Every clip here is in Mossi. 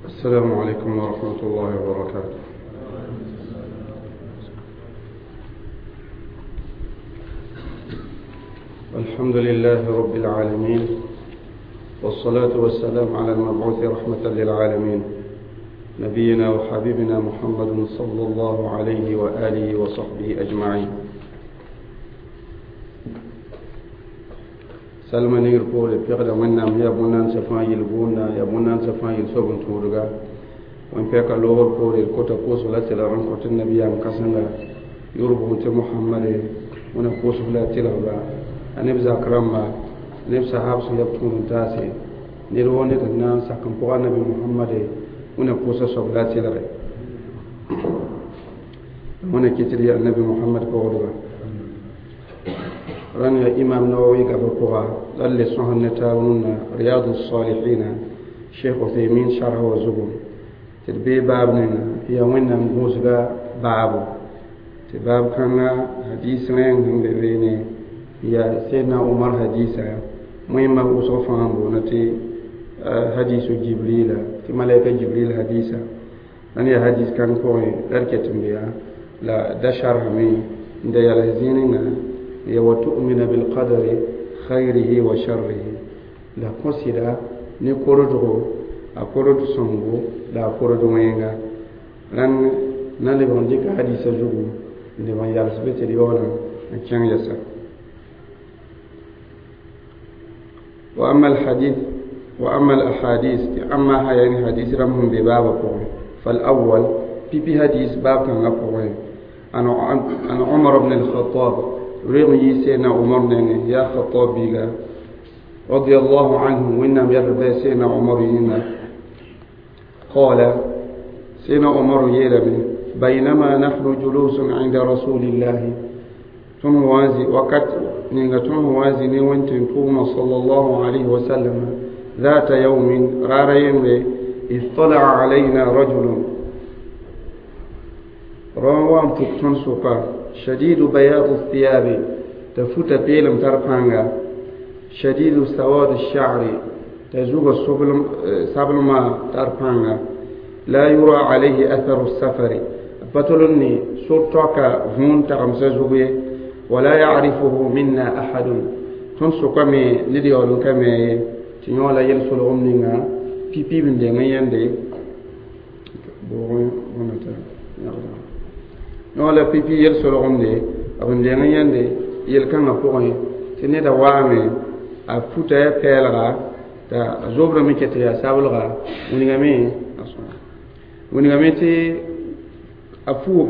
السلام عليكم ورحمة الله وبركاته. الحمد لله رب العالمين، والصلاة والسلام على المبعوث رحمة للعالمين، نبينا وحبيبنا محمد صلى الله عليه وآله وصحبه أجمعين. سلمى نير بول بيغدا وينام يا بونان سفان يلبونا يا بونان سفان يلسوبن تورغا وين بيكا لوغر بول الكوتا كوسو لا تلا ران كوت النبي ام كاسنغا يوربو تي محمد ونا كوسو لا تلا با انب زاكرما انب صحاب سو يبتون تاسي نير وني تنا ساكن بو النبي محمد ونا كوسو سو لا تلا ونا كتري النبي محمد بولغا ران إمام نووي قبل للي صهن تاوننا رياض الصالحين شيخ عثيمين شرح وزبون تربي بابنا يا وين موسغا بابو تباب كان حديث لين هم بيني يا سيدنا عمر حديثا مهم وصفان بونتي حديث جبريل تي ملائكة جبريل حديثا أن يا حديث كان كوي لركتم بيا لا دشر همي ده يلهزيننا يا وتؤمن بالقدر خيره وشره لا قصدا نكوردو أكورد سونغو لا أكورد وينغا لأن نالبون ديك حديث زوجو نبان يالس بيت اليوم كان يسر. وأما الحديث وأما الأحاديث أما هاي حديث رمهم بباب قوي. فالأول بي حديث باب كان قوي أنا عمر بن الخطاب رغي سيدنا عمر يا خطاب بيغا رضي الله عنه وإنم يربي سيدنا عمر هنا قال سيدنا عمر يلمي بينما نحن جلوس عند رسول الله ثم وازي وقت نيغتون وازي نيوانتين توما صلى الله عليه وسلم ذات يوم رارين اطلع علينا رجل روان تكتن سوكا شديد بياض الثياب تفوت بيلم ترفانغا شديد سواد الشعر تزوغ سبلما ترفانغا لا يرى عليه أثر السفر بطلني سرطك هون تغمسزوغي ولا يعرفه منا أحد تنسو كمي نديولو كمي تنيولا يلسل غمنينا بي بي بندين يندي بوغي ونتا نولا بي بي يلسل غمني أبن يندي يلكن أبوغي تنيدا وامي أفوتا يبالغا تا زوبر ميكتي يا سابلغا ونغمي ونغمي تي أفو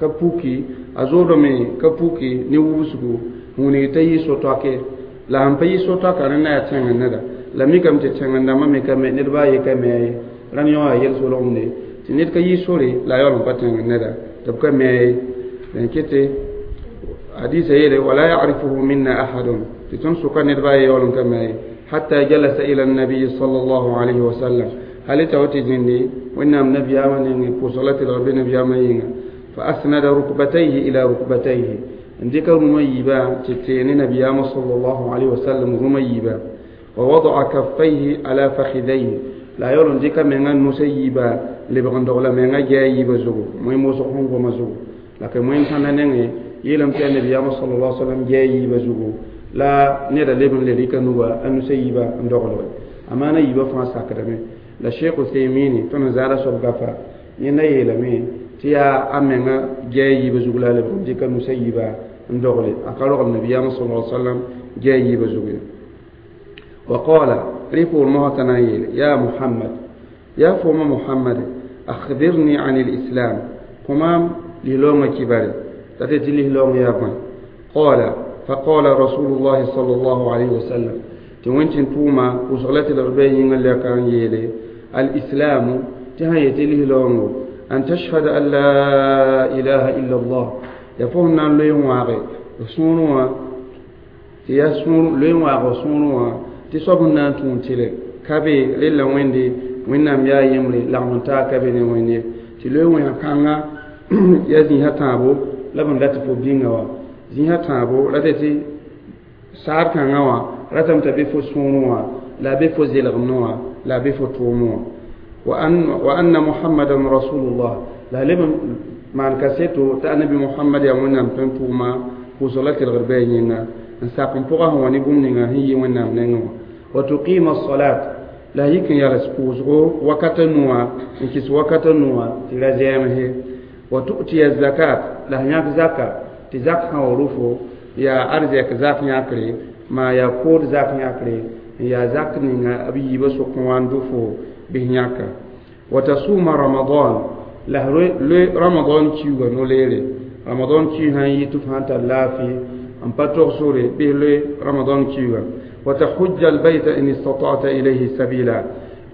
ka puki a zoodame ka puki ne wubsgu wũnig t'a yɩ so-toake la sẽn pa yɩ so-toaka rẽ na yaa tẽngr neda la mikame tɩ tẽng-dãmbã me ka me ned baa ye ka me a ye rãnd yõ yaa yel-solgemde tɩ ned ka yɩ sore la a yaool n pa tẽngr neda tɩ b ka me a ye dẽn kete hadisa yeele wala yarifuhu minna ahadun tɩ tõnd sʋka ned baa ye yaool n ka me a ye hatta jalasa ila annabiyi sal allahu alayhi wasallam hal t'a wa tɩ zĩndi wẽnnaam nabiyaamã nengẽ pʋʋsg la tɩlg be nabiyaamã yĩnga فأسند ركبتيه إلى ركبتيه عندك رميبا تتين نبيام صلى الله عليه وسلم رميبا ووضع كفيه على فخذيه لا يرون ديك من نسيبا لبغندغلا من جايبا زغو موي موسخون غوما زغو لكن موي كان نني يلم تي نبيام صلى الله عليه وسلم جايبا زغو لا نيدا لبن لريكا نوبا أنسيبا اندغلو أمانة يبا فرنسا كدمي لا شيخ عثيمين تنزال سبغفا ينا يلمي tɩ yaa a menga gɛɛ yiibã zug la a lebg n dɩka nusa yiiba n dogle a ka rogl nabiyaamã sal la sallam gɛɛ yiibã zug ye wa qala rɩ poor mosã t'a na n yeele ya muhammad ya fooma muhammad akhbirni an lislam kõ maam lislaoongã kibare t'a tɩ tɩ lislaoong yaa bõe qala faqala rasulullahi sal allahu alayhi wasallam tɩ wẽn tʋʋma pʋʋsg la tɩ lg bɩ a yĩngã lɛka n yeele alislamu tɩ sã yetɩ lislaoongo أن تشهد أن لا إله إلا الله يفهم أن لين واقع سونوا تيا سون لين واقع سونوا تصبنا تونتيل كابي للا ويندي وينام يا يمري لا كابي ويندي تلوي وين كانغا يا زين هتابو لبن لا تفو بينغا زين هتابو لا تتي سار كانغا وا راتم تبي فو سونوا لا بي فو زيلغنوا لا بي فو توموا وأن محمدا رسول الله لا لب maan kaseto t'a annabi muhammad yaa wẽnnaam tõe n tʋʋma pʋʋsg la kelgr bɩ a yĩnga n sak n pʋga sẽn wa ne bũmb ninga sẽn yi wẽnnaam nengẽ wã wa tuqima salat la yik n yals pʋʋsgo wakata nuwã n kɩs wakata nuwã tɩ ra zɛɛmse wa tu'tiya zakat la yãk zaka tɩ zak sã wa rʋfo yaa arzɛk zak yãkre maa yaa kood zak yãkre n yaa zak ninga b yiibã sʋk n wa n dʋ fo bɩs yãka wa tasuma ramadan la loe ramadan kiuga no-leere ramadan kiu sãn yi tɩ f sãn tar laafɩ n pa tog sore bɩs loe ramadan kiuga wa tahujja albayta in istata'ta ilayhi sabila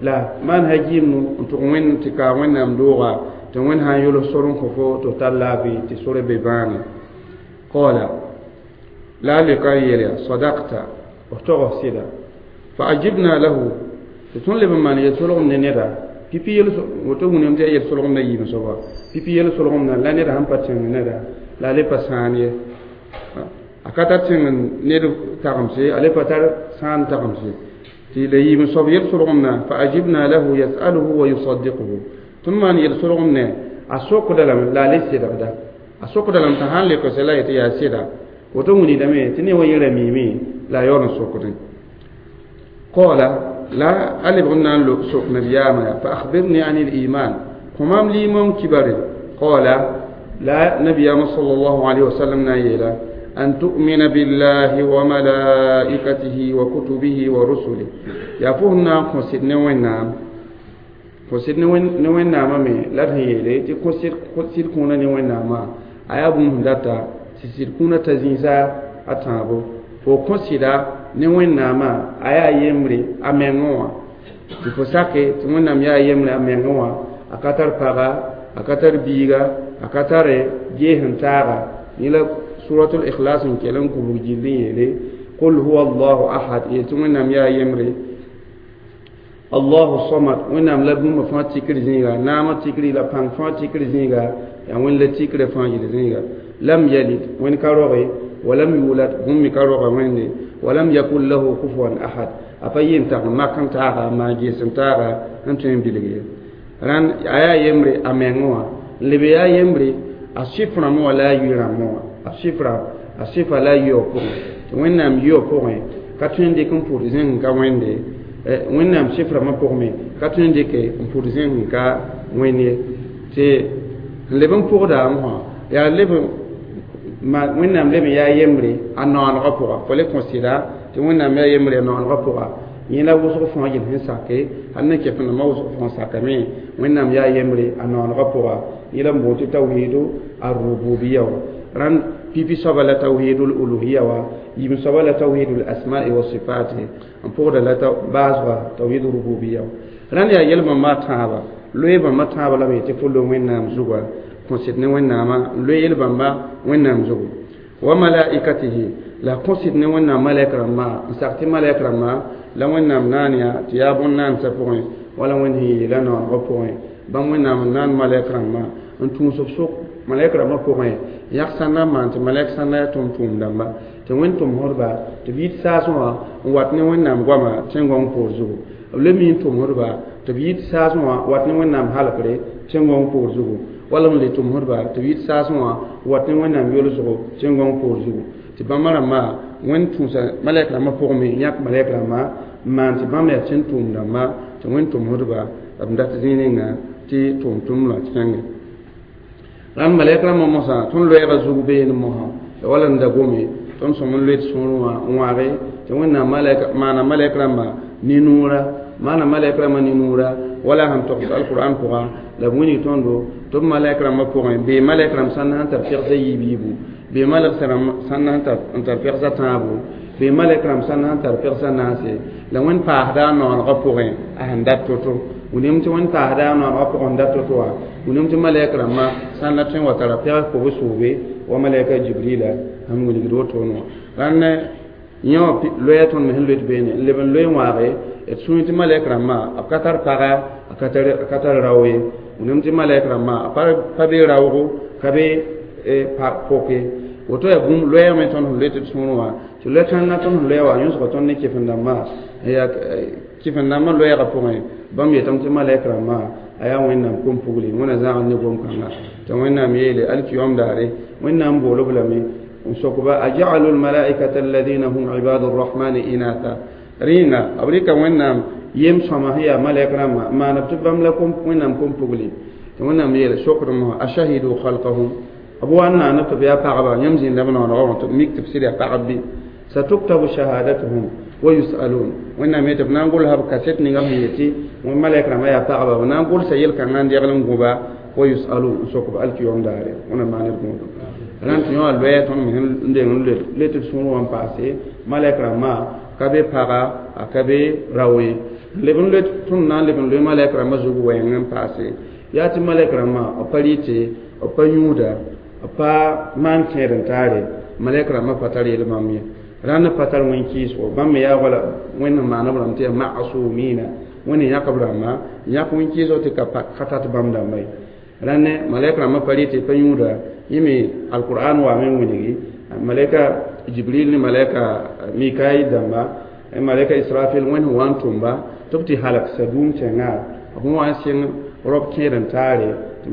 la maan ha gɩɩmnu n tʋg wẽnd tɩ kaa wẽnnaam dooga tɩ wẽnd sãn yols sor n kõ fo tɩ f tar laafɩ tɩ sore be bãane qala la a leoka n yeel yaa sadakta f tog f sɩda fa ajibna lahu tɩ tõnd leb n maan yel-solgem ne neda pipi yel woto wũname tɩ yaa yel-solgem na yiim soaba pipi yel-solgem na la neda sẽn pa tẽng neda la a le pa sãan ye a ka tar tẽng ned tagemse a le pa tar sãan tagemse tɩ la yiim soab yel-solgem na fa ajibna lahu yasaluhu wa yusaddiquhu tõnd maan yel-solgem ne a sokda lame la a le sedgda a sokda lame t'a sãn lekse la yetɩ yaa sɩda woto wĩnidame tɩ ne wa yẽ ra miime la a yaool n sokdẽ qala لا ألف غنا سوق نبياما فأخبرني عن الإيمان همام لي من كبر قال لا نبي صلى الله عليه وسلم نايلا أن تؤمن بالله وملائكته وكتبه ورسله يا فهنا خسر نوينام خسر نوينام مي لا هيلي تي خسر خسر كونا نوينام أيا بوم داتا سيسر كونا تزيزا أتابو fo kõsɩda ne wẽnnaamã a yaa yembre a mengẽ wã tɩ fo sake tɩ wẽnnaam yaa yembre a mengẽ wã a ka tar paga a ka tar biiga a ka tare gees n taaga yẽ la suratul ikhlas n kell n kubg gill n yeele qul huwa allahu ahad yeel tɩ wẽnnaam yaa yembre allahu samad wẽnnaam la bũmba fãa tikr zĩiga naamã tikri la pãng fãa tikr zĩiga yaa wẽnd la tikrã fãa yel zĩiga lam yalid wẽnd ka roge ولم يولد بوم كروغا ويندي ولم يكن له كفوا احد افا ينتا ما كان تاغا ما جيسن تاغا انتين بيلغي ران ايا يمري امنوا لبي يا يمري asifra mo la yira mo asifra asifa la yo ko wẽnnaam yio pʋgẽ ka tõe n dɩk n pʋd zẽng ka wẽnde wẽnnaam sifrãmã pʋgẽ ka tõe n dɩke n pʋd zẽng ka wẽnd ye tɩ n leb n pʋgda mosã yaa leb wẽnnaam leb n yaa yembre a noanegã pʋga fo le kõ sɩda tɩ wẽnnaam yaa yembre a noanegã pʋga yẽ la wʋsg fãa yel sẽn sake hal ne kɛf-rãmbã wʋsg fãa sakame wẽnnaam yaa yembre a noanegã pʋga yẽ la n boond tɩ tawhidu arrububiya wa rãnd pipi soaba la tawhidul uluhiya wa yim soaba la tawhidul asma'i wa sifati n pʋgda la baasga tawhid rububiya wa rãnd yaa yel-bãmba tãaba loe bãmba tãaba lame yetɩ fo lo wẽnnaam zuga kõsɩd ne wẽnnaamã n loe yel-bãmba wẽnnaam zugu wa malaikatihi la kõsɩd ne wẽnnaam malɛk rãmbã n sak tɩ malɛk rãmbã la wẽnnaam naan yaa tɩ yaa bõn-naansã pʋgẽ wala wẽnd sẽn yeela noanegã pʋgẽ bãmb wẽnnaam n naan malɛk rãmbã n tũus b sʋk malɛk rãmbã pʋgẽ yãk sãnda n maan tɩ malɛk sãnda yaa tʋm-tʋʋm dãmba tɩ wẽnd tʋmsdba tɩ b yit saasẽ wã n wat ne wẽnnaam goama tẽn-gõng poor zugu b le mi n tʋmsdba tɩ b yit saasẽ wã wat ne wẽnnaam halkre tẽn-gõng poor zugu wala n le tʋmsdba tɩ b yit saasẽ wã wat ne wẽnnaam yolsgo tẽn-gõng poor zugu tɩ bãmba rãmbã wẽnd tũusa malɛk rãmbã pʋgẽ me yãk malɛk rãmbã n maan tɩ bãmb yaa tẽn-tʋʋm dãmba tɩ wẽnd tʋmsdba b dat zĩig ninga tɩ tʋʋm-tʋm la kẽnge rãnd malɛk rãmbã mosã tõnd loɛɛgã zug beene mosã wala n da gome tõnd sõm n loe d sũurẽ wã n wãage tɩ wẽnnaam maana malɛk rãmba ne-nuurã maana malɛk rãmbã ne-nuurã wala sẽn togs alquran pʋga la b wilg tõndo tɩ b malɛk rãmbã pʋgẽ bee malɛk rãmb sãn sẽn tar pɛgsa yiib yiibu bee malɛk sãn n tar pɛgsa tãabo bee malɛk rãmb sãn sẽn tar pɛgsa naase la wẽnd paasda a noanegã pʋgẽ a sẽn dat to-to wilgame tɩ wẽnd paasda a noanegã pʋgẽ n dat to-to wã wilgame tɩ malɛk rãmbã sãn la tõe n wa tara pɛgs kob soobe wa malɛka jibrila sẽn wilgd wotone wã rãnd yẽ wã loɛɛ tõnd me sẽn loet beene n leb n loe n waage d sũur tɩ malɛk rãmbã b ka tar paga a ka tar rao ye wilgame tɩ malɛk rãmbã a pa be raoogo ka be poke woto yaa bũmb loɛɛgme tõnd sẽn loet d sũurẽ wã tɩ loɛ kãngã tõnd sẽn loɛ wã yõsga tõnd ne kefen-dãmbã yaa Kɩfẽn-dãmbã loɛɛgã pʋgẽ bãmb yetame tɩ malɛk rãmbã a yaa Wẽnnaam kom-pugli Wẽnna zãgd ne gom-kãnga tɩ Wẽnnaam yeele alkiyom daare Wẽnnaam bool-b lame n sok-ba aja'alu lmalaikata alladina hum ibadu rrahmani inatha rẽnga b rɩka Wẽnnaam yem sõma sẽn yaa malɛk rãmbã n maan b tɩ bãmb la Wẽnnaam kom-pugli tɩ Wẽnnaam yeele sokdme ashahidu khalqahum b wa n naanb tɩ b yaa pagba yãmb zĩnda b noonegã wã tɩ b mik tɩ b sɩd yaa pagb bɩ satuktabu shahadatuhum wa yusalun Wẽnnaam yetɩ b na n gʋlsa b kaset ninga sẽn yetɩ malɛk rãmbã yaa pagba b na n gʋlsa yel-kãngã n degl n gõba wa yusalun n sok b alkiyom daare wẽna maan d gõodum rãnd tɩ yõ a loɛɛ tõnd me sẽn deng n le tɩ d sũur wã n paase malɛk rãmbã ka be paga a ka be rao ye leb n loe tõnd na n leb n loe malɛk rãmbã zug wɛɛng n paase yaa tɩ malɛk rãmbã b pa rɩte b pa yũuda b pa maan kẽed n taare malɛk rãmbã pa tar yel bãmb ye rãnd pa tar wẽn-kɩɩsgo bãmb me yaa wala Wẽnd n maan b rãmb tɩ yaa masumina Wẽnd n yãk b rãmba n yãk wẽn-kɩɩsg tɩ ka tat bãmb dãmba ye rãnd malɛk rãmbã pa rɩte pa yũuda yẽ me alqur'an waame n wilgi malɛka Jibril ne malɛka Mikail dãmba malɛka Israfil Wẽnd sẽn wa n tʋmba tɩ b tɩ halk Sadum tẽngã b sẽn wa n sɩng rob kẽed n taare tɩ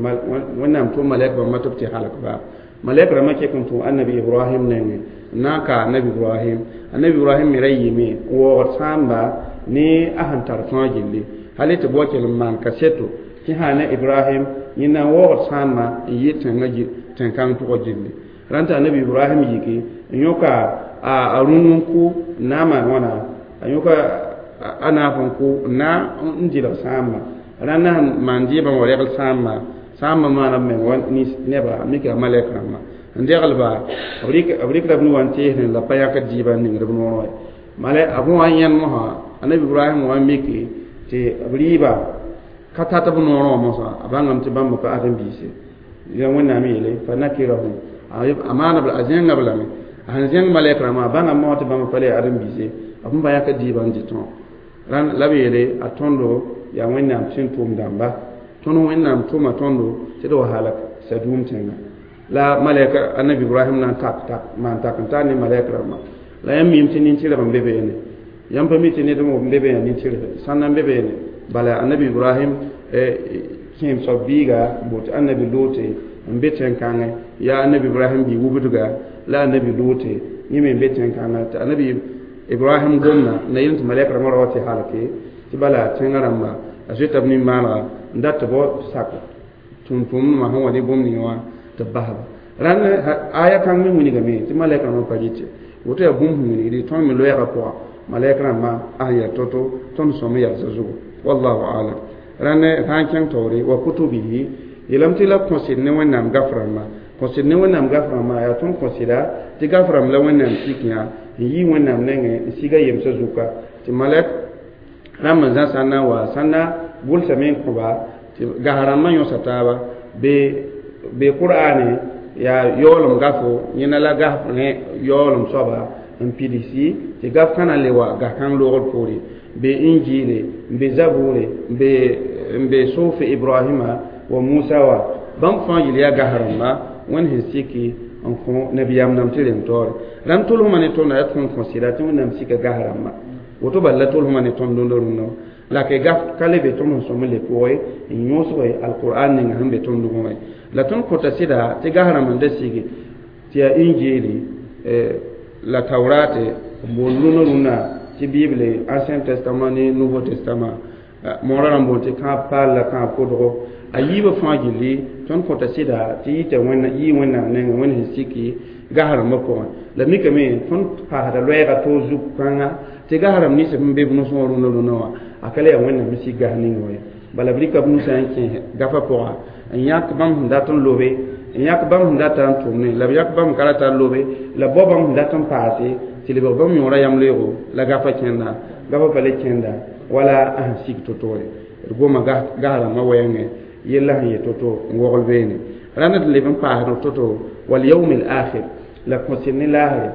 Wẽnnaam tʋm malɛk bãmba tɩ b tɩ halk ba malɛk rãmbã kek n tʋm annabi Ibrahim nengẽ n na n ka annabi Ibrahim annabi Ibrahim me ra yɩɩme n waoogd sãamba ne a sẽn tar fãa gilli hal tɩ b wa kell n maan kaseto tɩ sã ne Ibrahim yẽ na n waoogd sãamba n yɩ tẽngã tẽn-kãng pʋgã gilli rãnd tɩ annabi Ibrahim yiki n yõka a rũnu n kʋ n na n maan wãna a yõka a naaf n kʋ n na n dɩlg sãamba rãnd na sẽn maan dɩɩbã wa regl sãamba sãambã maana b meng wa neba mika malɛk rãmbã n deglba b rɩkda b nu wã n teesdẽ la pa yãkd dɩɩbã n ningd b noorẽ ye mala b wa n yẽnd mosã annabi Ibrahim wa n miki tɩ b rɩɩba ka tat b noorẽ wã mosã a bãngame tɩ bãmb pa ãdem-biise ya Wẽnnaam yeele fa nakirahum a maana a zẽnga b lame a sẽn zẽng malɛk rãmbã a bãngame mosã tɩ bãmb pa le ãdem-biise b sẽn pa yãkd dɩɩbã n dɩ tõog rãnd la b yeele a tõndo yaa Wẽnnaam sẽn tʋʋm dãmba tõnd Wẽnnaam tʋma tõndo tɩ d wa halk Sadum tẽnga la malɛka annabi Ibrahim na n tak tak maan tak n tar ne malɛk rãmbã la yãmb miime tɩ nin-tɩrg n be beene yãmb pa mi tɩ ned n be beene nin-tɩrg sãnda n be beene bala annabi Ibrahim kẽem soab biiga n boot annabi Loote n be tẽn-kãngẽ yaa annabi Ibrahim bii wubdga la annabi Loote yẽ me n be tẽn-kãngã tɩ annabi Ibrahim gomna na yel tɩ malɛk rãmbã ra wa tɩ halke tɩ bala tẽngã rãmba a zoeta b nin-maanega n dat tɩ bao sak tʋm-tʋmdmã sẽn wa ne bũmb ninga wã tɩ b basba rãnd aya kãng me wilgame tɩ malɛk rãmbã pa rɩte woto yaa bũmb sẽn wilgdi tõnd me loɛɛgã pʋga malɛk rãmbã a sẽn yaa to-to tõnd sõm n yalsã zugu wallahu alam rãnd sã n kẽng taoore wa kutubihi yeelame tɩ la kõsd ne Wẽnnaam gaf rãmbã kõsd ne Wẽnnaam gaf rãmbã yaa tõnd kõsda tɩ gaf rãmb la Wẽnnaam sik yã n yi Wẽnnaam nengẽ n siga yemsã zuka tɩ malɛk rãmb n zã sãn na n wa sãn na gʋlsame n kõba tɩ gas rãmbã yõsa taaba be qur'ane yaa yaoolem gafo yẽna la gaf yaoolem soaba n pidsi tɩ gaf kãna le wa gas kãng loogr poore be Injiile n be Zabure n be Sofe Ibrahima wa Musa wa bãmb fãa yel yaa gas rãmba Wẽnd sẽn siki n kõ nabiyaam dãmb tɩ reng taoore rãmb tʋlsmã ne tõnda yaa tõnd kõ sɩda tɩ Wẽnnaam sika gas rãmba woto bala la tʋlsmã ne tõnd dõnd rũnnã la ke gaf ka le be tõnd sẽn sõm n le pʋgẽ n yõsg alqur'an ninga sẽn be tõnd dugẽ la tõnd kõta sɩda tɩ gas rãmb n da sigi tɩ yaa Injiili la Taurate n boond rũnã rũnnã tɩ Bible Ancien Testament ne Nouveau Testament moorã rãmb boond tɩ kãab paal la kãab kodgo a yiibã fãa gilli tõnd kõta sɩda tɩ yita yɩ Wẽnnaam nengẽ Wẽnd sẽn siki gas rãmbã pʋgẽ la mikame tõnd paasda loɛɛga toog zug kãnga tɩ gas rãmb nins sẽn be b nusẽ wã rũnã rũnã wã a ka le yaa Wẽnnaam sẽn sik gas ning wã ye bala b rɩka b nusã n kẽ gafã pʋga n yãk bãmb sẽn dat n lobe n yãk bãmb sẽn dat n tʋmne la b yãk bãmb ka rata n lobe la bao bãmb sẽn dat n paase tɩ lebg bãmb yõora yam-leoogo la gafã kẽnda gafã pa le kẽnda wala a sẽn sik to-to ye d goma gas rãmbã wɛɛngẽ yella sẽn yet to-to n wogl beene rãnd d leb n paasd to-to wal yawm al akhir la kõsɩd ne laasre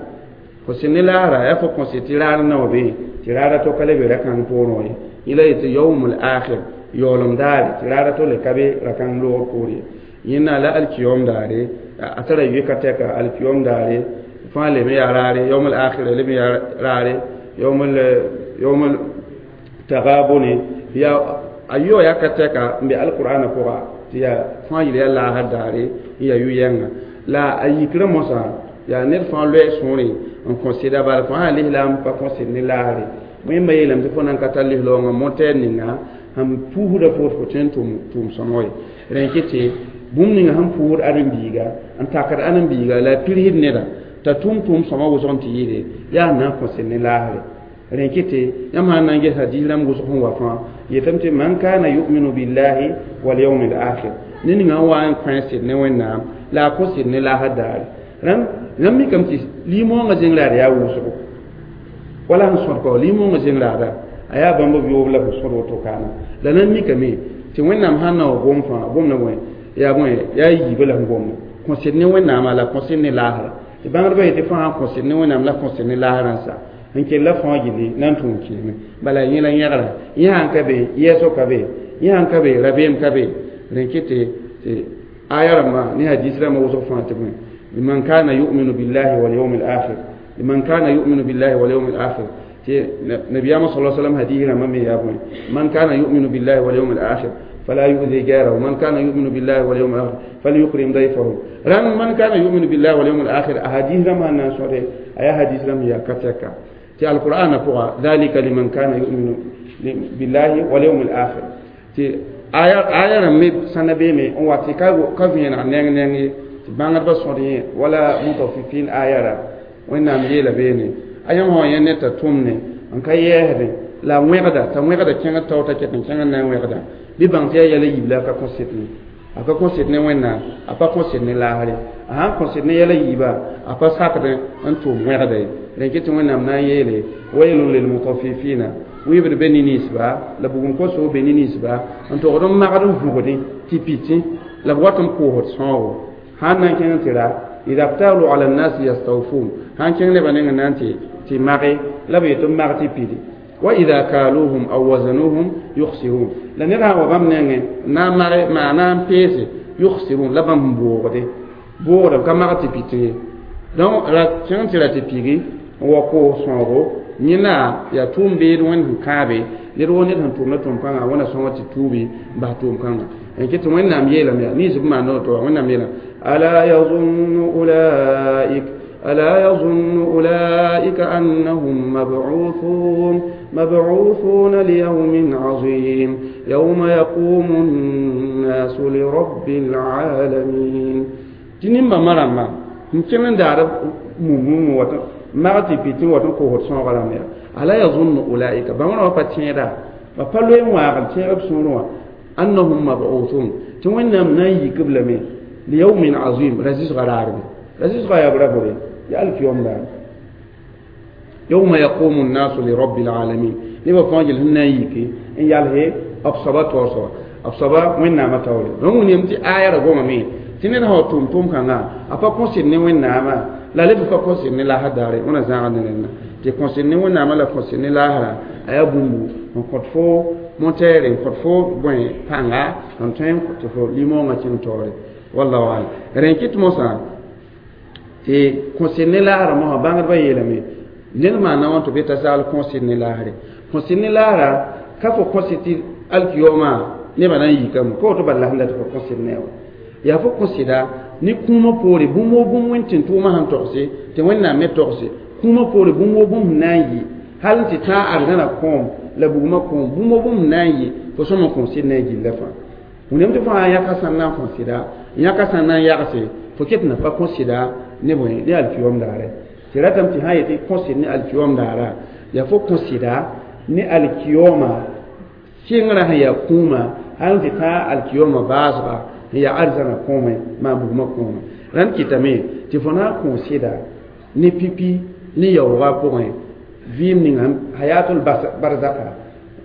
kõsɩd ne laasra yaa fo kõsɩd tɩ raar n na wa be tɩ raara to ka le be ra-kãng poorẽ ye yẽ la yetɩ yawm al akhir yaoolem daare tɩ raara to le ka be ra-kãng loogr poor ye yẽnna la alkiyom daare a tara yoka tɛka alkiyom daare fãa lem yaa raare yawm al akhir lem yaa raare yawm yawm tagabone ya ayo ya kateka mbe alqur'ana pʋga tɩ yaa fãa yɩl yaa laasr daare n yaa yʋ-yɛnga la a yikrã mosã yaa ned fãa loɛɛ sõore n kõ sɩda bala fãa sã lislaam pa kõ sɩd ne laasre wẽmba yeelame tɩ fo nan ka tar lislaoongã motɛɛr ninga sẽn puusda fo tɩ fo tõe n tʋʋm sõmg ye rẽ kɩ tɩ bũmb ninga sẽn puusd ãdem-biiga n takd ãdem-biiga la a pirsd neda t'a tʋʋm tʋʋm sõma wʋsg n tɩ yɩɩde yaa na n kõ sɩd ne laasre rẽ kɩ tɩ yãmb sã n na n ges hadiis rãmb wʋsg sẽn wa fãa yetame tɩ man kana yuminu billahi walyawmi alakhir ne ninga n wa n kõ sɩd ne wẽnnaam la a kõ sɩd ne laasr daare rãmb yãmb mikame tɩ limõongã zẽng raad yaa wʋsgo wala sẽn sõd kao limõongã zẽng raada a yaa bãmb b yoob la b sõd woto kaana la nan mikame tɩ wẽnnaam sãn na wa gom fãa gomda bõe yaa bõe yaa yiibã la sẽn gomda kõ sɩd ne wẽnnaamã la kõ sɩd ne laasra tɩ bãngdbã yetɩ fãa sãn kõ sɩd ne wẽnnaam la kõ sɩd ne laasrã n sa n kell la fãa gilli na n tʋʋm kɩɩme bala yẽ la yẽgra yẽ sãn ka be yɛɛsg ka be yẽ sãn ka be rabeem ka be rẽ kɩ tɩ aya rãmbã ne hadis rãmbã wʋsg fãa tɩ bõe liman kana yuminu billahi walyawmi alakhir liman kana yuminu billahi walyawmi alakhir tɩ nabiyama sa sallam hadis rãmbã me yaa bõe man kana yuminu billahi walyawmi alakhir فلا يؤذي جاره من كان يؤمن بالله واليوم الآخر فليكرم ضيفه ران من كان يؤمن بالله واليوم الآخر أحاديث رمى الناس أي حديث رمى يا كتكا تي القرآن فوق ذلك لمن كان يؤمن بالله واليوم الآخر تي آية آية رمي سنبي مي on wati ka ka vẽeneg neng neng ye tɩ bãngdbã sõd yẽ wala mutafifin aya ra wẽnnaam yeela beene a yãmb sã yẽ ned t'a tʋmne n ka yɛɛsdẽ la a wẽgda t'a wẽgda kẽngd tao t'a ket n kẽngd na n wẽgda bɩ bãng tɩ yaa yɛla yiib la a ka kõ sɩd ne a ka kõ sɩd ne wẽnnaam a pa kõ sɩd ne laasre a sãn kõ sɩd ne yɛla yiiba a pa sakd n tʋʋm wẽgda ye rẽ kɩ tɩ wẽnnaam na n yeele wailun lilmutafifina wɩɩbd be ne-ninsba la bugum kosogo be ne-ninsba n togd n magd n vʋgdẽ tɩ pɩtẽ la b wat n koosd sãoogo sãn na n kẽng tɩ ra ida btalu ala nnasi yastawfun sãn kẽng nebã nengẽ na n tɩ mage la b yetɩ b mag tɩ pidi wa ida kaluhum aw wazanuhum yukhsirun la ned sã n wa bãmb nengẽ na n mage maa na n peese yukhsirun la bãmb n boogde boogda b ka mag tɩ pit ye donc ra kẽng tɩ ra tɩ pigi n wa koos sõogo yẽna yaa tʋʋm beed wẽnd sẽn kãabe ned woo ned sẽn tʋmda tʋʋm-kãngã wẽna sõnga tɩ tuubi n bas tʋʋm-kãngã n kɩ tɩ wẽnnaam yeelame yaa ninsb maan to wẽnnaam yeelame ala yazunnu ulaik ألا يظن أولئك أنهم مبعوثون مبعوثون ليوم عظيم يوم يقوم الناس لرب العالمين تنين مرما نكمل دار مم وات ما تي وات كو هوت سون غلا ألا يظن أولئك بمن وفاتيرا بفلوين واغل تيرب سونوا أنهم مبعوثون تنين ناي قبل مي ليوم عظيم رزيز غراربي رزيز غياب ربوي يا ألف يوم لا يوم يقوم الناس لرب العالمين نبا فاجل هنا يكي إن يالهي أبصبا توصوا أبصبا وين نعم تولي رغم يمتي آية رغم مي تنين هو توم توم كان أبا كونسير ني وين نعم لا لب فا كونسير ني لا هداري وانا زان نينا تي كونسير ني وين نعم لا كونسير ني لا هرا أيا بومبو n kõt fo montere n kõt fo bõe pãnga n tõe n tɩ fo limõongã kẽng taoore wallahu alam rẽ kɩt mosã tɩ kõsɩd ne laasrã mosã bãngdbã yeelame ned maana wã tɩ be t'a saal kõsɩd ne laasre kõsɩd ne laasra ka fo kõsɩd tɩ alkiyoomã nebã na n yikame ka woto bala la sẽn dat fo kõsɩd ne wa yaa fo kõsɩda ne kũumã poore bũmb woo bũmb wẽnd tɩ n tʋʋmã sẽn togse tɩ wẽnnaam me togse kũumã poore bũmb woo bũmb sẽn na n yɩ hal n tɩ tãag arzãna kõom la bugmã kõom bũmb woo bũmb sẽn na n yɩ fo sõma kõsɩd ne a gilla fãa wẽnnaam tɩ fo sã n yãka sãn na n kõsɩda n yãka sãn na n yagse fo ket na pa kõsɩda ne bõe ne alkiyom daare tɩ ratame tɩ sã n yetɩ kõsɩd ne alkiyom daara yaa fo kõsɩda ne alkiyoma sɩngrã sẽn yaa kũumã hal n tɩ tãag alkiyoma baasga n yaa arzãna kõome maa bugmã kõome rãnd kɩtame tɩ fo na n kõsɩda ne pipi ne yaoogã pʋgẽ vɩɩm ninga hayatul barzaka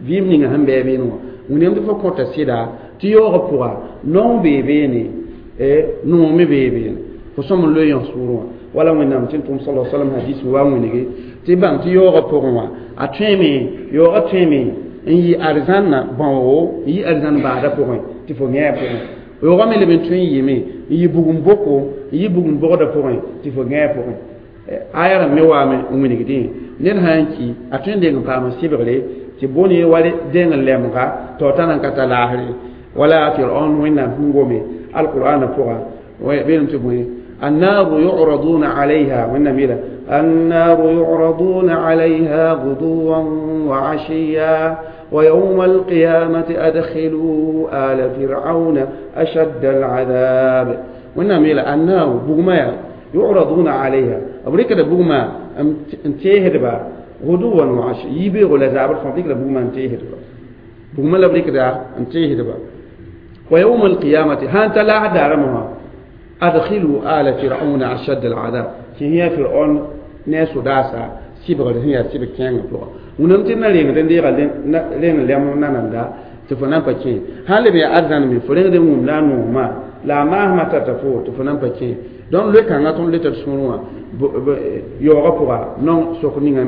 vɩɩm ninga sẽn bɩ beene wã wẽnnaam tɩ fo kõta sɩda tɩ yaoogã pʋga naong bee beene noog me bee beene fo sõm n loe yãs sʋʋrẽ wã wala wẽnnaam tɩ n tʋm sala salam hadis wa wẽnege tɩ bãng tɩ yaoogã pʋgẽ wã a tõeme yaoogã tõeme n yɩ arzãnna bãoogo n yɩ arzãn baada pʋgẽ tɩ fo yẽ a pʋgẽ yaoogã me leb n tõe n yɩme n yɩ bugum boko n yɩ bugum bogdã pʋgẽ tɩ fo yẽ a pʋgẽ aya rãmb me waame n wĩnigdẽ ned sã n ki a tõe n deng n paam sɩbgre Tɩ bõne wa dẽng lemga tɩ t'a nan ka ta laasre wala Fir'aun Wẽnnaam sẽn gome alqur'ana pʋga beelem tɩ bõe النار يعرضون عليها والنميلة النار يعرضون عليها غدوا وعشيا ويوم القيامة أدخلوا آل فرعون أشد العذاب والنميلة النار بغما يعرضون عليها أبريكا بغما انتهد با غدوا وعشيا يبيغ لزابر فانتك بغما انتهد با بغما لبريكا انتهد با ويوم القيامة هانت لا دارمها أدخلوا آل فرعون أشد العذاب. هي فرعون ناس داسا سيبغ هي سيبغ كان فوق ونمت نالين دين لين لم ناندا تفنان بكين هل بي أذن من فرين دين وم ما لا ما ما تتفو تفنان بكين donc le kanga ton le tɩ sũurẽ wã yaoogã pʋga non sok ninga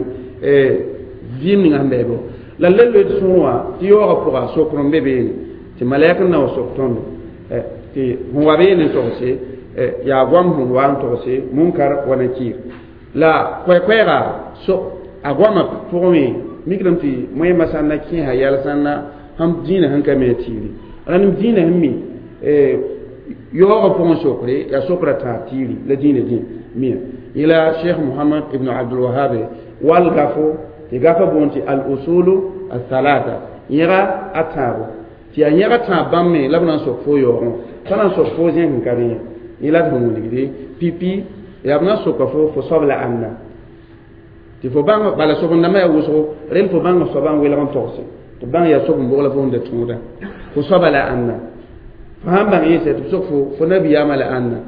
vɩɩm ninga sẽn bɩ la le loe tɩ sũurẽ wã tɩ yaoogã pʋga sokr n be beene tɩ malɛk n na wa sok tõndo tɩ sẽn wa beene n togse yaa goam sẽn wa n togse munkar wa nakir la koɛ-koɛɛga so a goamã pʋgẽ mikdame tɩ moẽmã sã n na kẽesa yɛl sã n na sãn dĩinã sẽn ka me a tiiri rãnd dĩinã sẽn mi yaoogã pʋgẽ sokre yaa sokra tãag tiiri la dĩinã dĩ mia ila cheikh Mohamad ibn Abdul Wahab wal gafo tɩ gafa boond tɩ al usulu althalata yẽga a tãabo tɩ yaa yẽga tãab bãmb me la b na n sok fo yaoogẽ pa na n sok fo zẽk n ka rẽ yẽ la d sẽn wilgde pipi yaa b na n soka fo soab la ãnna tɩ fo bãng bala sob-n-dãmbã yaa wʋsgo rẽnd fo bãng soabã n welg n togse tɩ bãng yaa sob n bog la fo sẽn da tũuda fo soaba la ãnna fo sãn bãng yẽsa tɩ b sok fo nabiyaamã la ãnna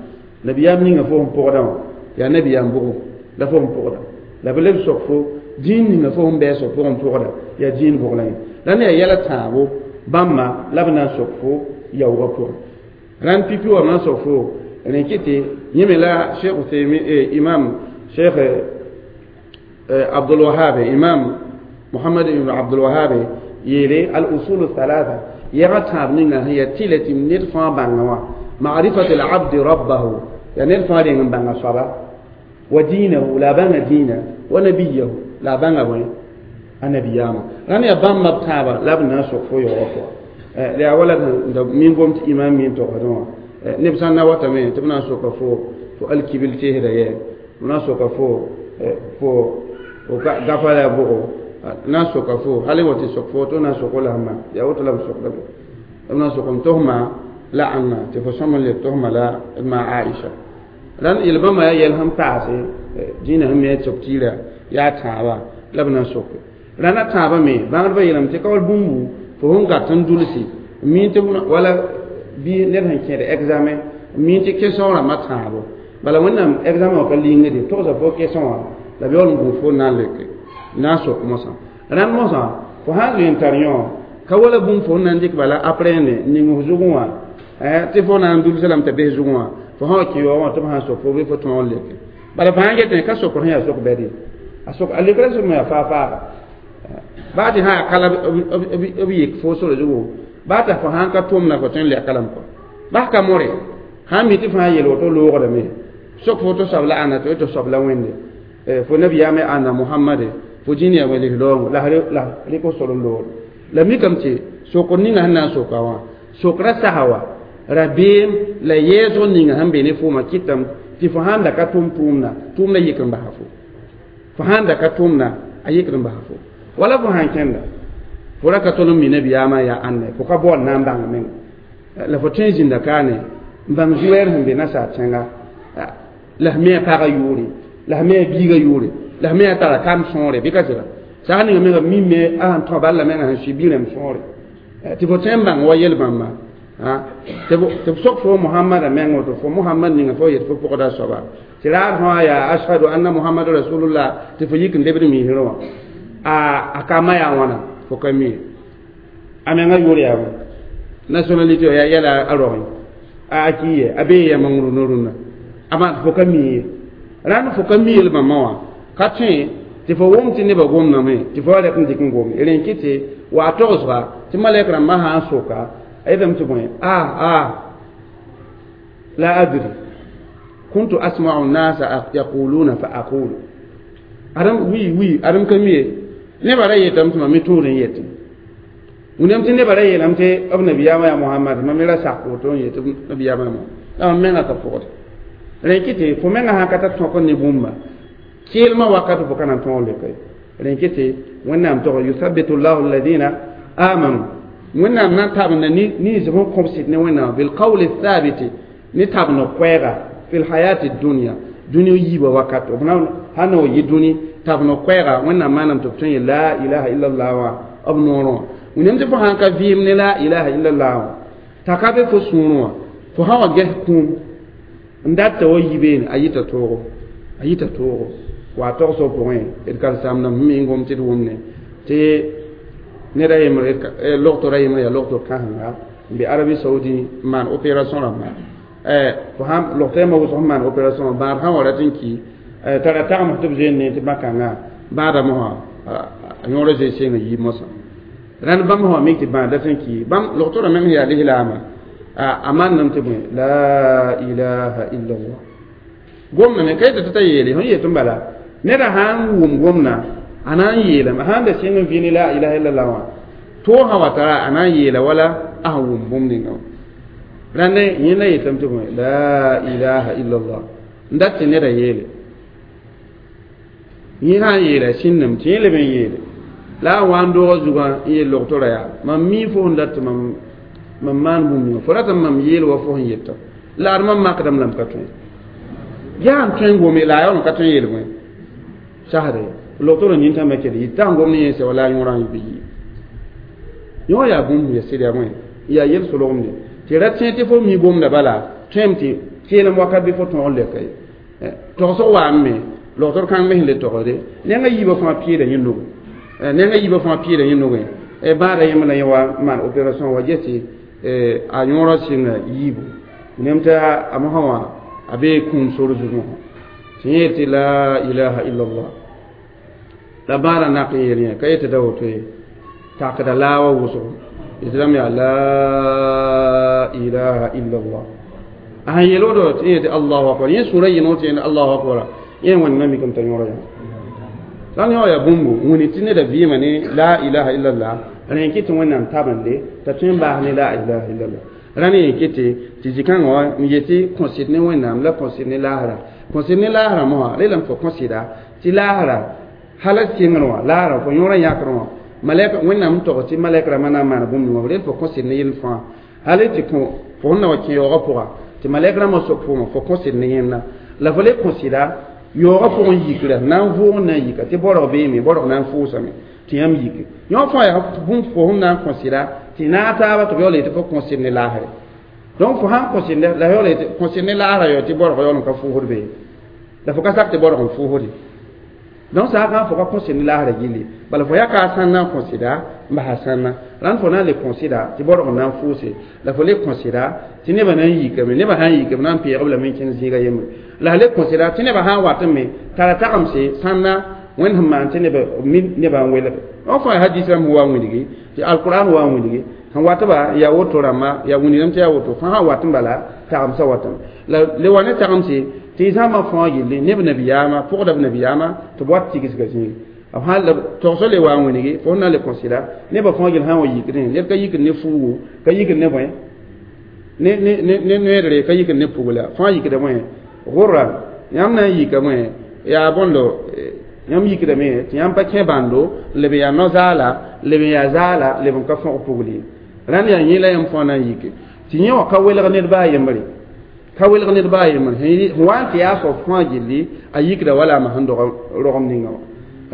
nabiyaam ninga fo sẽn pʋgdã wã yaa nabiyaam bʋgo la fo sẽn pʋgda la b leb sok fo dĩin ninga fo sẽn bɛɛsg pʋgẽ pʋgda yaa dĩin bʋg la yẽ la ne yaa yɛla tãabo bãmba la b na n sok fo yaoogã pʋgẽ rãnd pipi wa b na n sok fo rẽ kɩtɩ yẽ me la cheikh Useymi imam cheikh Abdul Wahab imam Muhammad ibn Abdul Wahab yeele al usul thalatha yɛga tãab ninga sẽn yaa tɩlɛ tɩ ned fãa bãnga wã ma'rifat al abdi rabbahu yaa ned fãa reng n bãnga soaba wa diinahu la a bãnga dĩinã wa nabiyahu la a bãnga bõe a nabiyaamã rãnd yaa bãmba b tãabã la b na n sok fo yaoogã pʋga la yaa wala da min gom tɩ imam min togsdẽ wã neb sã n na watame tɩ b na n soka fo alkibil teesda yɛ b na n soka fo fo gafa la bʋgo na n soka fo hal wa tɩ sok fo tɩ na n sok la sẽma yaa woto la b sokda b na n sokem tosma la ãnga tɩ fo sõm n leb tosma la ma Aisha rãnd yel-bãmba yaa yɛl sẽn paase dĩinã sẽn me a sok tiira yaa tãabã la b na n soke rãnd a tãabã me bãngdbã yeelame tɩ ka wall bũmbu fo sẽn gat n dulsi mi tɩ wala bɩ ned sẽn kẽed examen mi tɩ question rãmbã tãabo bala Wẽnnaam examen wã ka lingde togsa fo question wã la b yaool n gũus fo na n leke na n sok mosã rãnd mosã fo sã n zoe n tar yõ ka wala bũmb fo n na n dɩk bala aprende ning f zugẽ wã tɩ fo na n dulsa lame t'a bes zugẽ wã fo sã wa kẽ yaoogã wã tɩ b sã n sok fo bɩ fo tõog n leke bala fo sã n getẽ ka sokr sẽn yaa sok bɛd ye a sok a lekra sẽn yaa faa-faaga baa tɩ sã yaa kala b yik fo sore zugu baa t'a fo sãn ka tʋmna fo tõe n lɛka lame kɔ bas ka more sãn mi tɩ fãa yel woto loogdame sok fo tɩ soab la ãnna tɩ tɩ soab la Wẽnde fo nabiyaame ãnna Mohamade fo dĩn yaa wẽnd loongo la rɩk f sor n loogd la mikame tɩ sokr ninga sẽn na n soka wã sokra sasa wa rabeem la yɛɛsg ninga sẽn be ne foomã kɩtame tɩ fo sãn da ka tʋm tʋʋmda tʋʋmda yik n basa fo fo sãn da ka tʋmda a yikd n basa fo wala fo sãn kẽnda fo ra ka tõl n mi nabiyaamã yaa ãnna fo ka baood na n bãng menga la fo tõe n zĩnda kaane n bãng zu-wɛɛr sẽn be nasaar tẽnga la f me a pagã yʋʋre la f me a biigã yʋʋre la f me a tara kam sõore bɩ ka sɩda sag ninga menga mime a sẽn tõ bal la menga sẽn sʋɩ bi-rãmb sõore tɩ fo tõe n bãng wa yel-bãmba tɩ b sok fo Mohamada meng woto fo Mohamad ninga fo yet fo pʋgda soaba tɩ raad fãa yaa ashhadu anna Mohamad rasulullah tɩ fo yik n lebd miisrẽ wã a ka ma yaa wãna fo ka mi a menga yʋʋr yaa nationalité yaa yɛla a rogẽ a ki ye a bee yãmb rũnã rũnã ama fo ka mi ye rãnd fo ka mi yel-bãmbã wã ka tõe tɩ fo wʋm tɩ nebã gomdame tɩ fo wa rɛk n dɩk n gome rẽn kɩ tɩ wa a togsga tɩ malɛk rãmbã sã n soka a yetame tɩ bõe a la adri kuntu asma'u nasa yaquluna fa aqulu adam wi wi adam ka mi ye Nebã ra yeetame tɩ mam me tũud n yetẽ wĩnam tɩ nebã ra yeelame tɩ b nabiyaamã yaa Mohamad, mam me ra sak woto n yet tɩ nabiyaamã yaa Mohamad. La mam mengã ka pʋgd rẽ kɩ tɩ fo mengã sã ka tar tõk ne bũmba keelmã wakat fo ka na n tõog leka ye. Rẽ kɩ tɩ Wẽnnaam tog yuthabitu llahu alladina amanu, Wẽnnaam na n tabenda nins b sẽn kõb sɩd ne Wẽnnaam bilqawli thabiti ne tabend koɛɛga fi lhayati dunia, dũni yiibã wakat b na sã na wa yɩ dũni tabend koɛɛga. Wẽnnaam maanam tɩ b tõe n yeel la ilaha illallah wã b noorẽ wã. Wĩnam tɩ fo sãn ka vɩɩm ne la ilaha illallah wã t'a ka be fo sũurẽ wã, fo sã wa ges kũum n dat t'a wa yi beene, a yita toogo, a yita toogo wa togsg pʋgẽ. D karen-saambdãmb sẽn me n gom tɩ d wʋmne tɩ ned a yembre logtora yembre yaa logtor kãsenga n be Arabi Saoudi n maan opération rãmba. Fo sãn logto yãmba wʋsg sẽn maan opération bãad sã wa rat n ki tara tagms tɩ b zoeen ne tɩ bãkãngã bãada mosã a yõora zoe seng n yi mosã. Rãnd bãmb sã wa mik tɩ bãad dat n ki bãmb logtorã meng sẽn yaa lislaamã a mannem tɩ bõe la ilaha illallah gomdame ka yetɩ tɩ t'a yeele sẽn yet n bala neda sã n wʋm gomdã a na n yeelame, a sãn da sẽng n vɩ ne la ilaha illallah wã toog sã wa tara a na n yeela wala a sẽn wʋm bũmb ninga wã. Rãnd yẽnda yetame tɩ bõe la ilaha illallah n dat tɩ neda yeele yẽ sã n yeela sĩndame tɩ yẽ leb n yeele la a wa n doogã zugã n yeel logtora yaa mam mi fo sẽn dat tɩ mam mam maan bũmb ninga fo ratame mam yeel wa fo sẽn yeta la ad mam makdame la m ka tõe yaa n tõe n gome la a yaool n ka tõe n yeel bõe sasda logtorã nintãmbã kell yɩ t'a n gom ne yẽnsa wala a yõorã n bɩ yɩ yõ yaa bũmb ya sɩd yaa bõe yaa yel-solgemde tɩ ra tẽ tɩ fo mi gomda bala tõem tɩ keelem wakat bɩ fo tõog n lɛka ye togsg waame me logtor kãng me sẽn le togsde nengã yiibã fãa pɩɩda yẽ nugẽ, nengã yiibã fãa pɩɩda yẽ nugẽ. Bãada yẽmb la yẽ wa maan opération wa ges tɩ a yõorã sɩnga yiibu nem tɩ a mosã wã a bee kũum sor zugẽ wã tɩ yẽ yel tɩ la ilaha illallah la bãada nak n yeel yẽ ka yetɩ da woto ye takda laa wa wʋsgo yetɩ yaa la ilaha illallah a sẽn yel woto tɩ yẽ tɩ allahu akbar yẽ sũurã yɩno tɩ yẽ allahu akbar yẽ wẽnnaam mikame t'a yõora yã sãn yã yaa bũmbu wĩni tɩ neda vɩɩmã ne la ilaha illallah rẽ kɩ tɩ Wẽnnaam tabende t'a tõe n baas ne la ilaha illallah. Rãnd yẽ kɩ tɩ zĩ-kãngã wã n yetɩ kõsɩd ne Wẽnnaam la kõsɩd ne laasra, kõsɩd ne laasrã mosã relame fo kõsɩda tɩ laasra hala sɩngr wã laasrã fo yõorã yãkr wã malɛk Wẽnnaam n tog tɩ malɛk rãmbã na n maana bũmb ninga rel fo kõsɩd ne yell fãa hal tɩ kõ fo sẽn na wa kẽ yaoogã pʋga tɩ malɛk rãmbã sok fooma fo kõsɩd ne yẽnda la fo le kõsɩda yaoogã pʋgẽ yikra na n vʋʋg n na n yika tɩ borg beeme borg na n fʋʋsame tɩ yãmb yike yõ fãa yaa bũmb fo sẽn na n kõsɩda tɩ naag taaba tɩ b yaool yetɩ fo kõsɩd ne laasre. Donc fo sãn kõsɩd la yaool yetɩ kõsɩd ne laasrã yao tɩ borg yaool n ka fʋʋsd be la fo ka sak tɩ borg n fʋʋsde. Donc saakã fo ka kõsɩd ne laasrã gilli bala fo yaka a sãnna n kõsɩda n basa sãnna rãnd fo na n le kõsɩda tɩ borg n na n fʋʋse la fo le kõsɩda tɩ nebã na n yikame nebã sã n yikame na n peegb lame n kẽnd zĩiga yembre la le kõsɩda tɩ nebã sã n wat n me tara tagemse sãnna Wẽnd sẽn maan tɩ neba mi nebã n welge n fãa hadis rãmb wa n wilgi tɩ alquran wa n wilgi sẽn watba yaa woto rãmba yaa wĩnigame tɩ yaa woto fãa sã wat n bala tagemsã watame la le wa ne tagemse tɩ zãma fãa gilli neb nabiyaamã pʋgda b nabiyaamã tɩ b wat tigsga zĩigi b sãn la togsg le wa n wilgi fo sẽn na n le kõsɩda nebã fãa gill sã n wa yikdẽ ned ka yikd ne fuugu ka yikd ne bõe ne ne ne noeedre ka yikd ne pugla fãa yikda bõe gʋrra yãmb na n yika bõe yaa bõndo yãmb yikdame tɩ yãmb pa kẽ bãndo leb yaa no-zaala leb n yaa zaala leb n ka fõg pugl ye rãnd yaa yẽ la yãmb fãa na n yike tɩ yẽ wã ka welg ned baa yembre ka welg ned baa yembre sẽn wa n tɩ yaa soab fãa gilli a yikda wala a sẽn dog rogem ninga wã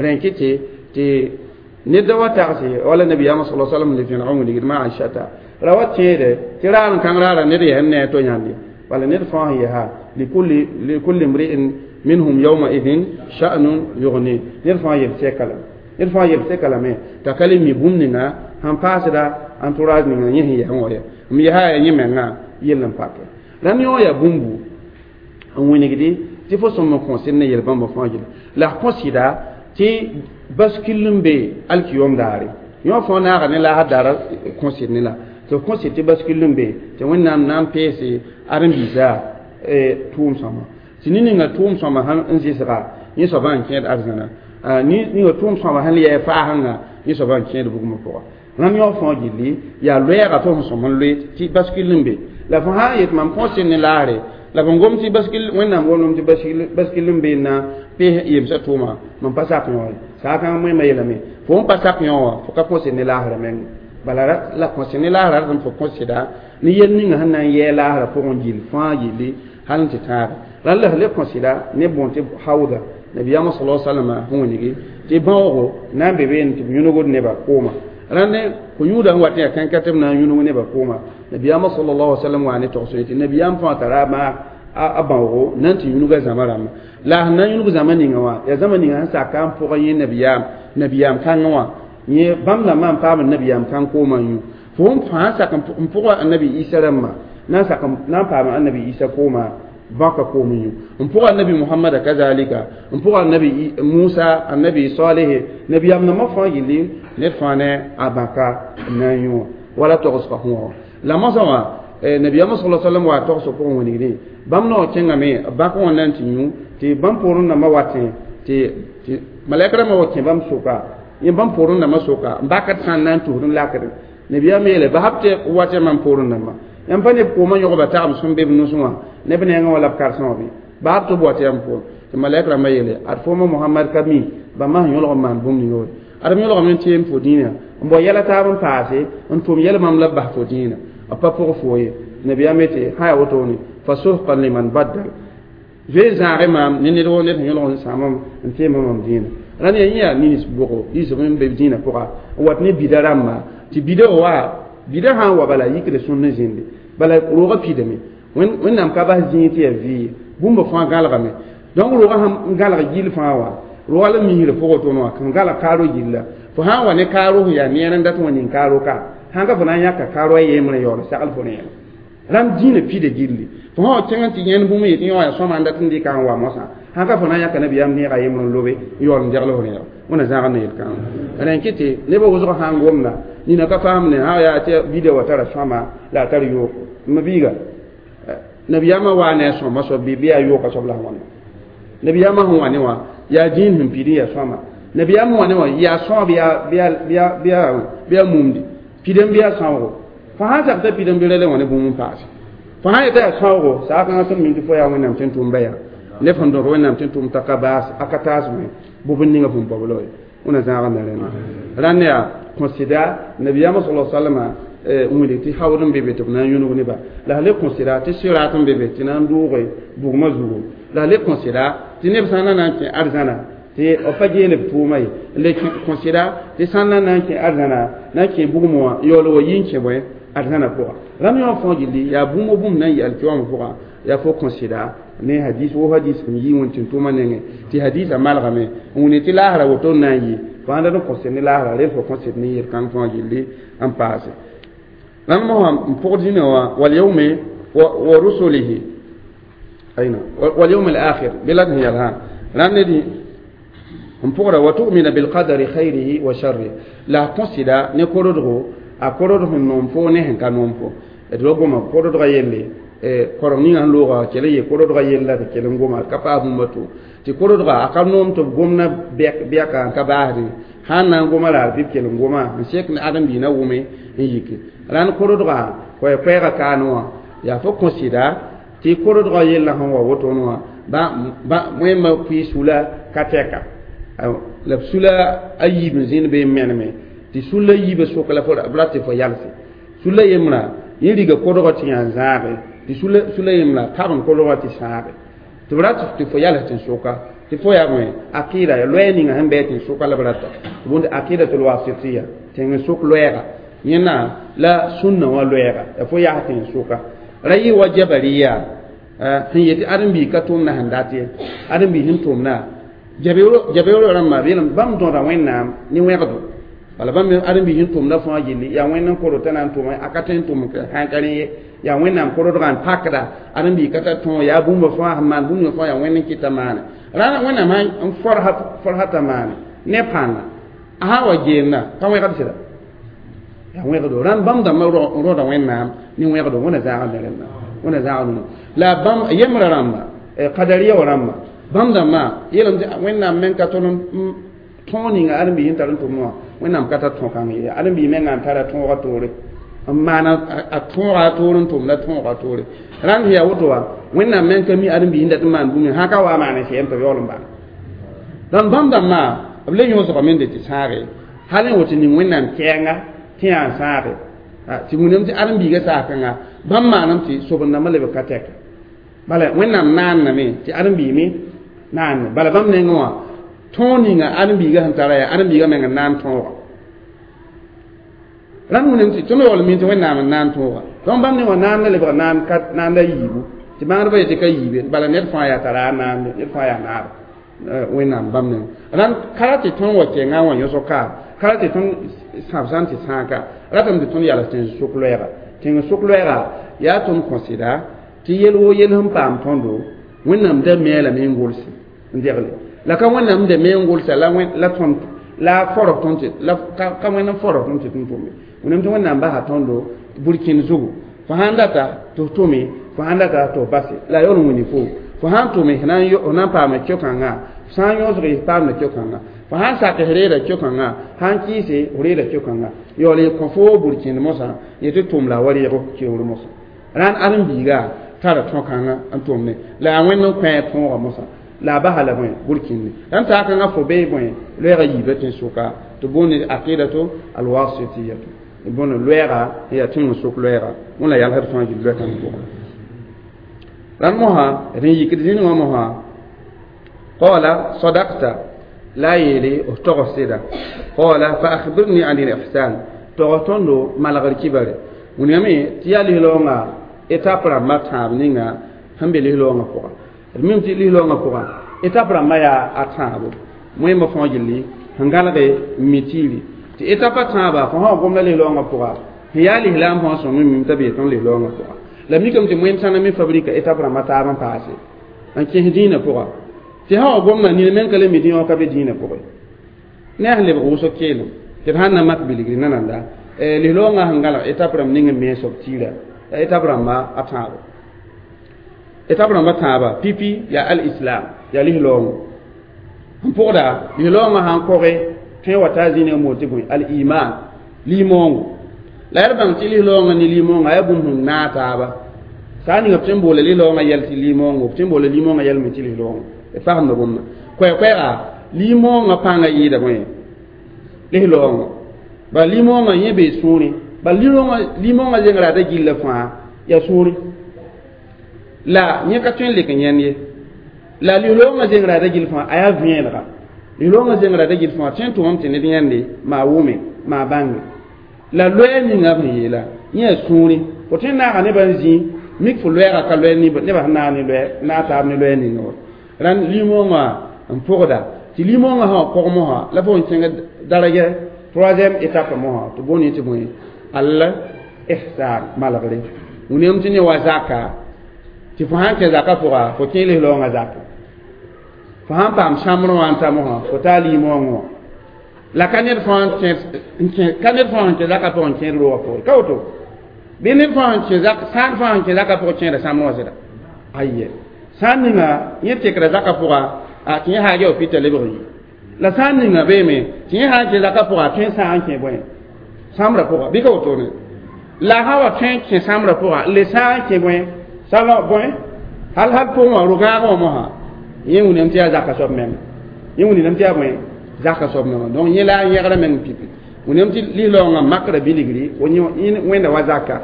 rẽ kɩ tɩ ned da wa tagse wala nabiyaamã sala salam le vẽneg n wilgd ma Aishata ra wa tẽede tɩ raar n kãng raara ned yaa n ne a to yãnde bala ned fãa sẽn yaa likulli mri'in minhum yawma idhin sha'nun yughni ned fãa yel sɛka lame ned fãa yel sɛka lame t'a ka le mi bũmb ninga sẽn paasda entourage ninga yẽ sẽn yaa wã ya m yaa ya yẽ mengã yell n pake rãmb yõ yaa bũmbu n wĩnigdi tɩ fo sõm n kõsd ne yel-bãmba fãa gilla la f kõsɩda tɩ bascule n be alkiyom daare yõ fãa naaga ne laasd daara kõsd ne la tɩ f kõsd tɩ bascule n be tɩ Wẽnnaam na n peese ãdem-biisã tʋʋm sõma tɩ ne ninga tʋʋm sõma sãn n zɩsga yẽ soabã n kẽed arzãna. Ni ni tʋʋm sõama sẽn yɛɛ faasẽnga yẽ soaba n kẽed bugmã pʋga. Rãmb yõ fõa gilli yaa loɛɛga fo sẽn sõm n loe tɩ baskil n be la fo sã n yet mam kõs ne laare la fo gom tɩ baskil Wẽnnaam gomdame tɩ baskil n be n na pees yemsã tʋʋma mam pa sak yõ ye saakãng moẽmã yeelame fo n pa sak yõ wã fo ka kõs ne laasrã meng bala la kõs ne laasrã rãmb fo kõsda ne yel ninga sẽn na n yɛɛ laasrã pʋgẽ gill fãa gilli hal n tɩ tãaga rãnd la le kõsda ne bõn tɩ hauda nabiyaamã sala salama sẽn wilgi tɩ bãoogo na n be beene tɩ b yũnugd nebã kooma rãnd ko-yũudã sẽn wat n yaa kãnkã tɩ b na n yũnug nebã kooma nabiyaamã sallallahu alaihi wasallam wa ne togs tɩ nabiyaam fãa tara a bãoogo na n tɩ yũnuga zãma rãmba la sẽn na n yũnug zãma ninga wã yaa zãma ninga sẽn saka n pʋgã yẽ nabiyaam kãngã wã yẽ bãmb dãmbã n paam nabiyaam kãng koomã n yũ fo n fãa sak n pʋga annabi Isa rãmbã na n sak na n paam annabi Isa kooma bãka koom n yũ n pʋga annabi Muhammada kazalika n pʋga annabi Musa annabi Salihi nabiyaam nãmbã fãa gilli ned fãa ne a bãka n na n yũ wã wala togsga fõ la mosã wã nabiyaamã sala sallam wa togsg pʋgẽ wilgdẽ bãmb naoor kẽngame bãk wã na n tɩ yũ tɩ bãmb poorẽ dãmbã watẽ tɩ malɛk rãmbã wa kẽ bãmb soka yẽ bãmb poorẽ dãmbã soka n bakd sã n na n tusd n lakd nabiyaam yeele basb tɩ watẽ mam poorẽ dãmbã yãmb pa neb koomã yõgba tagem sẽn be b nusẽ wã neb nengã wã la b karsẽ wã bɩ basb tɩ b wat yãmb poorẽ tɩ malɛk rãmbã yeele ad fooma Mohamad ka mi bãmba sẽn yõlg n maan bũmb ninga woto ad m yõlgame n teem fo dĩinã n bao yɛla taab n paase n tʋm yɛl bãmb la b bas fo dĩinã b pa pʋg fo ye nabiyaam yetɩ sã yaa wotone fa suhqan liman baddal zoe zãage maam ne ned woo ned sẽn yõlg n sãamam n teema mam dĩinã rãnd yaa yẽ yaa nins bʋgo yisb n be dĩinã pʋga n wat ne bida rãmba tɩ bida wa bida sã n wa bala yikd sũnd n zĩndi bala roogã pidame Wẽnnaam ka bas zĩig tɩ yaa vɩɩ bũmba fãa gãlgame donc roogã sẽn gãlg gill fãa wã roogã la misrã pʋgẽ tõnd wã kan gãlg kaaro gilla fo sã n wa ne kaaro sẽn yaa neer n dat wã ning kaaro ka sãn ka fo na n yãka kaaro a yembrã yaool sagl fo rẽera rãmb dĩinã pida gilli fo sã wa kẽng n tɩ yẽnd bũmb yetɩ yõ yaa sõma n dat n dɩka n wa mosã sãn ka fo na n yãka nabiyaam neega yembr n lobe n yaool n degl fo rẽera wẽna zãag n yel-kãngã rẽn kɩ tɩ nebã wʋsg sã n gomda nina ka faam ne sã yaa tɩ bida wa tara sõama la a tar yooko m biiga nabiyaamã waa ne a sõma soab bɩ yaa yooka soab la sẽn wãna nabiyaamã sẽn wa ne wã yaa dĩin sẽn pid n yaa sõama nabiyaam sẽn wa ne wã yaa sõab bɩ yaa mumdi pidem bɩ yaa sãoogo fo sãn sak t'a pidem bɩ ra le wã ne bũmb n paase fo sãn yeta yaa sãoogo saakãngã sẽn min tɩ fo yaa Wẽnnaam tɩ n tʋm ba yaa neb sẽn dõd Wẽnnaam tɩ n tʋm t'a ka baas a ka taasme bʋ ninga fõn paoolo ye wẽna zãagã me rẽnda rãnd yaa kõsɩda nabiyaamã sala sallama wilg tɩ haood n be be tɩ b na n yũnug neba la le kõsɩda tɩ sɩrat n be be tɩ na n dʋʋge bugmã zugu la le kõsɩda tɩ neb sã n na n kẽ arzãna tɩ b pa geel b tʋʋma ye le kõsɩda tɩ sã n na n kẽ arzãna na n kẽ bugmã wã yaool wa yi n kẽ bõe arzãna pʋga rãmb yõ fõa gilli yaa bũmb bũmb na n yɩ alkiyoamã pʋga yaa fo kõsɩda ne hadis wo hadis sẽn yi wẽn tɩ n tʋʋmã nengẽ tɩ hadisã malgame n wilg tɩ laasrã woto n na n yɩ fo sãn dat n kõsd ne laasrã rel fo kõsd ne yel-kãng fãa gilli n paase rãmb mosã n pʋgd zĩnã wã walyaume wa rusulihi aina walyawm al-akhir bɩ la sẽn yɛlsã rãnd ne dĩ n pʋgra wa tu'mina bilqadari khayrihi wa sharrihi la kõsɩda ne korodgo a korod sẽn noom fo ne sẽn ka noom fo d wa goma korodgã yelle korem ninga sẽn looga kell n yee korodgã yella tɩ kell n goma ka paas bũmba to tɩ korodga a ka noom tɩ b gomna bɛka n ka baasdẽ sãn na n goma raar bɩ b kell n goma n sek ne ãdem-biig na wʋme n yike rãnd korodgã koɛɛ-koɛɛgã kaane wã yaa fo kõsɩda tɩ korodgã yella sẽn wa wotone wã wẽmba pʋɩ sula ka tɛka la b sula a yiib n zĩnd bee n meneme tɩ sulla yiibã soka la b rat tɩ fo yalse sulla yembrã yẽ riga kodgã tɩ yã n zãage tɩ sulla yembrã tabn kodgã tɩ sãage tɩ b rat tɩ fo yals tɩ n soka tɩ fo yaa bõe akɩɩda ya loɛɛ ninga sẽn bɩ tɩ n soka la b rata tɩ bõnd aqidatul wasitiya tɩ n sok loɛɛga yẽna la sũnna wã loɛɛga ya fo yas tɩ n soka ra yɩ wa jabariya sẽn yetɩ ãdem-biig ka tʋʋmda sẽn dat ye ãdem-biig sẽn tʋʋmda jabeooro rãmba yeelame bãmb dõda Wẽnnaam ne wẽgdo bala bãmb ãdem-biig sẽn tʋmda fãa gilli yaa Wẽnd n koro t'a na n tʋma a ka tõe n tʋm sãn ka rẽ ye yaa Wẽnnaam korodgã n pakda ãdem-biig ka tar tõog yaa bũmba fãa sẽn maan bũmb fãa yaa Wẽnd n kɩta maane rãna Wẽnnaam n forsa t'a maane ne pãnga a sã n wa geelna ka wẽgd sɩda yaa wẽgdo rãnd bãmb dãmbã rõda Wẽnnaam ne wẽgdo wẽna zãag ne rẽnda wẽna zãag ne la bãmb yembrã rãmba kadariya wa rãmba bãmb dãmbã yeelame tɩ Wẽnnaam meng ka tõnd Tõog ninga ãdem-biis sẽn tar n tʋmd wã wẽnnaam ka tar tõog-kãng ye ãdem-biis mengã n tara tõogã toore n maana a tõoga a toor n tʋmda tõoga a toore rãnd sẽn yaa woto wã wẽnnaam meng ka mi ãdem-biis n dat n maan bũmb sã ka wa maan n sɛɛm tɩ b yaool n bãng dãmb bãmb dãmbã b le yõsgame n de tɩ sãage hal n woto ning wẽnnaam kɛɛnga tɩ yaa n sãage tɩ wĩnam tɩ ãdem-biigã saas-kãnga bãmb maanam tɩ soben-dãmbã lebg ka tɛka bala wẽnnaam naanname tɩ ãdem-biig me naanne bala bãmb nengẽ wã tõog ninga ãdem-biigã sẽn tara yaa ãdem-biigã meng n naan tõoga rãnd wĩnam tɩ tõnd yaool mi tɩ wẽnnaam n naan tõoga donc bãmb ne wã naanda lebg naanda yiibu tɩ bãngdbã yetɩ ka yiibe bala ned fãa yaa tara a naande ned fãa yaa naaba wẽnnaam bãmb nengẽ rãnd ka ra tɩ tõnd wa kẽngã wã yõsg ka ka ra tɩ tõnd sãbsã n tɩ sãaka ratame tɩ tõnd yals tẽns-sʋk loɛɛga tẽng-sʋk loɛɛga yaa tõnd kõsɩda tɩ yel woo yel sẽn paam tõndo wẽnnaam da mi a lame n gʋlse n degle la ka wẽnnaam da me n gʋlsa la la tõnd la forg tõnd tɩ la ka wẽnd n forg tõnd tɩ tõnd tʋme wẽnnaam tɩ wẽnnaam basa tõndo burkĩnd zugu fo sãn data tɩ f tʋme fo sãn data tɩ f base la yaool n wĩni fo fo sãn tʋme f na n paama keo-kãngã sã n yõsg f paamda keo-kãngã fo sãn sak f reeda keo-kãngã sãn kɩɩse f reeda keo-kãngã yaool n kõ fo burkĩnd mosã yetɩ tʋm la a wa reeg keoor mosã rãnd ãdem-biiga tara tõog-kãngã n tʋmne la yaa wẽnd n kõ a tõogã mosã la a basa la bõe burkĩnde rãnd saakãngã fo bee bõe loɛɛgã yiibã tẽn-sʋka tɩ boond aqidatu alwasitiyatu bõn loɛɛga n yaa tẽng-sʋk loɛɛga wẽn la yalsd fãa gill loɛ-kãng pʋgã rãnd mosã d n yikd zĩnig wã mosã qala sadaqta la yeele f tog sɩda qala fa akhbirni an al-ihsan tog tõndo malgr kibare wĩname tɩ yaa lislaoongã étape rãmbã tãab ninga sẽn be lislaoongã pʋga d mim tɩ lislaoongã pʋga étape rãmbã yaa a tãabo wẽmba fãa gilli sẽn gãlge mitiiri tɩ étape a tãaba fo sã wa gomda lislaoongã pʋga sẽn yaa lislaam fãa sõng mim t'a bee tõnd lislaoongã pʋga la mikame tɩ wẽnd sãna me fabrika étape rãmbã taab n paase n kẽs dĩinã pʋga tɩ sã wa gomda nina meng ka le mi dĩwã ka be dĩinã pʋgẽ ne a sẽn lebg wʋsg keelem tɩ d sãn na mak bilgri nananda lislaoongã sẽn gãlg étape rãmb ning n me soab tiira étape rãmba a tãabo étape rãmba tãaba pipi yaa al-islam yaa lislaoongo n pʋgda lislaoongã sãn koge tõe wa taa zĩnigã moon tɩ bõe al-iman limoongo la yaa d bãng tɩ lislaoongã ne limoongã yaa bũmb sẽn naag taaba saa ninga b tõe n boola lislaoongã yɛl tɩ limoongo b tõe n boola limoongã yɛl me tɩ lislaoongo d fasemda bũmba koɛɛ-koɛɛga limoongã pãngã yɩɩda bõe lislaoongo bala limoongã yẽ bee sũurẽ bala limoongã zengra da gilla fãa yaa sũurẽ la yẽ ka tõe n lek n yãnd ye la lislaoongã zengra da gill fãa a yaa vẽenega lislaoongã zengra da gill fãa tõe n tʋmame tɩ ned yãnde maa wʋme maa bãnge la loɛɛ ninga b sẽn yeela yẽ yaa sũurẽ fo tõe n naaga nebã n zĩ mik fo loɛɛga ka loɛ nebã sẽn naag ne loɛ naag taab ne loɛɛ ninga wa rãnd limoongã n pʋgda tɩ limoongã sã wa kog mosã la fo n kẽng daraja troisième étape mosã tɩ boond tɩ bõe al ihsan malgre wĩnam tɩ ne wa zaka tɩ fo sãn kẽ zaka pʋga fo kẽ lislaoongã zaka fo sãn paam sãmbrẽ wã n ta mosã fo taa limoongã wã la ka ned fãa ka ned fãa sẽn kẽ zaka pʋgẽ n kẽed roogã pʋgẽ ka woto bɩ ned fãa sẽn kẽ zak sãan fãa sẽn kẽ zaka pʋgẽ kẽeda sãmbrẽ wã sɩda aye sãn ninga yẽ tekra zaka pʋga a tɩ yẽ haag yaa pita lebg yi la sãn ninga beeme tɩ yẽ sã n kẽ zaka pʋga a tõe n sãag n kẽ bõe sãmbrã pʋga bɩ ka wotone la sã wa tõe n kẽ sãmbrã pʋga n le sãag n kẽ bõe sãma bõe hal hal pʋgẽ wã ro-gãagã wã mosã yẽ wĩnam tɩ yaa zaka soab menga yẽ wĩnam tɩ yaa bõe zaka soab menga donc yẽ la a yẽgra meng pipi wĩnam tɩ lislaoongã makra bilgri wẽnda wa zaka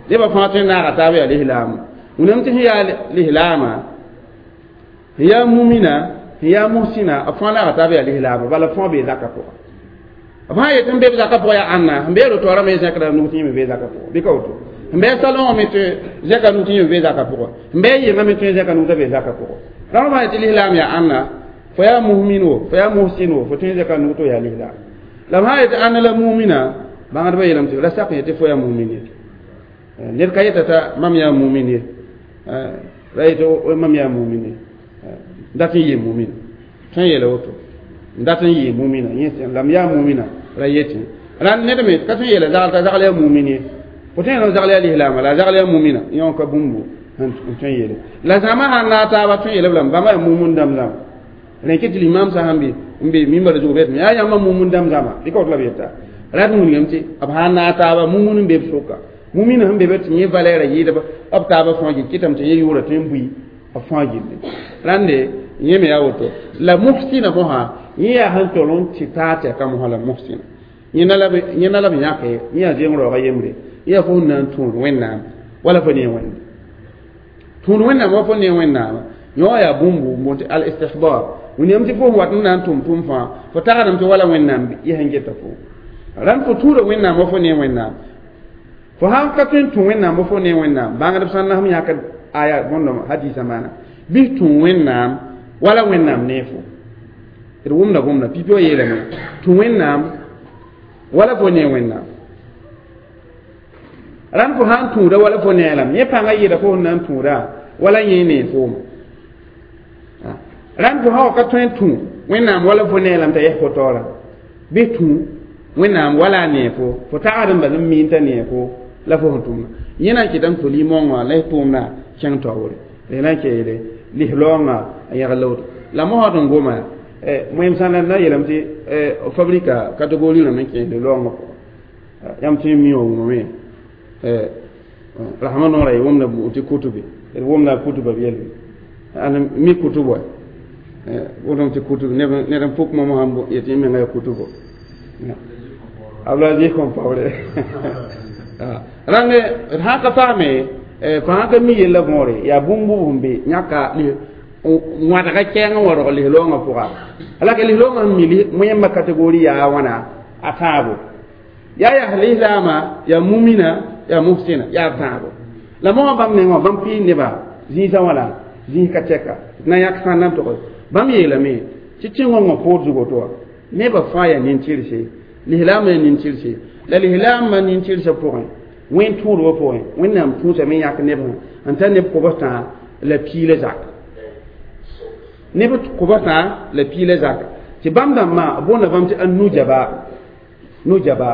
nebã fãa tõe n naaga taab yaa lislaama wĩnam tɩ sẽn yaa lislaama sẽn yaa mumina sẽn yaa muhsina b fãa naaga taab yaa lislaama bala fãa bee zaka pʋga b sã yet n be b zaka pʋgã yaa ãnna sẽn bee rotoorã me zẽkda nug tɩ yẽ me bee zaka pʋgã bɩ ka woto sẽn bee salõgã me tɩ zẽka nug tɩ yẽ me bee zaka pʋgã sẽn bee yɩngã me tõe zẽka nug t'a bee zaka pʋgã rãmb sã yetɩ lislaam yaa ãnna fo yaa muhmin wo fo yaa muhsin wo fo tõe zẽka nug tɩ yaa lislaam la b sã yetɩ ãnna la mumina bãngdbã yeelame tɩ ra sak yetɩ fo yaa mumin ye ned ka yeta t'a mam yaa mumin ye ra yetɩ mam yaa mumin ye dat n yɩ mumina tõe n yeela woto dat n yɩ mumina yẽ la m yaa mumina ra yetɩ rãnd ned me ka tõe n yeela zagl t'a zagl yaa mumin ye fo tõe n zagl yaa lislaama la a zagl yaa mumina yẽ wã ka bũmbu n tõe n yeele la zãma sãn naag taaba tõe n yeela b lame bãmba yaa mumin dãmb zãma rẽn kɩ tɩ limam sã sãn bɩ n be mimbar zugu bet ya yãmba mumun dãmb zãma bɩ ka woto la b yeta rat wilgame tɩ b sã n naag taaba mumun n be b sʋka mumina sẽn be be tɩ yẽ valɛɛra yɩɩda b taabã fãa gil kɩtame tɩ yẽ yʋʋra tõe n bui b fãa gilli rãnde yẽ me yaa woto la muhsina mosã yẽ yaa sẽn tol n tɩ taa tɩ a ka mosã la muhsina yẽnda la b yãke yẽ yaa zeng raooga yembre yaa fo sẽn na n tũud wẽnnaam wala fo ne wẽnnaam tũud wẽnnaam wa fo ne wẽnnaama yõ yaa bũmbu n boond tɩ al istihbar wilgame tɩ fo sẽn wat n na n tʋm tʋm fãa fo tagsdame tɩ wala wẽnnaam yɛs n geta fo rãnd fo tũuda wẽnnaam wa fo ne wẽnnaam fo sãn ka tõe n tũ wẽnnaam wa fo ne wẽnnaam bãngdb sã n nasem yãk aya bõndame hadisa maana bɩ tũ wẽnnaam wala wẽnnaam ne fo d wʋmda gomda pipi wã yeelame tũ wẽnnaam wala fo ne wẽnnaam rãnd fo sã n tũuda wala fo ne lame yẽ pãngã yɩɩda fo sẽn na n tũuda wala yẽ ne fooma rãnd fo sã wa ka tõe n tũ wẽnnaam wala fo ne lame t'a yɛs fo taoora bɩ tũ wẽnnaam wala a nee fo fo tagsd n bal n miin t'a nee fo la fo sẽn tʋmna yẽ na n kɩtame tɩ fo li-maongã la y tʋʋmda kẽng taoore la na n keele lislaoongã a yãgl la woto la mosã tɩ n goma moem sã n na yeelame tɩ fabrika catégorie rãmb n kẽes lislaoongã pʋgã yãmb tõe n mi wã wʋmame rasmã noorã y wʋmda tɩ kutube d wʋmda kutuba b yelbe and mi kutub wa wʋtame tɩ kutub ned n pʋk mamo sãn yetɩ yẽ menga yaa kutubo Abdulaziz Compaoré rãnd d sã ka paame fo sã ka mi yella võore yaa bũmb sẽn be yãka wãdga kɛɛng n wa rog lislaoongã pʋga la ka lislaoongã sẽn mi moẽmbã catégorie yaa wãna a tãabo yaa yaa lislaama yaa mumina yaa muhsina yaa tãabo la mosã bãmb nengã wã bãmb pɩɩ neba zĩisã wãna zĩis ka tɛka na yãk sã n na n tog bãmb yeelame tɩ tẽngõngã poor zug woto wã nebã fãa yaa nin-tɩrse lislaamã yaa nin-tɩrse la lislaamã nin-tɩrsã pʋgẽ wẽn tũudbã pʋgẽ wẽnnaam tũusame n yãk nebã n tar neb kobs tã la piila zak neb kobs tã la piila zaka tɩ bãmb dãmbã boonda bãmb tɩ an-nujaba nujaba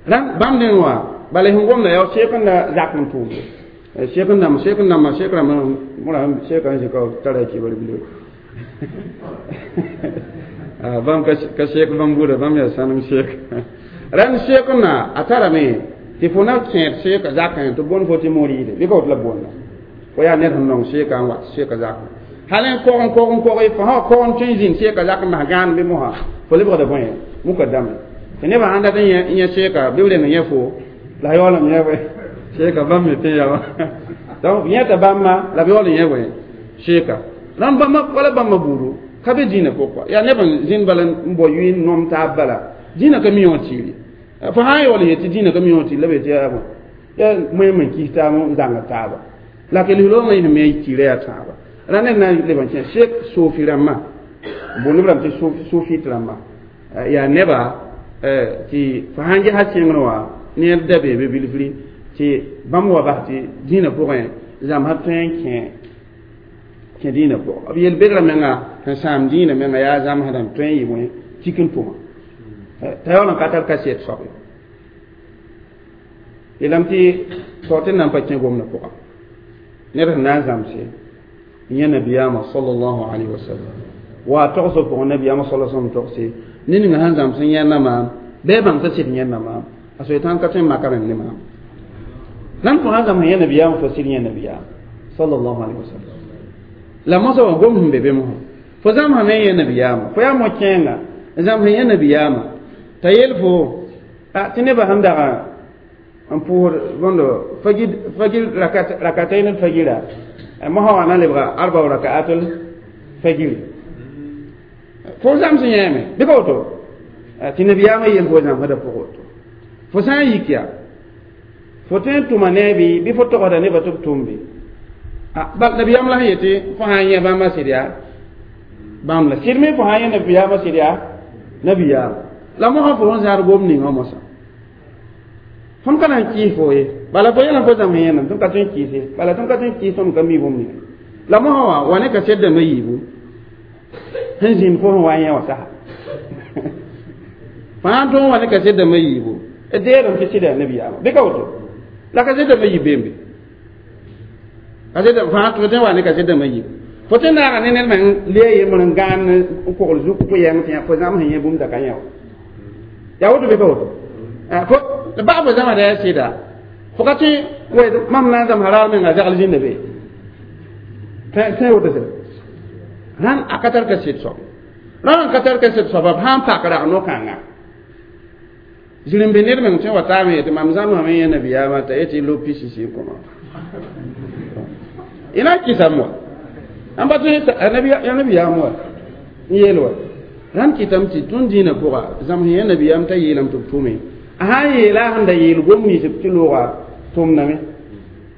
rãnd bãmb neng wã bala sẽn gomda yaa sek n da zak n tʋʋmde sek n dãmb sek n dãmbã sek rãmb seka n zĩka tara kibar bilo bãmb ka sek bãmb buuda bãmb yaa sãnem sek rãnd sek n na a tarame tɩ fo na kẽed seka zakẽ tɩ bõnd fo tɩ moriide bɩ ka woto la boonda fo yaa ned sẽn nong seka n wat seka zakẽ hal n kog n kog n kog fo sã kog n tõe n zĩnd seka zak n bas gãan bɩ mosã fo lebgda bõe mukadame tɩ nebã sãn dat n yẽ seka bɩ b reng yẽ fo la yaoolem yẽ bõe seka bãmb me tẽ yaa donc yẽta bãmba la b yaool n yẽ bõe seka rãmb bãmba wala bãmba buudu ka be dĩinã pʋgẽ yaa neb n zĩnd bala n bao yʋɩ n nom taab bala dĩinã ka mi wã tiiri fo sã n yaool n yet tɩ dĩinã ka mi wã tiiri la b yetɩ yaa bõe yaa moẽm n kis taab n zãnga taaba la ka lislaoongã yẽ me tiirã yaa tãaba ra ned na n leb n kẽ sek sofi rãmbã boond b rãmb tɩ sofit rãmbã yaa neba tɩ fo sãn gesa sẽngr wã ned da beebe bilfri tɩ bãmb wa bas tɩ dĩinã pʋgẽ zãmsã tõe n kẽ kẽ dĩinã pʋgã b yel-begrã menga sẽn sãam dĩinã menga yaa zãmsdã n tõe n yɩ bõe tik n tʋma t'a yaool n ka tar kaset soab ye yeelame tɩ tao tɩ nan pa kẽ gomdã pʋga ned sẽn na n zãmse yẽ nabiyaamã sallallahu alayhi wa sallam wa togsg pʋgẽ nabiyaamã sala sallam togse ned ninga sẽn zãms n yẽnda maam bɩ a bãng t'a sɩd yẽnda maam a soetãn ka tõe n maka rẽnd ne maam rãnd fo sãn zãms yẽ nabiyaamã fo sɩd yẽ nabiyaam sallallahu alayhi wa sallam la mosã wã gom sẽn be be mosã fo zãmsame yẽ nabiyaamã fo yaa mo-kẽenga n zãms yẽ nabiyaamã t'a yel fo tɩ nebã sẽn daga n pʋʋsd bõndo fagir rakatayn fagira mosã wã na lebga arba rakaatul fagiri fo zãms yẽeme bɩ ka woto tɩ nabiyaamã yel fo zãmsdã pʋg woto fo sã n yik yaa fo tõe n tʋma ne bɩ bɩ fo togsda nebã tɩ b tʋm be bal nabiyaam la sẽn yetɩ fo sã n yẽ bãmba sɩd yaa bãmb la sɩd me fo sã n yẽ nabiyaamã sɩd yaa nabiyaam la mosã fo sẽn zãad gom ninga mosã tõnd ka na n kɩɩs fo ye bala fo yɛlã fo zãms yẽnam tõnd ka tõe n kɩɩse bala tõnd ka tõe n kɩɩs tõnd ka mi bũmb ninga la mosã wã wa ne kaset dãmbã yiibu sẽn zĩnd fo sẽn wa n yẽ wã sasa fãa tõog wa ne kaset dãmbã yiibu d deerem tɩ sɩda nabiyaamã bɩ ka woto la kaset dãmbã yib beembe kaset fãa tɩ wa ne kaset dãmbã yiibu Fo tɩ naaga ne ned meng le yembr n gãan n kogl zuk fo yɛng tɩ fo zãms yẽ bũmb da ka yẽ wa yaa woto bɩ ka woto fo baa fo zãmsda yaa sɩda fo ka tɩ mam na n zãmsa raar menga zagl zĩnda be tõe woto sɛ rãn a ka tar kaset soab rãn n ka tar kaset soaba b sãn pak rag no-kãnga zĩrĩmbe ned meng tõe wa taame yetɩ mam zãmsame yẽ nabiyaamã t'a yetɩ lo pisisi n kõma y na n kɩsame wa n pa tõe ya nabiyaam wa n yeel wa rãnd kɩtame tɩ tõnd dĩinã pʋga zãms yẽ nabiyaam t'a yeelame tɩ b tʋme a sã n yeela a sẽn da yeel gom nins tɩ looga tʋmdame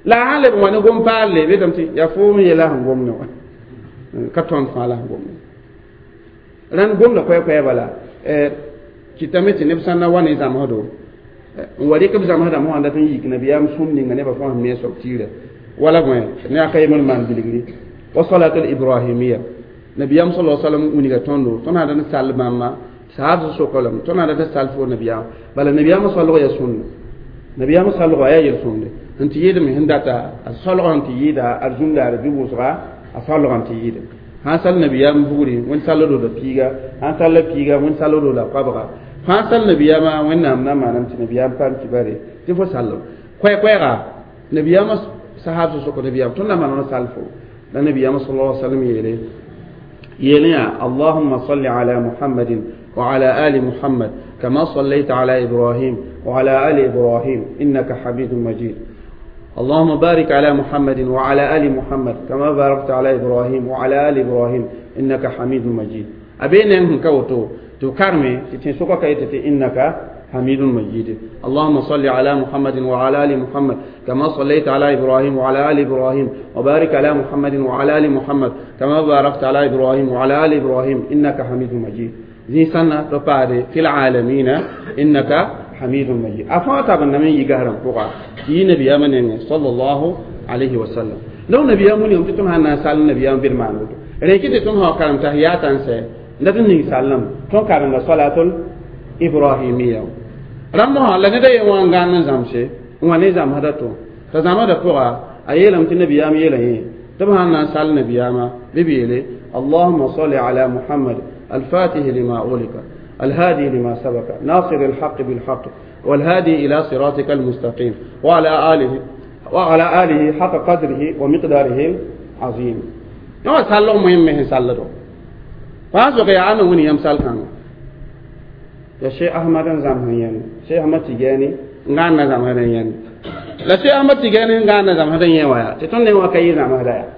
la a sãn leb n wa ne gom paalle betame tɩ yaa foom yeela sẽn gomdẽ wã ka tõnd fãa la sẽn gomdẽ rãnd gomda koɛɛ-koɛɛ bala kɩtame tɩ neb sã n na wa ne zãmsdo n wa rɩk b zãmsdãmb sã n dat n yik nabiyaam sũm ninga nebã fãa sẽn me soab tiirã wala bõe ne a ka yembr n maan bilgri wa salatul ibrahimiya nabiyam sallallahu alaihi wasallam winiga tõndo tõnd sã dat n sall bãmba saab sokalame tõnd sã dat n sall fo nabiyaam bala nabiyaamã solg yaa sũnda nabiyaamã solgã yaa yel-sõmde n tɩ yɩɩdme sẽn data a solgã n tɩ yɩɩda a zũndaare bɩ wʋsga a solgã n tɩ yɩɩda sãn sall nabiyaam bugri wẽnd salldo la piiga sãn sall piiga wẽnd salldo la koabga sãn sall nabiyaamã wẽnnaam na maanam tɩ nabiyaam paam kibare tɩ fo sallem koɛ-koɛɛga nabiyaamã sahab sʋk nabiyaam tõnd na maan sall fo la nabiyaamã sallallahu alaihi wasallam yeele يليا اللهم صل على محمد وعلى آل محمد كما صليت على إبراهيم وعلى آل إبراهيم إنك حميد مجيد اللهم بارك على محمد وعلى آل محمد كما باركت على إبراهيم وعلى آل إبراهيم إنك حميد مجيد أبين أنهم كوتو تكرمي تتنسوك كيتتي إنك حميد مجيد اللهم صل على محمد وعلى آل محمد كما صليت على إبراهيم وعلى آل إبراهيم وبارك على محمد وعلى آل محمد كما باركت على إبراهيم وعلى آل إبراهيم إنك حميد مجيد زي سنة تقاري في العالمين إنك حميد مجيد أفاتا بنمي يقهرم فوقا يي نبي أمن صلى الله عليه وسلم لو نبي أمن يوم تتم هنا سال نبي أمن برمان ريكي تتم ها كرم تحياتا سي لكن سلم تون كرم صلاة الإبراهيمية rãmb sã la ned a yen wã n gãan n zãmse n wa ne zãmsda to t'a zãmsdã pʋga a yeelame tɩ nabiyaam yeela yẽ tɩ b sãn na n sall nabiyaamã bɩ b yeele اللهم صل على محمد الفاتح لما أغلق الهادي لما سبق ناصر الحق بالحق والهادي إلى صراطك المستقيم وعلى آله حق قدره ومقداره العظيم يوم سالو مهم مهم سالو فاسوك يا أنا وني يم سال كانوا ya Sheikh Ahmad n zãmsẽ yẽnd Sheikh Ahmad Tigani n gãan na zãmsd n yẽnd la Sheikh Ahmad Tigani n gãan na zãmsd n yẽ wã yaa tɩ tõnd ne wã ka yɩ zãmsda yaa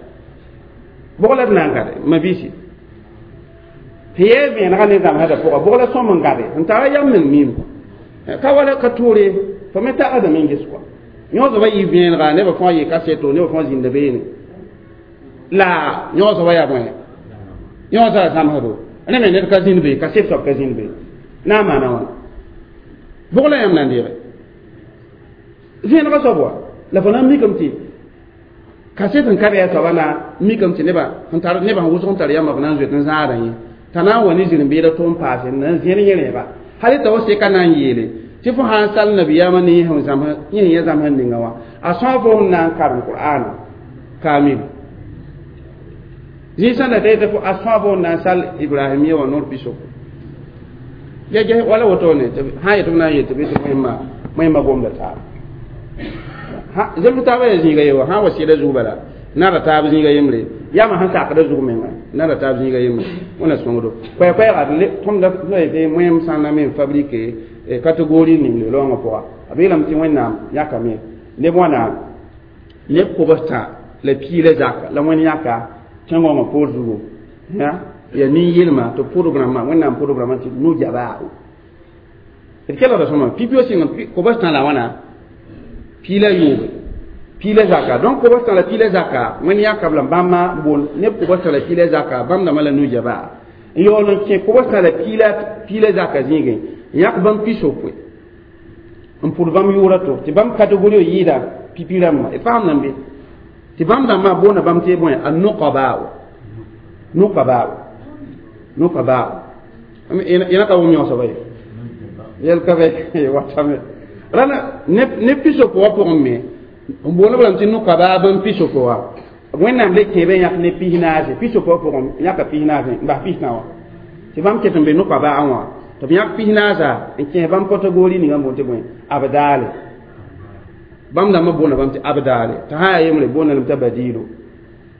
bʋg la d na n gade mabiisi sẽn yɛɛ vẽenegã ne zãmsdã pʋga bʋg la sõm n gade n tara yam meng miim ka wala ka toore fo me tagsdame n ges kɔa yõ soaba yɩ vẽenega nebã fãa yɩ kaseto nebã fãa zĩnda beene la yõ soaba yaa bõe yõ soaba zãmsdo rẽ me ned ka zĩnd be kaset soab ka zĩnd be na n maana wãna bʋg la yãmb na n deege vẽenegã soab wa la fo na n mikame tɩ kaset n ka bɩ a soaba na n mikame tɩ neba sẽn tar neba sẽn wʋsg n tar yãmba b na n zoet n zãadã yẽ t'a na n wa ne zĩr-n-beeda tʋm paase n na n zẽr yẽ rẽeba hal t'a wa seka na n yeele tɩ fo sã n sall nabiyaamã ne yẽ sẽn yẽ zãmsd ninga wã a sõa fo sẽn na n karem qur'ana kamil zĩig sẽn da t'a yetɩ a sõa fo sẽn na n sall ibrahimiya wã noor pisoko gɛgɛ wala wotone sã yetɩ b na n yel tɩ bɩ tɩ wẽmma gomda taaba zemb taaba yaa zĩiga ye wa sã n wa sɩda zug bala nara taab zĩiga yembre yama sẽn sakda zug menga nara taab zĩiga yembre wẽna sõngdo koɛɛ-koɛɛga tõmda tɩ wẽm sã n na me n fabrique catégorie ning le loongã pʋga b yeelame tɩ wẽnnaam yãkame neb wãna neb kobs-tã la piila zaka la wẽnd yãka tẽngõngã poor zugu ya nin-yelma tɩ pʋdb rãmbã wẽnnaam pʋdb rãmbã tɩ no-jabaa d kelgda sõma pipi wa sɩng kobs-tã la wãna piila yooge piila zaka donc kobs-tã la piila zaka wẽnd yãka b la bãmba boond neb kobs-tã la piila zaka bãmb dãmbã la no-jabaa n yaool n kẽ kobs-tã la piila zaka zĩigẽ n yãk bãmb pisopoe n pʋd bãmb yʋʋra to tɩ bãmb kategori yɩɩda pipi rãmbã d faam nan be tɩ bãmb dãmbã boonda bãmb tɩ bõe a nuqabaa nuqabaa nuqabaa ẽna ka wʋm yõ soaba ye yɛl ka bɛ watame rãna ne pisopo wã pʋgẽ me n boond b lame tɩ nuqabaa bãmb pisopo wã Wẽnnaam le kẽebe yãk ne pis naase pis-yopoe pʋgẽ yãka pis naase n bas pis-tã wã tɩ bãmb ket n be no-koa-baa wã tɩ b yãk pis naasa n kẽes bãmb kategori ninga n boond tɩ bõe abdaale bãmb dãmbã boonda bãmb tɩ abdaale t'a sã yaa yembre boonda lame t'a badiilo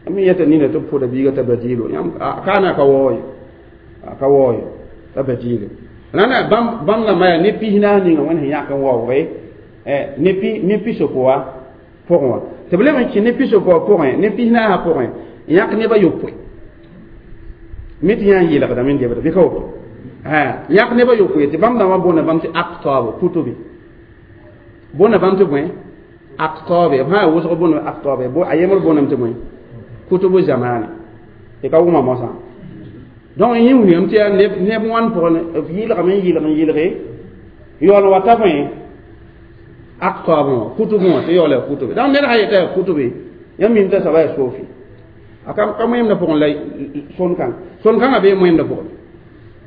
mi yeta nina tɩ b pʋda biiga t'a badiilo kaana ka waoo ye ka waoo ye t'a badiilo rãnda bãmb dãmbã yaa ne pis naas ninga wẽnd sẽn yãk n waoogre ne pis-yopoa pʋgẽ wã tɩ b leb n kẽ ne pis-yopoa pʋgẽ ne pis naasã pʋgẽ n yãk nebã yopoe mi tɩ yã n yeelgdame n debda bɩ ka woto yãk nebã yopoe tɩ bãmb dãmbã boonda bãmb tɩ aktaabo kutobe boonda bãmb tɩ bõe aktoobe b sã yaa wʋsg boonda aktoobe a yembr boondame tɩ bõe kutubu zamani tɩ ka wʋma mosã donc yẽ wilgame tɩ yaa neb wãn pʋgẽ b yɩlgame n yɩlg n yɩlge yaool wata bõe aktaabẽ wã kutubẽ wã tɩ yaool yaa kutube donc ned sã yeta yaa kutube yãmb mim t'a soaba yaa sofi a ka moẽmdã pʋgẽ la sõn-kãng sõn-kãngã bee moẽmdã pʋgẽ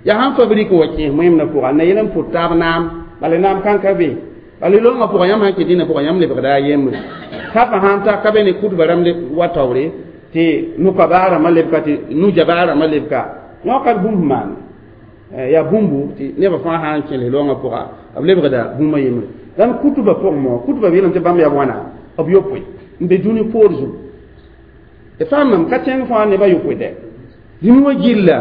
yaa sãn fabrik wa kẽes moẽmdã pʋga na yel n pʋt taab naam bala naam kãn ka be bala loongã pʋgã yãmb sãn kɩ dĩnã pʋgã yãmb lebgda a yembre safã sãn ta ka be ne kutbã rãmb wa taoore tɩ nukabaa rãmbã lebka tɩ nujabaa rãmbã lebka yõ ka bũmb maan yaa bũmbu tɩ nebã fãa sã n kẽles loongã pʋga b lebgda bũmba yembre dãn kutbã pʋgẽ mo kutbã yeelame tɩ bãmb yaa wãna b yopoe n be dũni poor zugu d faamame ka tẽng fãa nebã yopoe dɛ dũni wã gilla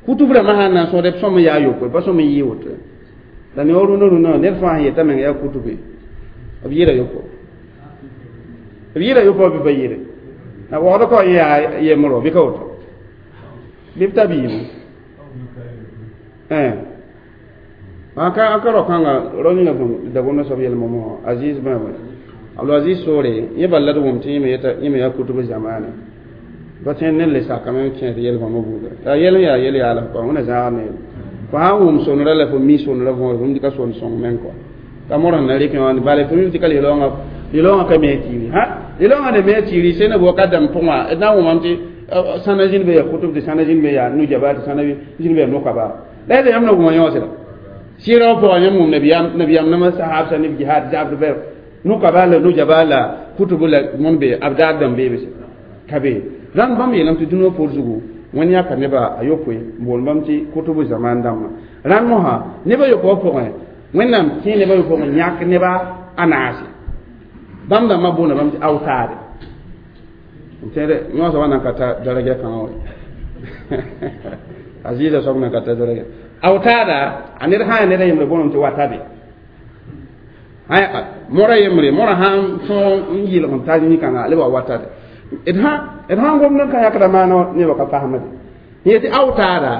kutub rãmbã sãn na n sõsd b sõm n yaa yopoe pa sõm n yɩ woto la ne wa rũnã rũnã ned fãa sẽn yeta meng yaa kutube b yɩɩra yopo b yɩɩra yopo bɩ pa yɩɩre na waood ka yẽ yaa yembrõ bɩ ka woto bɩ b ta biibu a ka rao-kãnga rao ninga sẽn dagomda soab yɛlmã mosã aziz bãmb abdulaziz soore yẽ bal la d wʋm tɩ yẽ me yaa kutub zamane pa tẽn ned le sakame n kẽes yɛl bãmba buuda la yɛl n yaa yɛl yaala kɔa wẽna zãag ne fo sã n wʋm sonrã la fo mi sonrã võor fo ka son sõng meng kɔa t'a mor sẽn na rɩk wã bala fo mi tɩ ka lɩloongã ka me tiiri ha lɩloongã ne me tiiri sẽn na wakat dãmb pʋgẽ wã d na n wʋmame tɩ sãna zĩnd be yaa kutub tɩ sãna zĩnd be yaa nujaba tɩ sãna zĩnd be yaa nokaba la yaa yãmb na wʋma yõosra sɩɩrã wã pʋgã yãmb wʋm nabiyam nama sahabsa ne jihad zabd bɛr nukaba la nujaba la kutubu la mõn be abdaad dãmb beebe ka be rãnd bãmb yeelame tɩ dũniyã poor zugu wẽnd yãka nebã a yopoe n boond bãmb tɩ kutubu zaman dãmbã rãnd mosã nebã yopoa pʋgẽ wẽnnaam kẽ nebã yopoe n yãk neba a naase bãmb dãmbã boonda bãmb tɩ aotaade n tẽede yõosã wa nan ka ta daraja kãngã wa a zɩɩda soab nan ka ta daraja aotaada a ned sã yaa ned a yembre booname tɩ watabe mora yembre mora sãn tõog n yɩlg n ta yĩ-kãnga le wa watade d sãn gomd n ka yãkda maana nebã ka fasemde yẽ tɩ aotaada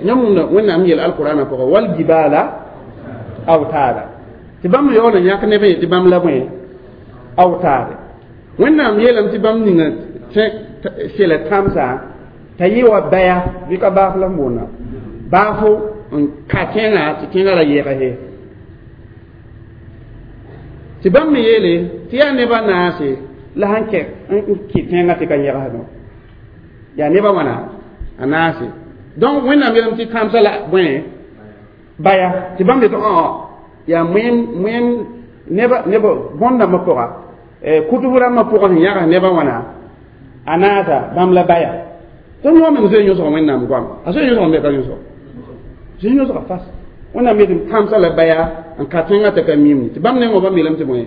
yãmb wʋmda wẽnnaam yeel alqurana pʋgã waljibala aotaada tɩ bãmb yaool n yãk nebã ye tɩ bãmb la bõe aotaade wẽnnaam yeelame tɩ bãmb ninga sela tãmsã t'a yɩ wa baya bɩ ka baaf la n boonda baafo n ka tẽngã tɩ tẽngã ra yɛgse tɩ bãmb me yeele tɩ yaa nebã naase la sãn kɛ n kɩ tẽngã tɩ ka yɛgsdõ yaa nebã wãna a naase donc wẽnnaam yeelame tɩ tãmsã la bõe baya tɩ bãmb yetɩ yaa moẽm moẽm neba neba bõn-dãmbã pʋga kutb rãmbã pʋgã sẽn yãgs nebã wãna a naasa bãmb la baya tɩ noog meng zoe yõsg wẽnnaam goam a zoe yõsg me ka yõsg zoe yõsga fas wẽnnaam yetɩ tãmsã la baya n ka tẽngã t'a ka mim tɩ bãmb nengã bãmb yeelame tɩ bõe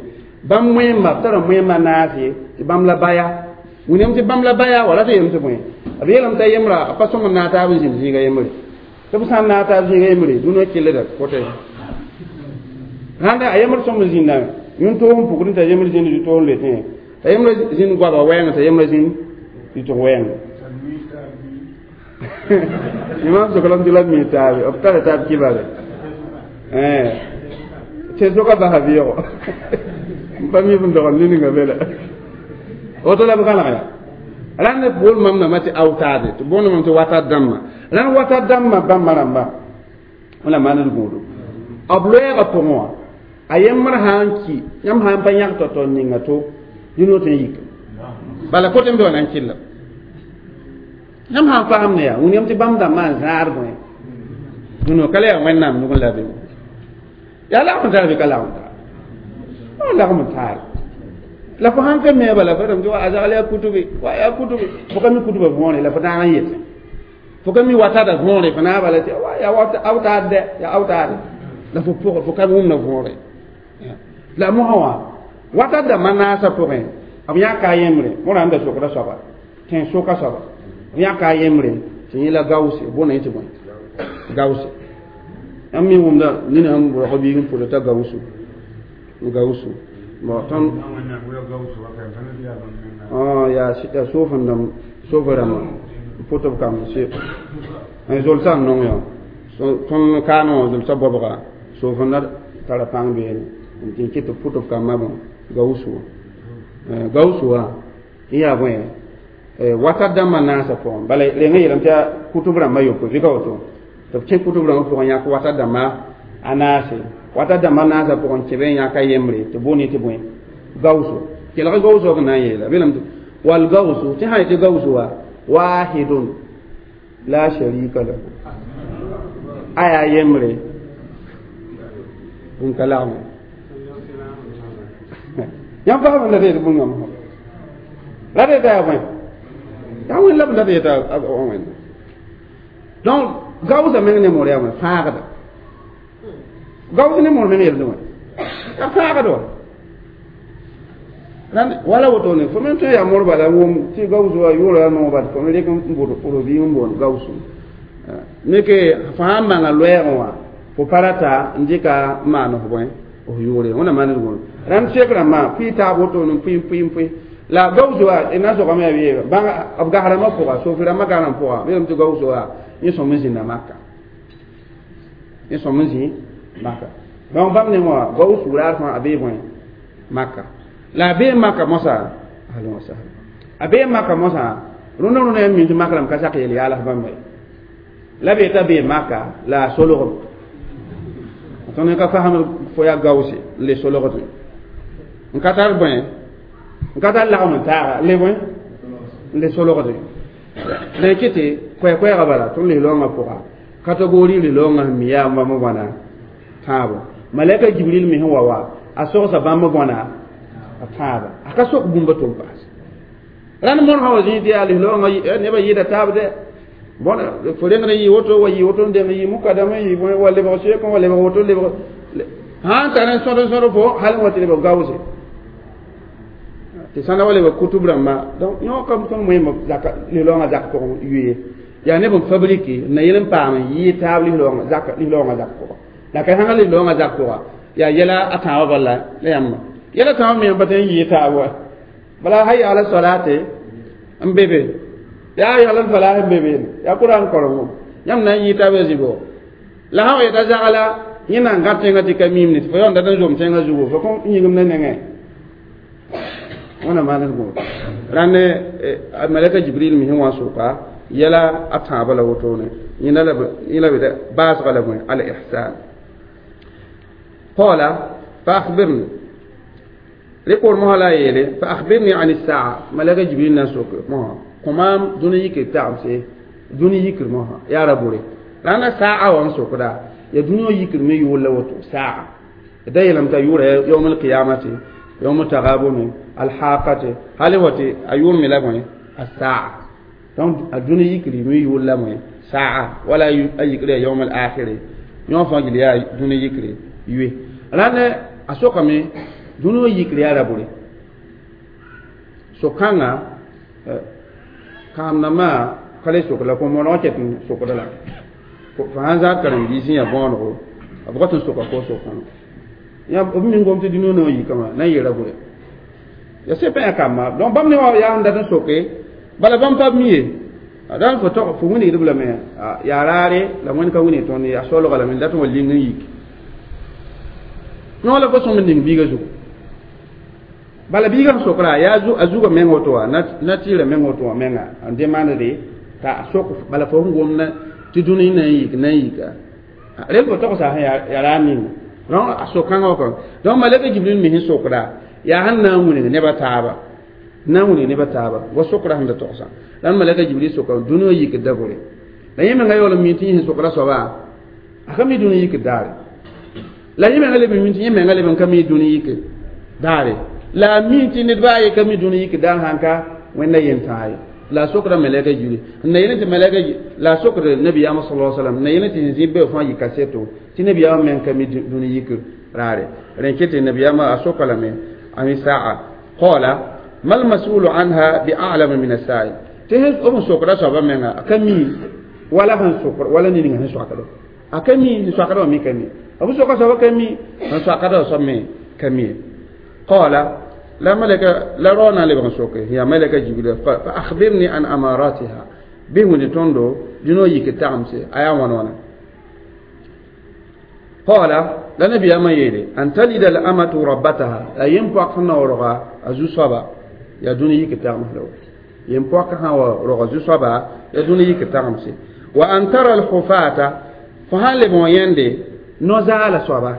bãmb moẽmba b tara moẽmba naase tɩ bãmb la baya william tɩ bãmb la baya wala tɩ yeelame tɩ bõe b yeelame t'a yembra a pa sõng n naag taab n zĩnd zĩiga yembre tɩ b sã n naag taab zĩiga yembre dũnã kellda kote rãnda a yembr sõm n zĩnda yũn-toog n pukd t'a yembr zĩnd rɩ-toog n le tẽ t'a yembr zĩnd goaba wɛɛng t'a yembr zĩnd rɩtg wɛɛng imam sokalame tɩ la mi taabe b tara taab kibare tɩ soka basa vɩɩgo pa mi n dogl niningã be la woto la b gãlg ya rãnd bool mam nambã tɩ aotaade tɩ boond mam tɩ watat dãmbã rãnd watat dãmbã bãmba rãmba wẽla maand d gũudu b loɛɛgã pʋgẽ wã a yembr sã n ki yãmb sã n pa yãg tao-tao ninga to dũnã tõe n yik bala kote n be wã na n kɩlla yãmb sã n fasemd yaa wĩniyame tɩ bãmb dãmbã n zãad bõe dũnã ka la yaa wẽnnaam nug n la be yaa lagm n tar bɩ ka lagm n tar lagm n taar La fo sãn ka mi bala fo tɩ wa a zagl yaa kutube wa yaa kutube fo ka mi kutubã võore la fo daag n yetẽ fo ka mi watada võore fo na bala tɩ wa yaa awtaad dɛ yaa awtaade la fo pʋgã fo ka wʋmda võore la mosã wã watat dãmbã naasã pʋgẽ b yãka a yembre mõra n da sokda soaba tẽn soka soaba b yãka a yembre tɩ yẽ la gause bõna yẽ tɩ bõe gause yãmb me wʋmda nina sẽn rog biig n pʋda t'a gausu gausu bon tõnd yaa soofẽn soofã rãmbã n pʋt b kamb zolsã n nong yã tõnd kaanẽ wã zolsã bɔbga soofẽnda tara pãng beene n kɩt b pʋt b kambã bõ gausu gausu wã n yaa bõe watat dãmbã naasã pʋgẽ bala reng yeelame tɩ yaa kutb rãmbã yopoe bɩ ka woto tɩ b kẽ kutb rãmbã pʋgẽ yãk watat dãmbã a naase watat dãmbã naasã pʋgẽ kẽbe n yãk a yembre tɩ boone tɩ bõe gausu kelg gausu b na n yeela belame tɩ wal gausu tɩ sã yetɩ gausu wa wahidun la sharika lahu a yaa yembre n ka lagme yãmb fasem la tɩ bũngame la tɩ yaa bõe yaa wẽnd la b la tɩ yeta wẽnda donc gaoosã meng ne moor yaa wẽ fãagda gaoos ne moor meng yel wẽ yaa fãagd wa wala wotone fo men tõe yaa moor bala wʋm tɩ gaoos wa yʋʋra yaa noog bal fo me rek n bʋd robiig n boond gaoosu me ke fo sãn maanga loɛɛgẽ wã fo pa rata n dɩka n maan f bõe f yʋʋre wẽnna maan d gõor rãnd sek rãmbã pʋɩ taab wotone n pʋɩ pʋɩ pʋɩ la gaoos wa na sogame yaa wee b gas rãmbã pʋga sofi rãmbã gas rãmb pʋga belame tɩ gaoos wa yẽ sõm n zĩnda maka yẽ sõm n zĩ maka donc bãmb ne wã gaoos raar fãa a bee bõe maka la a bee maka mosã ahlan wa sahlan a bee maka mosã rũndã rũndã yãmb mi tɩ mak rãmb ka sak yel yaals bãmba ye la be t'a bee maka la a solgem tõnd ka fasem fo yaa gaoose n le solgdẽ n ka tar bõe n ka tar lagem n taaga le bõe n le solgdẽ la y kɩtɩ koɛɛ-koɛɛgã bala tõnd lis-loongã pʋga kategori lis-loongã sẽn mi yaa bãmb bõna tãabo malɛka jibril me sẽn wa wa a sogsa bãmb bõna a tãaba a ka sok bũmba tʋm paas rãnd mõr sã wa zĩig tɩ yaa lis-loongã nebã yɩɩda taab dɛ bõn fo rengd n yɩ woto wa yɩ woto n deng yɩ mukadam n yɩ bõe wa lebg seek wa lebg woto lebg sãn tar n sõd n sõd fo hal n wa tɩ lebg gaoose tɩ sãnda wa lebg kutub rãmba donc yõ kam tõnd moẽmb zaka lis-loongã zak pʋgẽ yʋe yaa neb n fabrike n na yel n paam n yɩɩ taab lis-loongã zak pʋga la ka sãnga lis-loongã zak pʋga yaa yɛla a tãabã bala la yãmba yɛla tãabã me pa tõe n yɩɩ taab wa bala hayya ala solate n be be yaa yagl n falah n be be yaa Qur'an korengo yãmb na n yɩɩ taab ya zĩbo la sã wa yeta zagla yẽ na n gãd tẽngã tɩ ka miim ne tɩ fo yaoon dat n zom tẽngã zugu fo kõn yĩngem ne nengẽ wẽna maan d gõor rãnd malɛka jibril me sẽn wa n soka yɛla a tãabã la wotone yẽ la b baasga la bõe al ihsan qala fa akhbirni repor mosã la a yeele fa akhbirni an saa malɛka jibril na n sok mosã kõmaam dũni yikr tagemse dũni yikr mosã yaa ra bore rãnda saa wã n sokda ya dũni yikr me yʋʋr la woto saa da yeelame t'a yʋʋra yawm alqiyamati yawm tagabuni alhaqati hali wati a yʋʋr me la bõe a saa donc a dũni yikr me yʋʋr la bõe saa wala a yikr ya yawm alakhiri yõ fãa gil yaa dũni yikr yue rãnd a sokame dũni yikr yaa ra bore so-kãngã kaam-dãmbã ka le sok la kõ mooneg ket n sokda la fo sãn zaad karen-biis n yaa bõonego b rat n soka ko sok-kãngã yã b min gom tɩ dũni no yikame na n yeela bore ya se pa yã kambã donc bãmb ne wã yaa n dat n soke bala bãmb pa b mi ye dãn fo tog fo wilgdb lame yaa raare la wẽnd ka wilg tõnd yaa solga lame dat n wa ling n yik yõ la fo sõm n ning biiga zugu bala biiga sẽn sokra yaa a zugã meng woto wã na tɩɩrã meng woto wã menga n demandde t'a sok bala fo sẽn gomda tɩ dũni na n yik na n yika rel fo togsa sẽn yaa raar ninga donc a sok-kãngã wã donc malɛka jibril me sẽn sokda yaa sẽn na n wilg nebã taaba na n wilg nebã taaba wa sokra sẽn da togsã la malɛka jibril soka dũni wã yikd da bore la yẽ menga yaool n mi tɩ yẽ sẽn sokra soaba a ka mi dũni yikd daare la yẽ menga leb n mi tɩ yẽ menga leb n ka mi dũni yik daare La mi tɩ ned baa ye ka mi dũni yik daar sãn ka wẽnda yentãag ye la sokda malɛka Jibril n na yel tɩ malɛka la sokd nabiyaamã sala sallam n na yel tɩ sẽn zĩ be fãa yɩ kaseto tɩ nabiyaamã meng ka mi dũni yik raare rẽ ket tɩ nabiyaamã a soka lame ami saa qala mal masulu anha bi a'lama min as-sa'il tɩ b sokda soabã menga a ka mi wala sẽn sokd wala ned ninga sẽn soakdo a ka mi sẽn soakdã wã me ka mi b soka soabã ka mi sẽn soakdã soab me ka mi qala لا ملك لا رونا لبن سوكي هي ملك جبريل فأخبرني عن أماراتها به نتوندو دينو يك تامسي أيا ونونا قال لا نبي أما يلي أن تلد الأمة ربتها لا ينبقى ورغا أزو صبا يا دوني يك تامس لو ينبقى ورغا أزو صبا يا دوني يك تامسي وأن ترى الحفاة فهل بويندي نزال صبا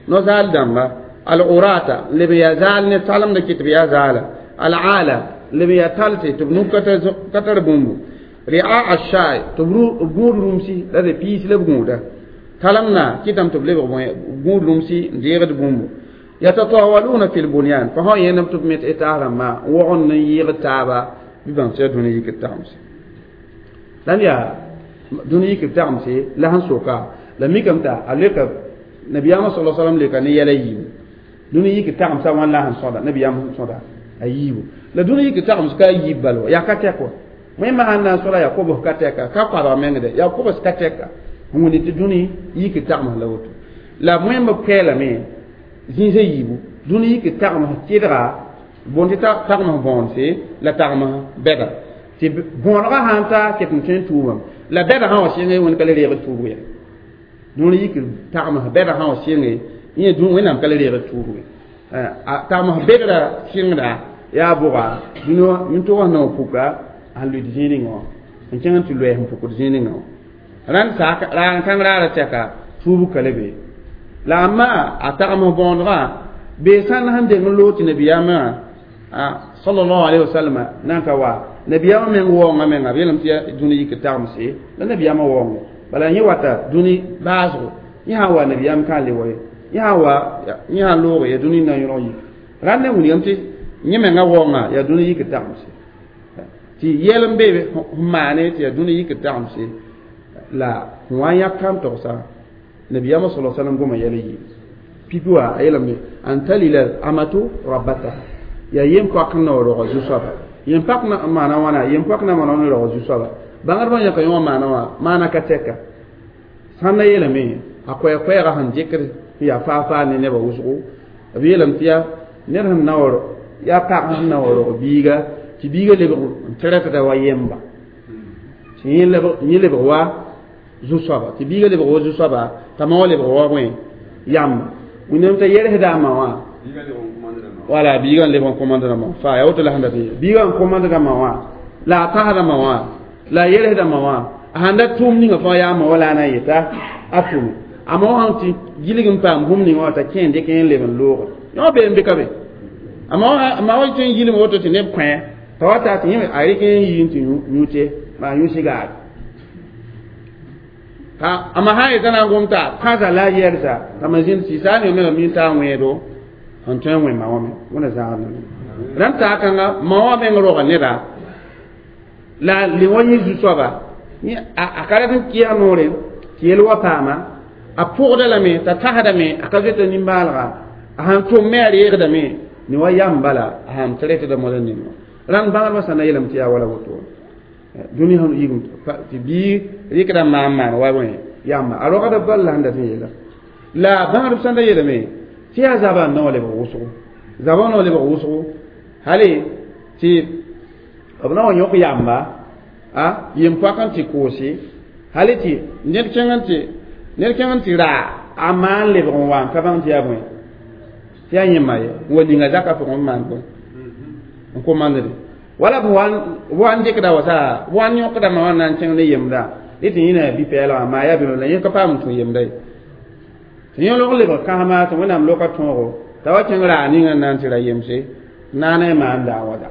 نزال دمبا العراة اللي بيزال نتعلم لك بيزال العالة اللي بيتالتي تبنو كتر بومبو رعاء الشاي تبرو بور رومسي لا دي بيس لبغودا تلمنا كتم تبلي بور رومسي ديغد بومبو يتطاولون في البنيان فهو ينم تبمت اتارا ما وغن يغ تابا ببان سيدوني يكتامسي لن يا دوني يكتامسي لهن سوكا لميكمتا عليك نبينا صلى الله عليه وسلم لك نيلا ييو dũni yik tagmsa wãn la sẽn sõda nabiyaam sẽn sõda a yiibu la dũni yik tagems ka yiib bal wa yaa ka tɛk wa wẽnnaam sãn na n sõda yaa kobs ka tɛka ka koabg mengde yaa kobs ka tɛka n wẽnd tɩ dũni yik tagms la woto la wẽmb koɛɛlame zĩisã yiibu dũni yik tagms kɩdga bõn tɩ tagms bõonse la tagms bɛda tɩ bõonegã sãn ta ket n tõe n tuubame la bɛda sã wa sɩnge wẽnd ka le reeg tuubg ya dũni yik tagms bɛda sã wa sɩnge yẽ dũ wẽnnaam ka le reeg tuubg tagms bedra sɩngda yaa bʋga yũntʋg sẽn na n puka sẽn lʋɩd zĩig ninga wã n kẽng tɩ loɛɛs n pukd zĩig ninga wã rãnd sak raag kãng raara tɛka tuub ka le be la a maa a tagms bõonegã bee sãn sẽn deng n loog tɩ nabiyaamã sallallahu alaihi wasallam nan ka wa nabiyaamã meng waoongã menga b yeelame tɩ yaa dũni yik tagmse la nabiyaamã waoongo bala yẽ wata dũni baasgo yẽ sã n wa nabiyaam kã le wa ye yẽ sã wa yẽ sã n looge yaa dũni na n yõg yik rãnd ne wilgame tɩ yẽ menga waoongã yaa dũni yik tagmse tɩ yɛl n be n maane tɩ yaa dũni yik tagmse la sẽn wa n yãk kam togsa nabiyaamã sala sallam goma yɛl n yɩ pipi wa a yeelame an talila amatu rabbataha yaa yem-poak n na wa roga zu-soaba yem-pak n maana wãna yem-poak na maana n roga zu-soaba bãngdbã yãka yõ wã maana wã maana ka tɛka sãn na yeelame a koɛɛ-koɛɛgã sẽn dɩkd n yaa faa-faa ne nebã wʋsgo b yeelame tɩ yaa ned sẽn na wa yaa pag sẽn na wa rog biiga tɩ biiga lebg n tɩrɛtda wa yemba tɩ yẽ lebg wa zu-soaba tɩ biiga lebg wa zu-soaba t'a ma wa lebg wa wẽ yamba wẽnnaam t'a yɛlsda a ma wã wala biiga n lebg n komandda ma faa yaa woto la sẽn dat n ye biiga n komandda ma wã la a tasda ma wã la a yɛlsda ma wã a sãn da tʋʋm ninga fãa yaa a ma wa la a na n yeta a tʋme a ma wã sãn tɩ gilg n paam bũmb ninga wã t'a kẽ n dɩk n leb n looge yõ bee n be ka be a ma wa tõe n yilme woto tɩ neb kõ t'a wa ta tɩ yẽ a rɩk n yi n tɩ yũ-te maa yũ-sigaare a ma sã n yeta na n gom t'a kãsa la a yɛlsa t'a ma zĩnd sɩɩsa ne menga mi n taa wẽedo sẽn tõe n wẽ ma wã me wẽna zãagd rãnd taa kãnga ma wã meng roga neda la le wa yẽ zu-soaba a ka rat n kɩɛg noore tɩ yel wa paama a pʋgda lame t'a tasdame a ka zoeta nimbaalga a sãn tʋm me a reegdame ne wa yam bala a sãn tɩrɛtda mola ninga rãnd bãgdbã sã na yeelame tɩ yaa wala woto dũni sẽn yigm tɩ bii rɩkda maan maan wa wẽ yamba a rogda bal la sẽn dat n yeela la bãgdb sãn da yeelame tɩ yaa zabã n na wa lebg wʋsgo zabã na wa lebg wʋsgo hali tɩ b na wa yõk yamba a yem-poak n tɩ koose hali tɩ ned kẽng n tɩ ned kẽng n tɩ raa a maan lebg n wa n ka bãng tɩ yaa bõe tɩ yaa yẽmma ye n wa ninga zakã pʋgẽ n maan bõe n komandde wala b wa n dɩkda wa sa b wa n yõkda ma wã na n kẽng ne yemda dɩ tɩ yẽna bi-pɛɛlgã maa yaa bɩ la yẽ ka paam n tũ yemda ye tɩ yẽ log lebg kãsma tɩ wẽnnaam loka tõogo t'a wa kẽng raa ninga n na n tɩ ra yemse naana maan daa wa da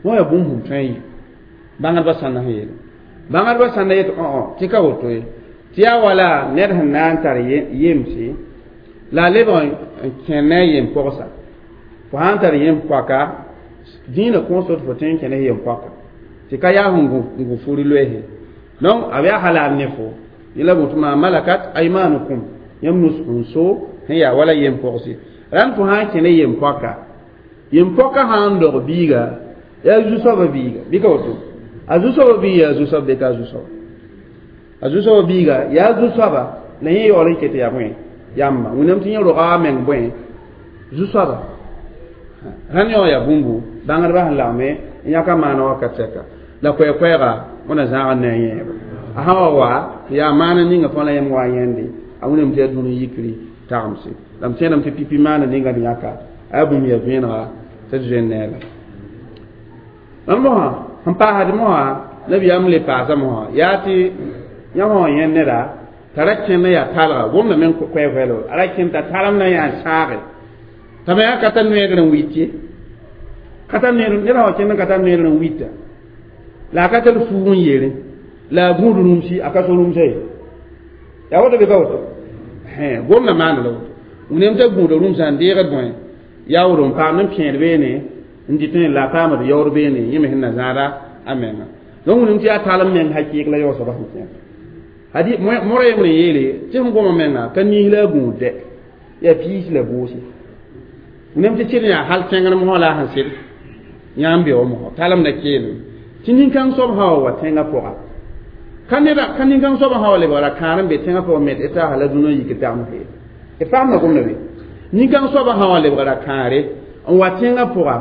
wã yaa bũmb sẽn tõe n yɩ bãngdbã sãnda sẽn yeele bãngdbã sãnda yet õ tɩ ka woto ye tɩ yaa wala ned sẽn na n tar yemse la a lebg n kẽ ne a yem pɔgsa Fo sã n tar yẽm-poaka dĩinã kõosd fo tõe n kẽnes yem-poaka tɩ ka yaa sẽn gũ furi loeese donc a yaa halal ne fo yẽla boto maa malakat aymanukum yãmb nus n so sẽn yaa wala yem-pogse rãnd fo sã n kẽne yem-poaka yem-poaka sã n dog biiga yaa zu-soabã biiga bɩ ka woto a zu-soabã biig yaa zu-soab bɩ ka zu-soaba a zu-soabã biiga yaa zu-soaba la yẽ yaool n ket yaa bõe yamba wẽnnaam tɩ yẽ roga a meng bõe zu-soaba rãnd yõ yaa bũmbu bãngdbã sẽn lagme n yãka maana wakat sɛka la koɛɛ-koɛɛga wẽna zãag ne a yẽeba a sã wa wa yaa maana ninga fãa la yãmb wa yẽnde a wẽnnaam tɩ yaa dũni yikri tagemse la m tẽedame tɩ pipi maana ninga d yãka a yaa bũmb yaa vẽenega tɩ d zoe neela mam mosã sẽn paasd mosã nabiyaam le paasa mosã yaa tɩ yãmb sã wa yẽnd neda t'a ra kẽnd yaa talga gomda meng koɛɛ-koɛɛlo a ra kẽnd t'a talem na yaa n sãage t'a me yaa ka tar noeegr n wit ye ka tar noeegr ned sã wa kẽnd n ka tar noeegr n wita la a ka tar fuug n yeere la a gũud rũmsi a ka so rũmsã ye yaa woto bɩ ka woto gomda maana la woto wẽnnaam t'a gũuda rũmsã n deegd bõe yaood n paam n pẽed beene n dɩt la a paamd yaood beene yẽ me sẽn na zãada a menga donc wẽnnaam tɩ yaa talem meng hakɩɩk la yaoosã sẽn kẽer hadi mora yembre n yeele tɩ sẽn goma menga ka niis la a gũud dɛ yaa piis la boose wẽnnaam tɩ sɩd yaa hal tẽngr mosã la a sẽn sɩd yãmb be wa mosã talem na keelem tɩ nin-kãng soab sã wa wa tẽngã pʋga ka neda ka nin-kãng soab sã wa lebgra kãar n be tẽngã pʋgã met taasa la dũnã yik tagem fee d faamda gomda be nin-kãng soabã sã wa lebgra kãare n wa tẽngã pʋga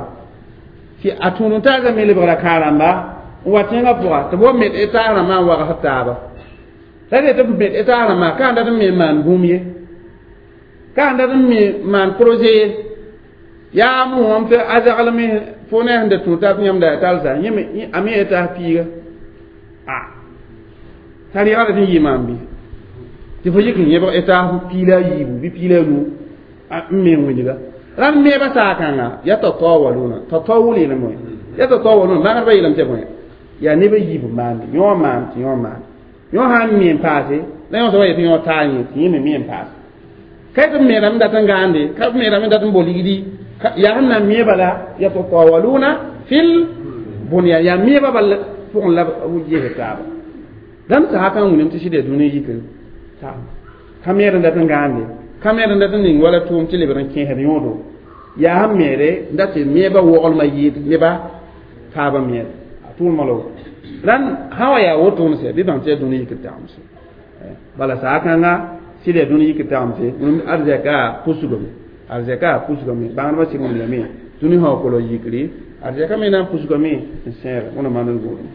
tɩ a tũud n taasã me lebgra kãar-rãmba n wa tẽngã pʋga tɩ b wa met taas rãmbã n wagsd taaba la tɩ b met taas rãmbã ka n dat n me maan bũmb ye ka n dat n me maan projet ye yaa mosam tɩ a zaglme fo ne sẽn da tũ tab yãmb da talsa yẽ a me taas piiga a t'a reegda tɩ n yɩ maam bɩ tɩ fo yik n yẽbg taas piila a yiibu bɩ piila a nu n me wilga rãnd meebã saakãnga ya tatawaluna tatawul yeelame wẽ ya tatawaluna magsdbã yeelame tɩ bõe yaa nebã yiib maande yõ maan tɩ yõ maan yõ sã n me n paase la yõ soaba yetɩ yõ taa yẽ tɩ yẽ me me n paase ka tɩ b meedame dat n gãande ka b meedame dat n bo ligdi yaa sẽn na n meeba la yatatawaluna fil bunyan yaa meebã bal pʋgẽ la b ges taaba dãmb sã kan wĩnam tɩ sɩd yaa dũni yikr ka meed n dat n gãande ka meed n dat n ning wala tʋʋm tɩ lebd n kẽesd yõodo yaa sẽn meede n dat tɩ meebã woglmã yɩɩd neba taabã meed a tʋʋlmã la woto rãnd sã wa yaa wotone sɛ bɩ bãng tɩ yaa dũni yikr tagemse bala saa kãnga sɩd yaa dũni yikr tagemse arzɛka pusgame arzɛka pusgame bãngdbã sɩd wẽndame dũni sã wa kolg yikri arzɛka me na n pusgame n sẽeg wẽna maan n gũudum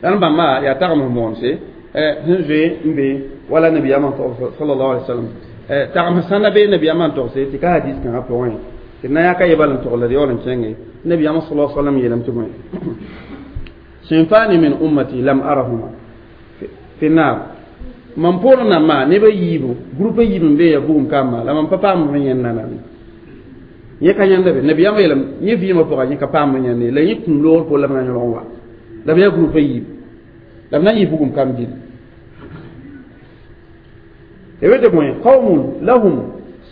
rãnd bãmba yaa tagem moonse sẽn zoe n be wala nabiyaamã sallallahu alaihi wasallam tagem sãnda be nabiyaamã n togse tɩ ka hadis kãngã pʋgẽ tɩ na yaa ka yebal n togl la d yaool n kẽnge nabiyaamã sallallahu alaihi wasallam yeelame tɩ bõe sinfani min ummati lam arahuma fi nar mam poorẽ nambã nebã yiibu groupe yiib n be ya bugum kambã la mam pa paam f yẽnd nanane yẽ ka yãnda be nabiyaamã yeelame yẽ vɩɩmã pʋga yẽ ka paam yãnde la yẽ kũum loogr po la b na yõlg n wa la b yaa groupe yiib la b na n yɩ bugum kam dĩn tɩ bõe qaumun lahum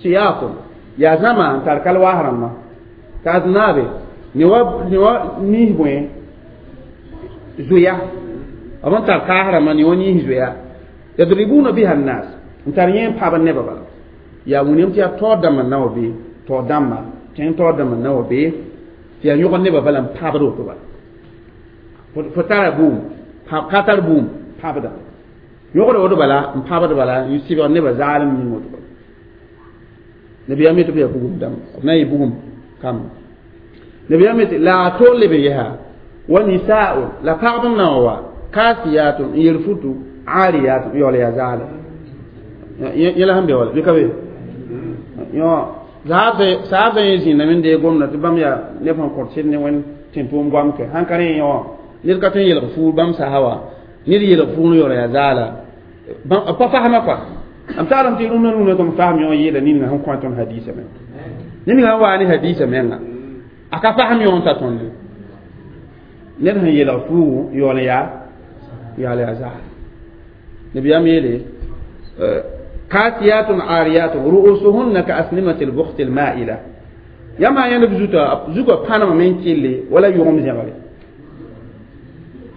siyatun yaa zãma n tar kalwaas rãmbã t'a aznaabe ne wa niis bõe zoya b n tar kaas rãmbã ne wa niis zoya yadribuna biha nnas n tar yẽ n pabd nebã bala yaa wĩnam tɩ yaa taood dãmbã n na wa bee taood dãmba tẽng taood dãmbã n na wa bee tɩ yaa yõgd nebã bala n pabd woto bala fo tara bũmb ka tar bũmb pabda yõgd woto bala n pabd bala n sɩbg nebã zaalem yĩng woto bala nabiyaam yetɩ b yaa bugum dãmba b na n yɩ bugum kamba nabiyaam yetɩ la a to leb n yɛsa wa nisaa'un la pagb n na wa kasiyatun n yer futu ariyatun n yaool yaa zaale yẽla sẽn be wala bɩ ka be yõ saab sã yẽ zĩndame n deeg gomda tɩ bãmb yaa neb sẽn kõt sɩd ne wẽnd tẽn-pʋʋm goam ke sãn ka rẽ yõ ned ka tõe n yelg fuur bãmb sasa wa ned yelg fuur n yaool yaa zaala pa fasma kɔa m taglem tɩ rũndã rũndã tɩ m fasem yõ yeela ninga sẽn kõ tõnd hadiisã menga ninga sẽn waa ne hadiisã menga a ka fasem yõ n ta tõnd ned sẽn yelg fuugu yaool yaa yaool yaa zaala nabiyaam yeele kasiyatun ariyatun ru'usuhunna ka asnimati lbukhti lma'ila Yãmb sã yẽnd b zuta zugã pãnemame n kɩlle wala yʋgem zẽgre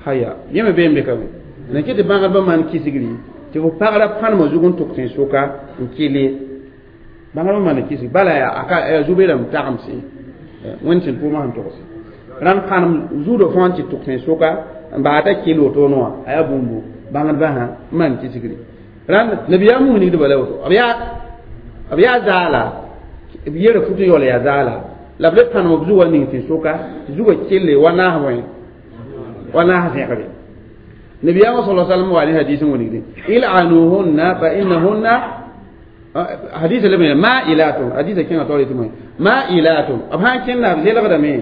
haya yẽ me bee n be ka be la kɩ tɩ bãgdbã maan kisgri tɩ fo pagra pãnemã zug n tʋk tẽn-soka n kɩlle bãgdbã maana kisg bala yaa zu-beerãmb tagemsẽ wẽnd sẽn tʋʋmã sẽn togse rãnd pãnem zuudã fãa n tɩ tʋk tẽn-soka n baa t'a kɩll wotone wã a yaa bũmbu bãngdbã sã n maan kisgri rãnd nabiyaam wilgdba la woto b yaa zaala b yɛra fut n yaool yaa zaala la b le pãnem b zugã ning tẽn-soka tɩ zugã kelle wa naas wẽ wa naas zẽgre nabiyaamã sala sallam wa ne hadis n wilgde ilanuhunna fa innahunna hadis le ma'ilatun hadis kẽngã taoor yetɩ moẽ ma'ilatun b sã n kẽnda b zelgdame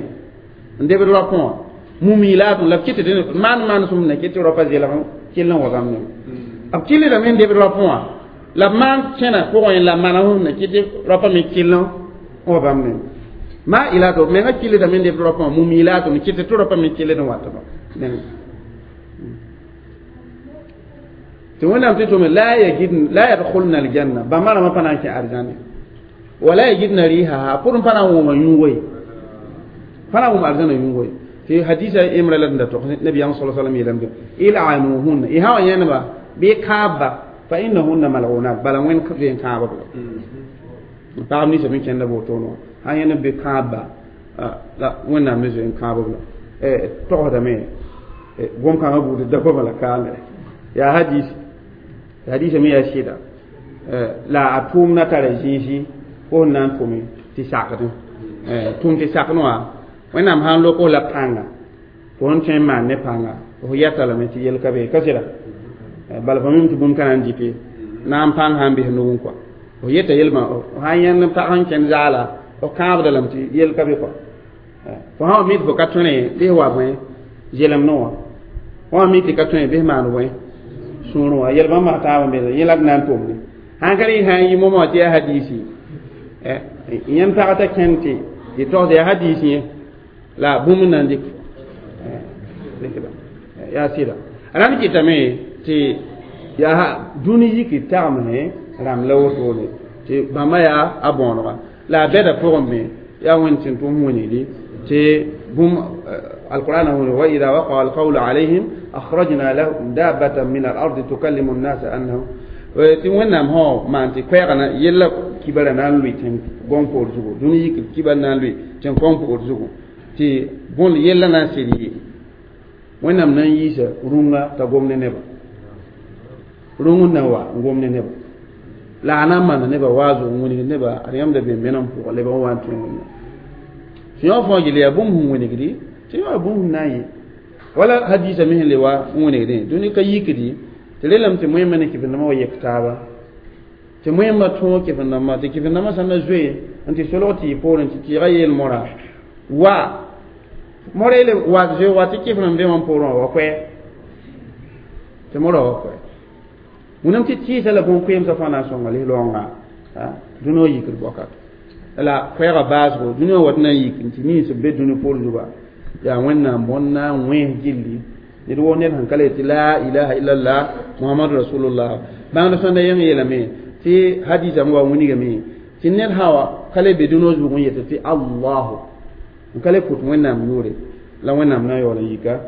n debd rapẽ wã mumilatun la b kɩt tɩ maan manesem na kɩt tɩ raopa zelg kell n wa bãmb ne b kɩllame n debd rapẽ wã la b maan kẽna pʋgẽ la manam na kɩt tɩ raopã me kell n wa bãmb ne ma'ilatun menga kɩllame n debd rapẽ wã mumilatun kɩt tɩ raopã me kell n wat ba tɩ wẽnnaam tɩ tʋme la yadkhulna aljanna bãmba rãmbã pa na n kẽ arzãne wala yajidna rihaha pʋr n pa na n wʋma yũugo ye pa na n wʋm arzãna yũugo ye tɩ hadisa imra la d da tog nabiyaam sa sallam yeelame ilanuhunna y sã wa yẽneba bɩ kãabba fa innahunna mal'unat bala wẽnd zoe n kãaba b la pagb ninsã me kẽnda wotone wã sã yẽneb bɩ kãabba la wẽnnaam me zoe n kãab b la togsdame gom-kãngã buud da goama la kaame yaa hadis hadisa me yaa sɩda la a tʋʋmdã tara zĩisi fo sẽn na n tʋme tɩ sakdẽ tʋm tɩ sakd wã wẽnnaam sã n lok la pãnga fo sẽn tõe n maan ne pãnga fo yɛta lame tɩ yel ka be ka sɩda bala fo mim tɩ bũmb ka na n dɩke na n pãng sã n bɩs nugẽ kɔa fo yeta yelmã sã n yẽnd pag sẽn kẽnd zaala fo kãabda lame tɩ yel ka be kɔa fo sã wa mi tɩ fo ka tõne bɩs wa bõe zelemdẽ wã fo wã mi tɩ ka tõe bɩs maan bõe sũurẽ wã yel bãmb taab n be yẽ la d na n tʋmde sãn ka rẽ sã n yi moma wã tɩ yaa hadisi yẽnd pag t'a kẽnd tɩ tɩ togs yaa hadisi yẽ la bũmb n na n dɩk yaa sɩda rãnd kɩtame tɩ yaa dũni yiki tagmse rãmb la wotone tɩ bãmba yaa a bõonega la a bɛda pʋgẽ me yaa wẽnd sẽn tʋm wilgdi tɩ bũmb القرآن هنا وإذا وقع القول عليهم أخرجنا لهم دابة من الأرض تكلم الناس أنه tɩ wẽnnaam sã maan tɩ koɛɛgã na yella kibara na n lʋɩ tẽn-gõng poor zugu dũni yik kibar na n lʋɩ tẽn-kõng poor zugu tɩ bõn yella na n sed yɩ wẽnnaam na n yiisa rũngã t'a gom ne neba rũng n na n wa n gom ne neba la a na n maana neba waazo n wilgd neba ad yãmb da be menam pʋgã leb n wa n tõe wẽnnaam tɩ yõ fãa gil yaa bũmb sẽn wilgdi tɩ yõ bũmb sẽn na n yɩ wala hadisa me sẽn le wa n wilgdẽ dũni ka yikdi tɩ relame tɩ moẽmba ne kɩf-dãmbã wa yek taaba tɩ moẽmba tõog kɩf-dãmbã tɩ kɩf-dãmbã sã na zoe n tɩ solg tɩ yɩ poorẽ tɩ tɩɩga yeel mora wa mora yeele wa zoe wa tɩ kɩf-rãmb be wã poorẽ wã wa koɛɛ tɩ mora wa koɛɛ wẽnnaam tɩ tɩɩsa la bõn-koeemsã fãa na n sõnga lis-raoongã dũni wã yikd bɔkat la koɛɛgã baasgo dũni wã wat na n yik n tɩ nins b be dũni poor zuga yaa wẽnnaam bõnd na n wẽes gilli ned woo ned sẽn ka le tɩ la ilaha illallah muhammadu rasulullah bãngd sõnda yẽng yeelame tɩ hadisa wa wilgame tɩ ned sã wa ka le be dũnã zug n yetɩ tɩ allahu n ka le pʋt wẽnnaam yʋʋre la wẽnnaam na n yaool n yika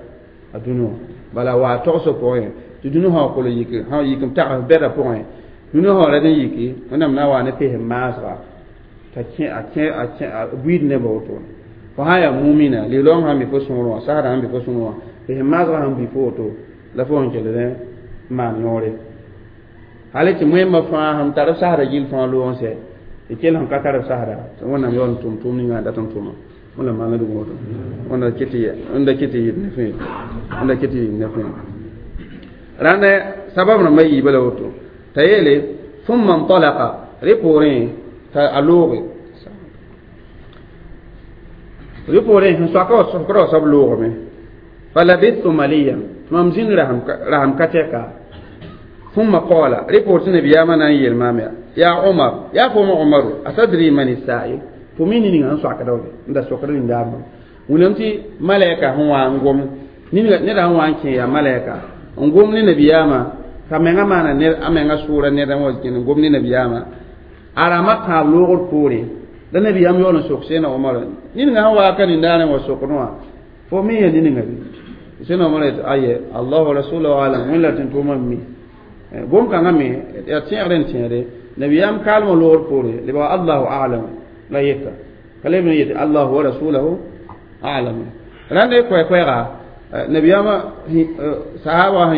a dũni wã bala wa togsg pʋgẽ tɩ dũni sã wa kol n yik sã yik n tags bɛda pʋgẽ dũni sã wa rad n yiki wẽnnaam na n wa ne pes n maasga t'a kẽ a kẽ a kẽ a buiid nebã wotone fo sã yaa mumina lɩ-raoong sã n be fo sõor wã sasdã sãn be fo sõor wã pes maasgã sãn bɩ fo woto la fo sẽn kell n maan yõore hal tɩ moẽmbã fãa sẽn tar b sasda gill fãa loog n sɛ tɩ kell sẽn ka tar b sasda tɩ wẽnnaam yaool n tʋm tʋʋm ninga a dat n tʋma wẽnnaam maana dʋg woto wẽnda kɩ tɩ yɩd ne fẽe wẽnda kɩ tɩ yɩd ne fẽe rãnd sabab rãmbã yiibã la woto t'a yeele ثم انطلق rẽ poorẽ t'a a looge rẽ poorẽ sẽn soaka wa sokra wa soab loogame فلبثت مليا mam zĩnd rasem ka tɛka ثم قال ريبورت نبي آمنا يلمام يا عمر يا فم عمر أتدري من السائل فمين نين أن سوك دولي عند سوك دولي دام ونمتي ملائكة هو أنقوم نين نرى هو أنكي يا ملائكة أنقوم نبي آما كما ما أنا نر أما سورة نرى موزكين أنقوم نبي آما أرامة تابلوغ الكوري La nabiyaam yaool n sok Sẽdna Omar niningã sẽn waa ka nindaarẽ wa sokd wã fo me ya niningã bɩ Sẽdna Omar yetɩ aye Allah wa rasulahu alam wẽnd la tẽn-tʋʋmã n mi gom-kãngã me yaa tẽegr n tẽede nabiyaam kaalmã loogr poore lebga Allahu a'lam la yeta ka leb n yetɩ Allahu wa rasulahu a'lam rãnd koɛ-koɛɛga nabiyaamã sahaba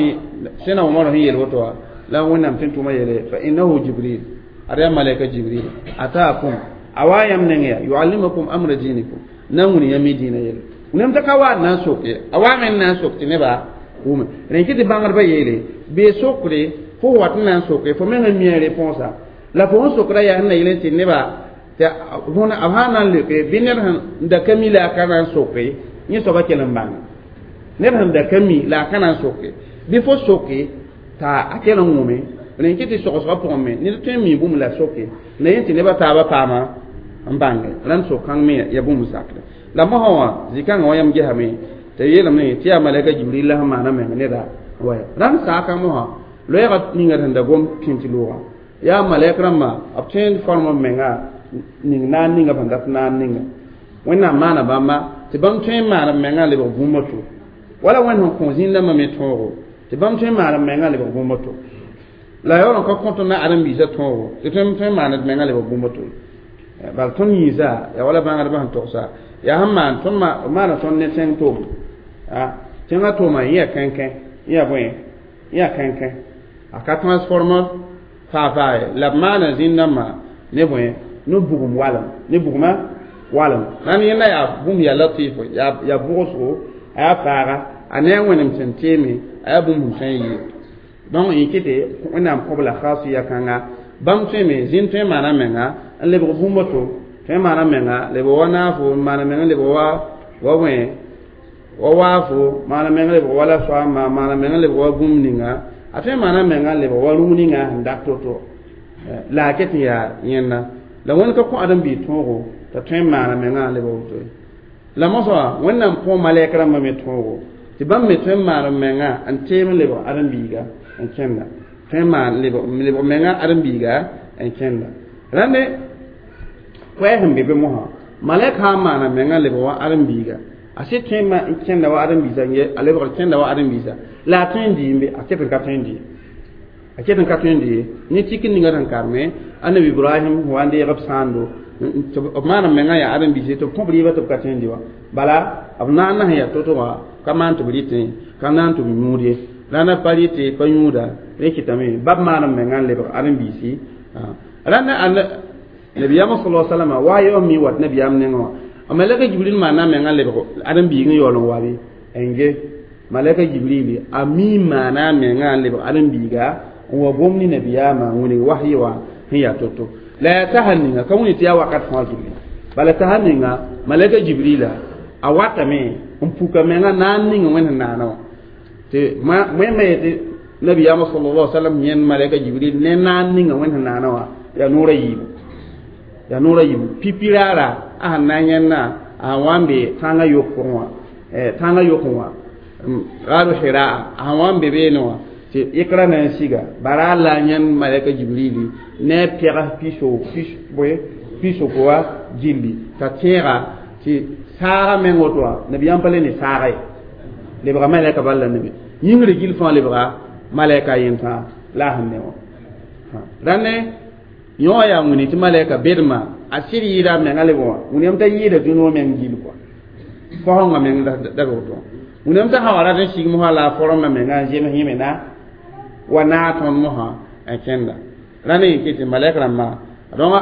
Sẽdna Omar sẽn yel woto wã la wẽnnaam tẽn-tʋʋmã yeele fa innahu Jibril ad yaa malɛka Jibril ataakum a wa yãmb neng yaa yuallimukum amra dinikum na n wuni yãmb y dĩinã yelle wẽnnaam t'a ka wa n na n sok ye a waame n na n sok tɩ nebã wʋme rẽn kɩ tɩ bãngdbã yeele bee sokre fo wat n na n soke fo meng n mi a réponsã la fo sẽn sokda yaa sẽn na yel n tɩ nebã tɩ b sã na n leoke bɩ ned sẽn da ka mi la a ka na n soke yẽ soaba kell n bãnge ned sẽn da ka mi la a ka na n soke bɩ fo soke t'a a kell n wʋme rẽn kɩ tɩ sogsgã pʋgẽ me ned tõe n mi bũmb la soke la yẽ tɩ nebã taabã paama n bãnge rãnd sok-kãng me ya bũmb sakre la mosã wã zĩ-kãngã wã yãmb gesame tɩ yeelame tɩ yaa malɛka Jibril la sẽn maana meng neda waya rãnd saakã mosã loɛɛga ninga sẽn da gom pĩnt loogã yaa malɛk rãmbã b tõe n form b menga ning naan ninga b sẽn dat naan ninga wẽnnaam maana bãmba tɩ bãmb tõe n maan b mengã lebg bũmb to wala wẽnd sẽn kõ zĩn-dãmbã me tõogo tɩ bãmb tõe n maan b mengã lebg bũmb to la yaool n ka kõ tõnd na ãdem-biisã tõogo tɩ tõe n maan d mengã lebg bũmb to bal tõnd yĩsa yaa wala bãngdbã sẽn togsa yaa sẽn maan tõnd maana tõnd ne tẽng toom tẽngã toomã yẽ yaa kẽnkẽ yẽ yaa bõe yẽ yaa kẽnkẽ a ka transformer faa-faa ye la b maana zĩn-dãmbã ne bõe ne bugum walem ne bugmã walem rãnd yẽnda yaa bũmb yaa latifo yaa bʋgsgo a yaa faaga a ne a wẽnem sẽn teeme a yaa bũmb sẽn n yɩ donc yẽ kɩ tɩ wẽnnaam kõb la khasiya kãnga bãmb tõeme zĩn tõe n maana menga n lebg bũmb to tõe n maana menga lebg wa naafo n maana menga lebg wa wa bõe wa waafo maana menga lebg wa la soaamba maana menga lebg wa bũmb ninga a tõe n maana menga lebg wa rũm ninga sẽn dat to-to la a ket n yaa yẽnda la wẽnd ka kõ ãdem-biig tõogo t'a tõe n maana menga lebg woto ye la mosã wẽnnaam kõ malɛk rãmbã me tõogo tɩ bãmb me tõe n maan menga n teem n lebg ãdem-biiga n kẽnda tõe n maan lebg menga ãdem-biiga n kẽnda rãnde koɛɛ sẽn be be mosã malɛk sã n maana menga lebg wa ãdem-biiga a sɩd tõe n kẽnda wa ãdem-biisã a lebgr kẽnda wa ãdem-biisã la a tõe n dɩɩmbe a ket n ka tõe n dɩ a ket n ka tõe n dɩ ne tik ninga sẽn karme annabi Ibrahim wa n deeg b sãando b maan b menga yaa ãdem-biise tɩ b kõ b rɩɩbã tɩ b ka tõe n dɩ wã bala b naand sẽn yaa to-to wã ka maan tɩ b rɩtẽ ka naan tɩ b yũud ye rãndã pa rɩte pa yũuda rẽ kɩtame bab maan b menga n lebg ãdem-biisi rãndã nabiyaamã sala salama wa yaoom mi wat nabiyaam nengẽ wã a malɛka Jibril maana menga lebg ãdem-biig n yaool n wa bɩ n ge malɛka Jibril a mi maana menga n lebg ãdem-biiga n wa gom ne nabiyaamã n wilg wahyi wã sẽn yaa to-to la yaa sasa ninga ka wẽni tɩ yaa wakat fãa gilli bala sasa ninga malɛka Jibrila a watame n puka menga naan ninga wẽnd sẽn naana wã tɩ wẽmba yetɩ nabiyaamã sallallahu alaihi wasallam yẽnd malɛka Jibril ne naan ninga wẽnd sẽn naana wã yaa noora yiibu yaa noora yiibu pipiraara a sẽn na n yẽnna a sẽn wa n be tãngã yok pʋgẽ wã tãngã yokẽ wã gaaru Hiraa a sẽn wa n be beene wã tɩ ikra na n siga bara la a yẽnd malɛka Jibrili ne a pɛgs piso bõe pisoko wã gilli t'a tẽega tɩ saaga meng woto wã nabiyaam pa le ne saaga ye lebga malɛka bal la nebe yĩngri gill fãa lebga malɛka yẽn tã la a sẽn ne wã rãnde yõ yaa wĩni tɩ malɛka bedmã a sɩd yɩɩda a menga lebg wã wĩniyam t'a yɩɩda dũni wã meng gill kɔa fosẽngã meng da woto wĩniyam t'a sã wa rat n sig mosã la a forma menga n zems yẽme na wa naag tõnd mosã n kẽnda rãnd yẽ kɩ tɩ malɛk rãmbã donc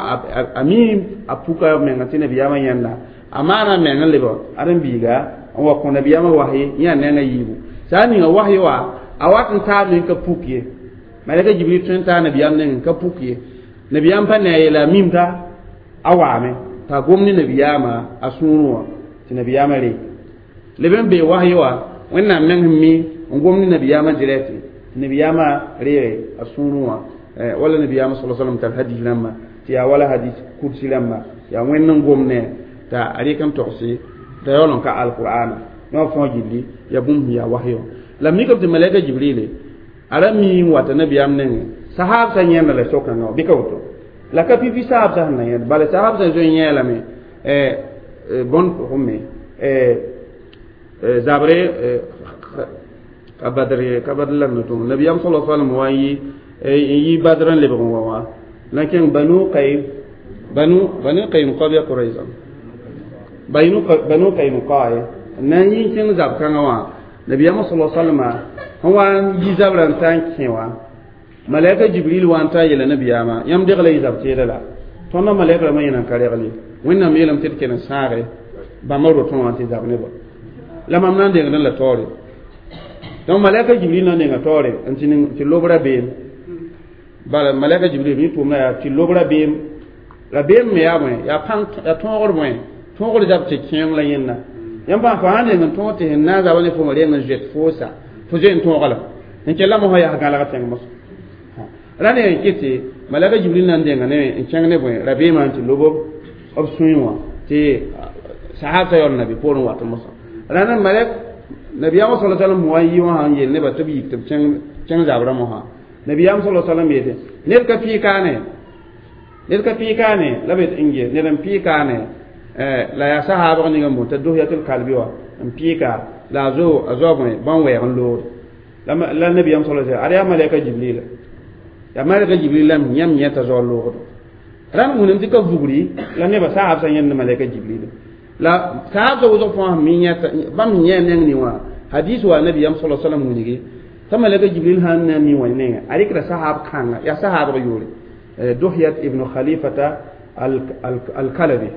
a mi a puka menga tɩ nabiyaamã yẽnda a maana meng n lebg ãdem-biiga n wa kõ nabiyaamã wahyi yẽ a nengã yiibu sã n ninga wahyi wã a wat n taa me n ka puk ye malɛka Jibril tõe n taa nabiyaam neng n ka puk ye nabiyaam pa ne a yeela a mim t'a a waame t'a gom ne nabiyaamã a sũurẽ wã tɩ nabiyaamã reeg leb n bee wahyi wã wẽnnaam meng sẽn mi n gom ne nabiyaamã direct tɩ nabiyaamã reege a sũurẽ wã wala nabiyaamã sala sallam tar hadis rãmbã tɩ yaa wala hadis kursi rãmba yaa wẽnd n gom ne t'a a rɩk n togse t'a yaool n ka alqur'ana yõ fãa gilli yaa bũmb sẽn yaa wahyi wã la mikame tɩ malɛka Jibrile a ra mi n wata nabiyaam nengẽ sahaab sã yẽnda la so-kãngã wã bɩ ka woto La ka pipi saab sã sẽn na yẽd bala saab sã zoe yẽ lame bõn pʋgẽ me zabre ka badr ye ka badr la n tʋm nabiyaam sala sallam wa n yi badr n lebg n wa wã la kẽng banu qaym banu qaynuqa bɩ qurayza banu qaynuqa ye na n yi n kẽng zab kãngã wã nabiyaam sala sallama sẽn wa n yi zabrã n ta n kẽ wã malaika jibril wa n ta yeela nabiyaamã yãmb degla y zab teeda la tõndã malaika rãmbã yẽna n ka regl wẽnnaam yeelame tɩ d kell n sãage bãmba rotẽ wã tɩ zab nebã la mam na n dengdẽ la taoore donc malaika jibril na n denga taoore n tɩ lob rabeem bala malaika jibril mi tʋʋmda yaa tɩ lob rabeem rabeem me yaa bõe yaa pãng yaa tõogr bõe tõogr zab tɩ kẽeng la yẽnna yãmb pãa fo sãn deng n tõog tɩ sẽn na n zaba ne fo reng n zoet foosa fo zoe n tõoga la n kell mosã yaa gãlg tẽng mosã ra ne n kɩ tɩ malaika jibril na n denga ne n kẽng ne bõe rabeemã n tɩ lob b sũyẽ wã tɩ sahab sa yaool nabi poorẽ wat mosã rãna malak nabiyaam sala sallam wa yi wã sãn yeel nebã tɩ b yik tɩ b kẽng zabrã mosã nabiyaam sala sallam yeete ned ka pɩɩ kaane ned ka pɩɩ kaane la b yet n ge ned n pɩɩ kaane la yaa sahaabg ning n boon t'a dohyatul kalbi wã n pɩɩka la a zo a zoa bõe bãn-wɛɛg n loogd la nabiyaam sala sallam ad yaa malɛka jibrila yaa malɛka jibril la yãmb yẽta zoa loogdo rãnd wũnem tɩ ka vugri la nebã sahaab sã yẽnd malɛka jibrila la sahab sa wʋsg fãa mi yẽta bãmb yẽ neng ning wã hadis wa nabiyam sala sallam wilgi t'a malaka jibril sãn na mi wã nenga a rɩkda sahab kãnga yaa sahabg yʋʋre duhyat ibnu khalifata alkalabi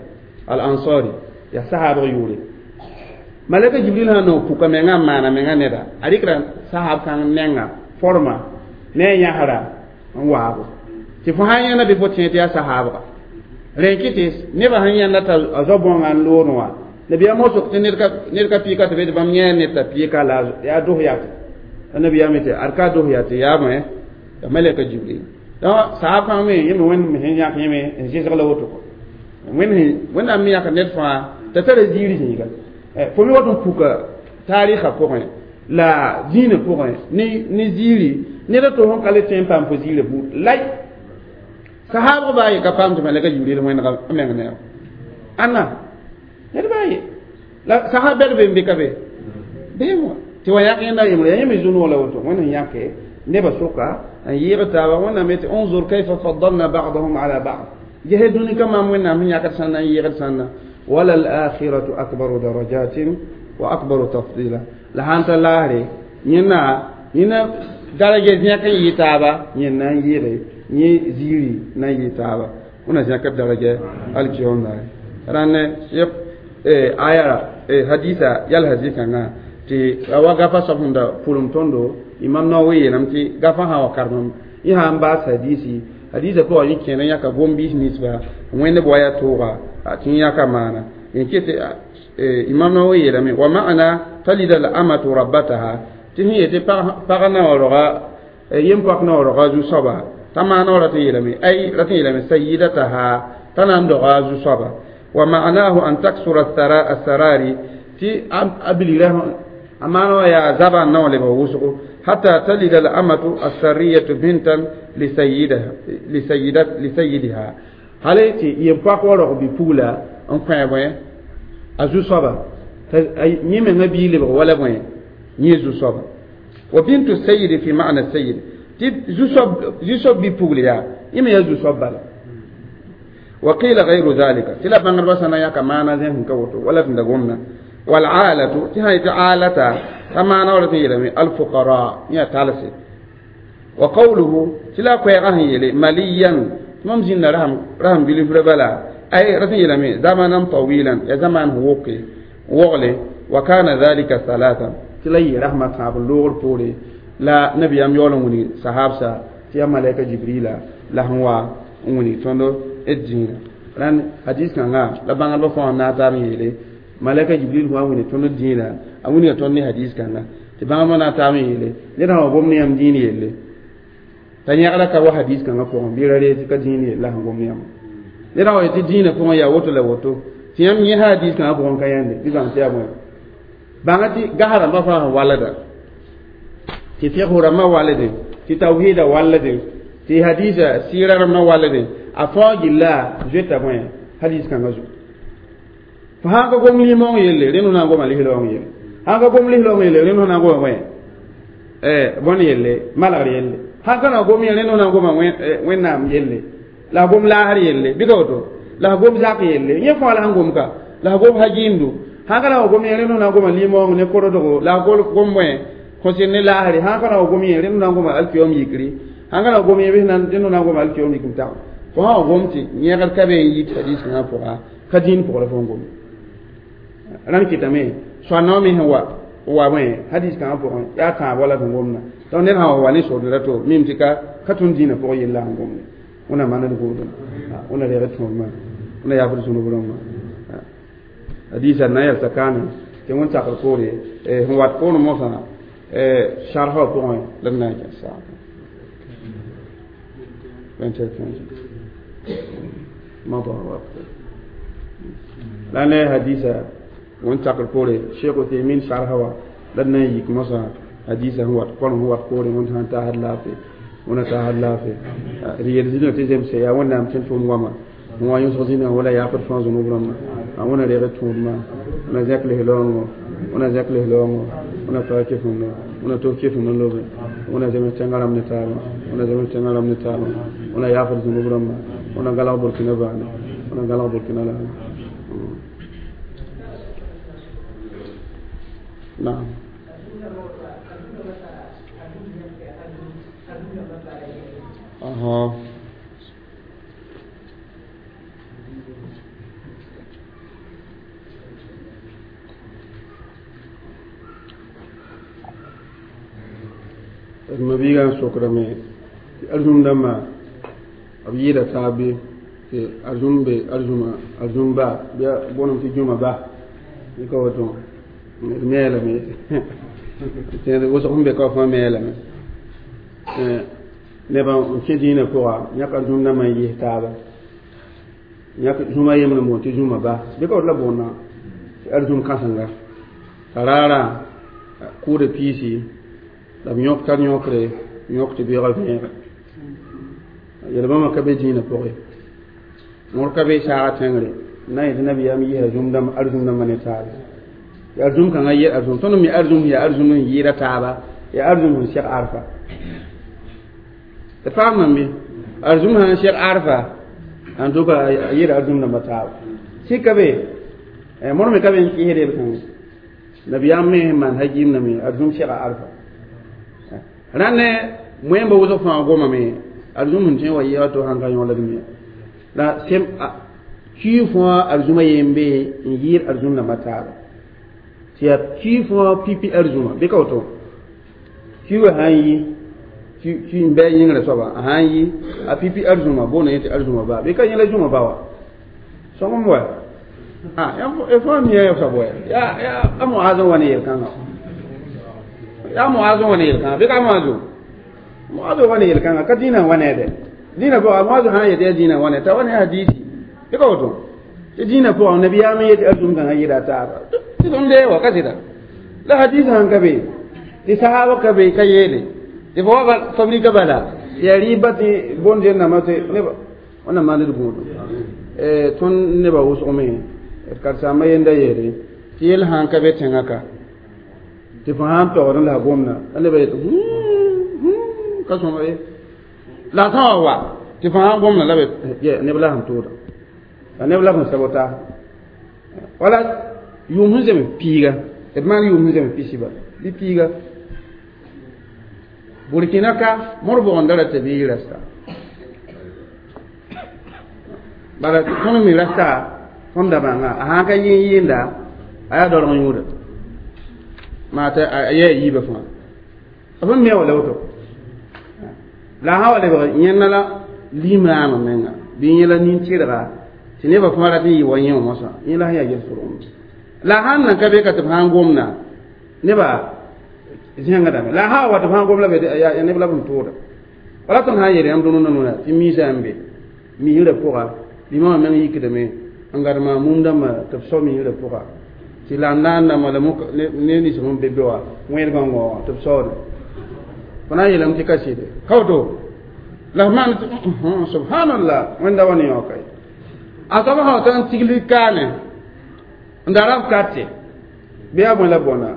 al-ansari yaa sahabg yʋʋre malaka jibril sãn na puka menga n maana menga neda a rɩkda sahab kãng nenga forma ne a yãsra n waabo tɩ fo sãn yẽna bɩ fo tẽ tɩ yaa sahabga rẽn kɩ tɩ nebã sẽn yãnda t'a a zoa bõnga n loodẽ wã nabiyaam wã sok tɩ ned ka pɩɩka tɩ be tɩ bãmb yẽ ned t'a pɩɩka la yaa dos yate la nabiyaam yetɩ ad ka dos yate yaa bõe ya malɛka jibril donc sahab kãng me yẽ me wẽnd sẽn yãk yẽme n zɩsg la woto wẽnnaam me yãk ned fãa t'a tara ziiri zĩiga fo me wat n puka taarɩsã pʋgẽ la dĩinã pʋgẽ ne ziiri ned a to sẽn ka le tõe n paam fo ziirã buud lay sahaabg baa ye ka paam tɩ malɛka jibril wẽnega meng neer ãnna ned baa ye la sahab bɛd be n be ka be beem wã tɩ wa yãk yẽnda yembre yaa yẽme zu-noog la woto wẽnd sẽn yãke nebã soka n yɩɩg taaba wẽnnaam yetɩ unzur kayfa faddalna ba'dahum ala ba'd gese dũni ka maam wẽnnaam sẽn yãkd sãnna n yɩɩgd sãnna wala al-akhiratu akbaru darajatin wa akbaru tafdila la sãn ta laasre yẽnna yẽna daraja zẽk n yɩ taaba yẽnna n yɩɩge yẽ ziiri na n yɩ taaba wẽna zẽkd daraja alkiyom rãnd aya hadisa yal hadis kãngã tɩ wa gafa soab sẽn da pʋlem tõndo imam Nawawi yeelame tɩ gafã sã wa karemem yẽ sã n baas hadisi hadisa pʋgã yẽ kẽer n yãka gom-biis ninsba wẽndb wa yaa tooga tɩ yẽ yãka maana n ket imam Nawawi yeelame wa ma'ana talida al amatu rabbataha tɩ sẽn yetɩ pag na wa roga yem-poak na wa roga zu-soaba t'a maana wa rat n yeelame ay rat n yeelame sayidataha t'a na n doga zu-soaba wa ma'anahu an taksura asarari tɩ a bilgra a maana wa yaa zaba n na wa lebg wʋsgo hatta talida al amatu assariyatu bintan lisayidiha hal tɩ yem-poak wa rog bi-pugla n kõ bõe a zu-soaba yẽ menga bii lebg wala bõe yẽ zu-soaba wa bintu sayidi fi ma'na sayid tɩ zu-soab bi-pugl yaa yẽ me yaa zu-soab bala wa qila gayru dhalika tɩ la bãngdbã sã na yãka maana zẽs n ka woto wala tɩ da gomna والعالة تهي عالة كما نورت يلمي الفقراء يا تالسي وقوله تلا كويغه يلي مليا ممزين رحم رحم بلي بلا أي رسم يلمي زمنا طويلا يا زمان وقي وغلي وكان ذلك ثلاثا تلا رحمة تاب اللغر بوري لا نبي أم يولون صحابسا تيا ملائكة جبريل لا هو وني تندو الدين ران حديث كان لا بانغ بفون ناتام يلي malaka jibril wa wuni tõnd dĩinã a wilga tõnd ne hadis kãnga tɩ bãmb na n taam n yeele ned sã wa gom ne yãmb dĩin yelle t'a yẽgda ka wa hadis kãngã pʋgẽ bɩ ra ree tɩ ka dĩin yella sẽn gom ne yãmb ned sã wa yetɩ dĩinã pʋgẽ yaa woto la woto tɩ yãmb yẽ hadis kãngã pʋgẽ ka yãnde bɩ bãng tɩ yaa bõe bãnga tɩ gas rãmbã fãa sẽn walda tɩ figsg rãmbã walde tɩ tawhiida walde tɩ hadisa sɩɩra rãmbã walde A fãa gilla zoeta bõe hadis kãngã zugu. Fo sã n ka gom limong yelle, rẽnd na n goma lislaoong yelle. Sã n ka gom lislaoong yelle, rẽnd na n goma bõe bõn yelle, malgr yelle. Sã n ka na gom rẽnd na n goma Wẽnnaam yelle, la gom laasr yelle, bɩ ka woto, la gom zak yelle, yẽ fãa la sẽn gom ka, la gom hajiimdu. Sã n ka na wa gom rẽnd na n goma limong ne korodgo, la gom bõe kõsɩr ne laasre. Sã n ka na wa gom rẽnd na n goma alkiyom yikri. Sã n ka na wa gom bɩ rẽnd na n goma alkiyom yikr tag. Fo sã wa gom tɩ yẽgd ka be n yit hadis kãngã pʋga, ka dĩin pʋg la fo n gom. Rãmb kɩtame soanã me sẽn wa wa bõe hadis kãngã pʋgẽ yaa tãab wala sẽn gomda. Donc ned sã wa wa ne sord rato mim tɩ ka tõnd dĩinã pʋgẽ yella sẽn gomde. Wẽnnaam maan d gʋʋdem, wẽnna reeg d tõodmã, wẽnna yaafd zũnub rãmbã. Hadisa na n yɛlsa kaane tɩ wẽn sakr poore sẽn wat poorẽ mosã sarfa wã pʋgẽ la d na n kẽ saata 21. مضى وقت la ne hadisa wẽn sakr poore Cheikh Uthaymin sarfa wã la d na n yik mosã hadisa sẽn wat kolem sẽn wat poore wẽnd sã n taasd laafɩ, wẽnna taasd laafɩ. D yel zĩnã tɩ zemse yaa Wẽnnaam tẽn tʋʋm goama wã yõsg zĩnã wala yaafd fãa zũnub rãmbã. Wẽnna reeg d tõodmã, wẽnna zẽk lislaoongo, wẽnna zẽk lislaoongo, wẽnna paa kɩfemdo, wẽnna tos kɩfemd n lobe, wẽnna zems tẽngã rãmb ne taaba, wẽnna zems tẽngã rãmb ne taaba, wẽnna yaafd zũnub rãmbã, wẽnna galg Burkina baane, wẽnna galg Burkina laana. Naam. Aha. D mabiigã n sokdame tɩ arzũm dãmbã b yɩɩda taab bɩ tɩ arzũm be arzũma arzũm ba bɩ a booname tɩ jũma ba bɩ ka woto d me lame tẽed wʋsg sẽn be ka wã fãa me lame nebã n kẽ dĩinã pʋga yãk arzũm dãmbã n yɩs taaba yãk zũma yembr n boond tɩ zũma ba bɩ ka woto la boondã tɩ arzũm kãsenga t'a raarã kʋʋda piisi la b yõk tar yõkre yõk tɩ beoogã vẽege yel-bãmba ka be dĩinã pʋgẽ mõr ka be saaga tẽngre na n yetɩ nabiyaam yisa zũm arzũm dãmbã ne taaba tɩ arzũm kãngã yel arzũm tõnd me arzũm yaa arzũm n yɩɩda taaba yaa arzũm sẽn seg arfa d paam bɩ arzũm sã n seg arfa en tout cas a yɩɩda arzũm dãmbã taaba sɩka be mõr me ka be n kɩsd yel-kãngã nabiyaam me sẽn maan hajiim me arzũm sega arfa rãnd ne moẽmba wʋsg fãa gomame arzũm sẽn tõe n wa yɩɩga to sãn ka yõlg me la sem kii fãa arzũma yembe n yɩɩd arzũm dãmbã taaba tɩ yaa kii fãa pipi arzũma bɩ ka woto kii wa sã n yi ki n bɩ a yĩngrã soaba a sã n yi a pipi arzũma boonda yẽ tɩ arzũma ba bɩ ka yẽ la zũma ba wa sõgem wa fãa mia ya soab wa yaa a Moaz n wa ne yel-kãngã yaa Moaz n wa ne yel-kãngã bɩ ka Moazo Moazo wa ne yel-kãngã ka dĩinã n wa neede dĩinã pʋga Moazo sã n yet yaa dĩinã n wa ne t'a wa ne hadisi bɩ ka woto tɩ dĩinã pʋgã nabiyaam n yet arzũm kãngã yɩɩda a taaba tɩ tõnd dee wa ka sɩda la hadis sãn ka be tɩ sahaba ka be ka yeele tɩ fo wa fabrika bala yaa rɩɩba tɩ bõnd zẽnnama tɩ neba wẽnnaam maand d gũudum tõnd nebã wʋsgme d karsaambã yenda yeele tɩ yell sãn ka be tẽngã ka tɩ fo sãn togd la a gomda la nebã yet ka sõma ye la a sã wa wa tɩ fo sãn gomda la neb la sẽn tʋʋda la neb la sẽn sabota wala yʋʋm sẽn zems piiga d maan yʋʋm sẽn zems pisi bala bɩ piiga Burkina ka mõr bʋgenda ra tɩ bɩ yɩ rasta bala tõnd me rasta tõnd da bãnga a sãn ka yɩ n yɩɩnda a yaa daoolg yũuda maa tɩ a yaa yiibã fãa b n me wa la woto la a sã wa lebg yẽnda la limaamã menga bɩ yẽ la nin-tɩrga tɩ nebã fãa rat n yɩ wa yẽ wã mosã yẽ la sẽn yaa yel-sʋrgem la a sãn nan ka be ka tɩ b sãn gomda nebã zẽngdame la a sã wa tɩ b sãn gom la be yaa neb la b sẽn tʋʋda wala tõnd sã n yeel yãmb dũnna nuna tɩ miisã n be misrã pʋga limamã meng yikdame n gadma mum dãmbã tɩ b sao misrã pʋga tɩ la n naandãmbã la ne nins sẽn be be wã wẽed gãngõ wã tɩ b saoode fo na n yeelame tɩ ka sɩde ka woto La maan subhanallah wẽnda wa ne yãoka ye a soab sã wa tɩ n tigl kaane n da rab kate bɩ yaa bõe la bõna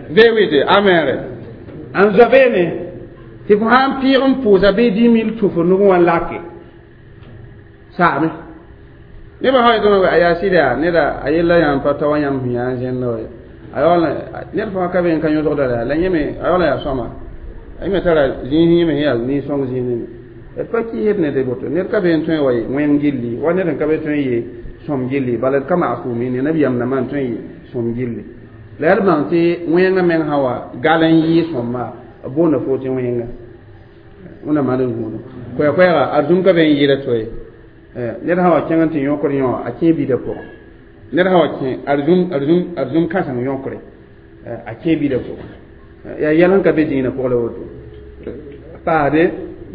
vee amere n zoa beene tɩ fo sã n pɩɩg n pʋʋsa bɩ 10 000 tũ fo nug wã lake saame nebã sã yetɩ a yaa sɩda yaa neda a yella yãmb pa ta wa yãmb sẽn yaa n zẽnda wa a yaool ned fãa ka be n ka yõsgda la la yẽ me a yaool n yaa sõma a yẽ me tara zĩis yẽ me sẽn yaa nin-sõng zĩisẽ me d pa kɩɩsd ne de boto ned ka be n tõe n wa wẽng gilli wa ned n ka be tõe n yee sõm gilli bala d ka maasʋʋm ye ne nabiyaam nambã n tõe n yee sõm gilli la yaa d bãng tɩ wẽngã meng sã wa gal n yɩɩ sõmma b boonda fo tɩ wẽnga wẽnnaam maan n gũudu koɛɛ-koɛɛga arzũm ka be n yɩɩda to ye ned sã wa kẽng n tɩ yõkd yõ a kẽ bida pʋgẽ ned sã wa kẽ arzũm kãseng yõkre a kẽ bida pʋgẽ yaa yɛl sẽn ka be dĩinã pʋgẽ la woto paasde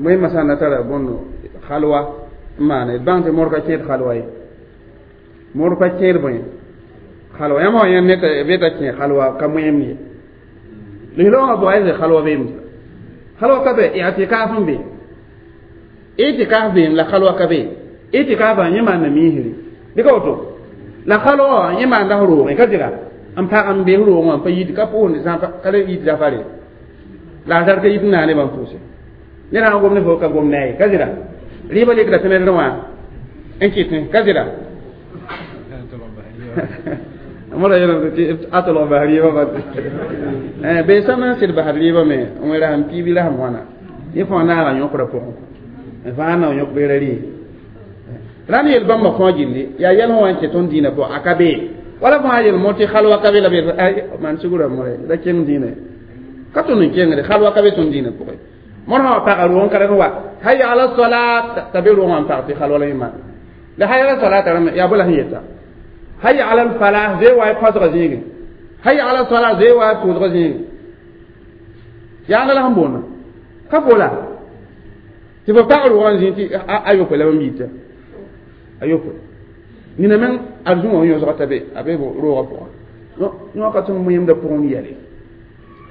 wẽmã sã n na tara bõndo halwa n maane d bãng tɩ mor ka kẽed halwa ye mor pa kẽed bõe halwa yãmb wã yẽ be t'a kẽ halwa ka moẽem ye lislaoongã bʋga ye halwa beem halwa ka be i'tikaaf n be i'tikaaf beem la halwa ka be i'tikaafã yẽ maanda miisri bɩ ka woto la halwa wã yẽ maanda f roogẽ ka dɩra n pag n be f roogẽ wã n pa yit ka pʋʋsd sã ka le yit zafare la a tar ka yit n naa nebã n pʋʋse ned sã n gom ne fo ka gom ne a ye ka zɩra rɩɩbã lekda tɩ ned wã n kɩtẽ ka zɩra mora yɛlm tɩ a tolg bas rɩɩbã ba bee sãm n sɩd basd rɩɩbã me n wẽ rasem piibi rasem wãna yẽ fãa naaga yõkra pʋgẽ fãa na yõk beera rɩ rãnd yel bãmba fãa gilli yaa yɛl sẽn wa n kẽ tõnd dĩinã pʋgẽ a ka bee wala fãa yel mo tɩ halwa ka be la be maan sugr more da kẽng dĩinã ka tõnd n kẽngde halwa ka be tõnd dĩinã pʋgẽ mor sã wa paga roog n ka wa hayya ala salat t'a be roog wã n pag tɩ halwa la yẽ maan la hayya ala salat rãmb yaa bõe la sẽn yeta hayya ala falah zee wa pɔsga zĩigẽ hayya ala salat zee wa pʋʋsga zĩigẽ yaanga la sẽn boonda ka fola tɩ fo pag roogã n zĩig tɩ a yopoe la bãmb yita a yopoe nina meng arzũ wã yõsga t'a be a be roogã pʋgã yõ ka tõnd moẽmda pʋgẽ n yɛle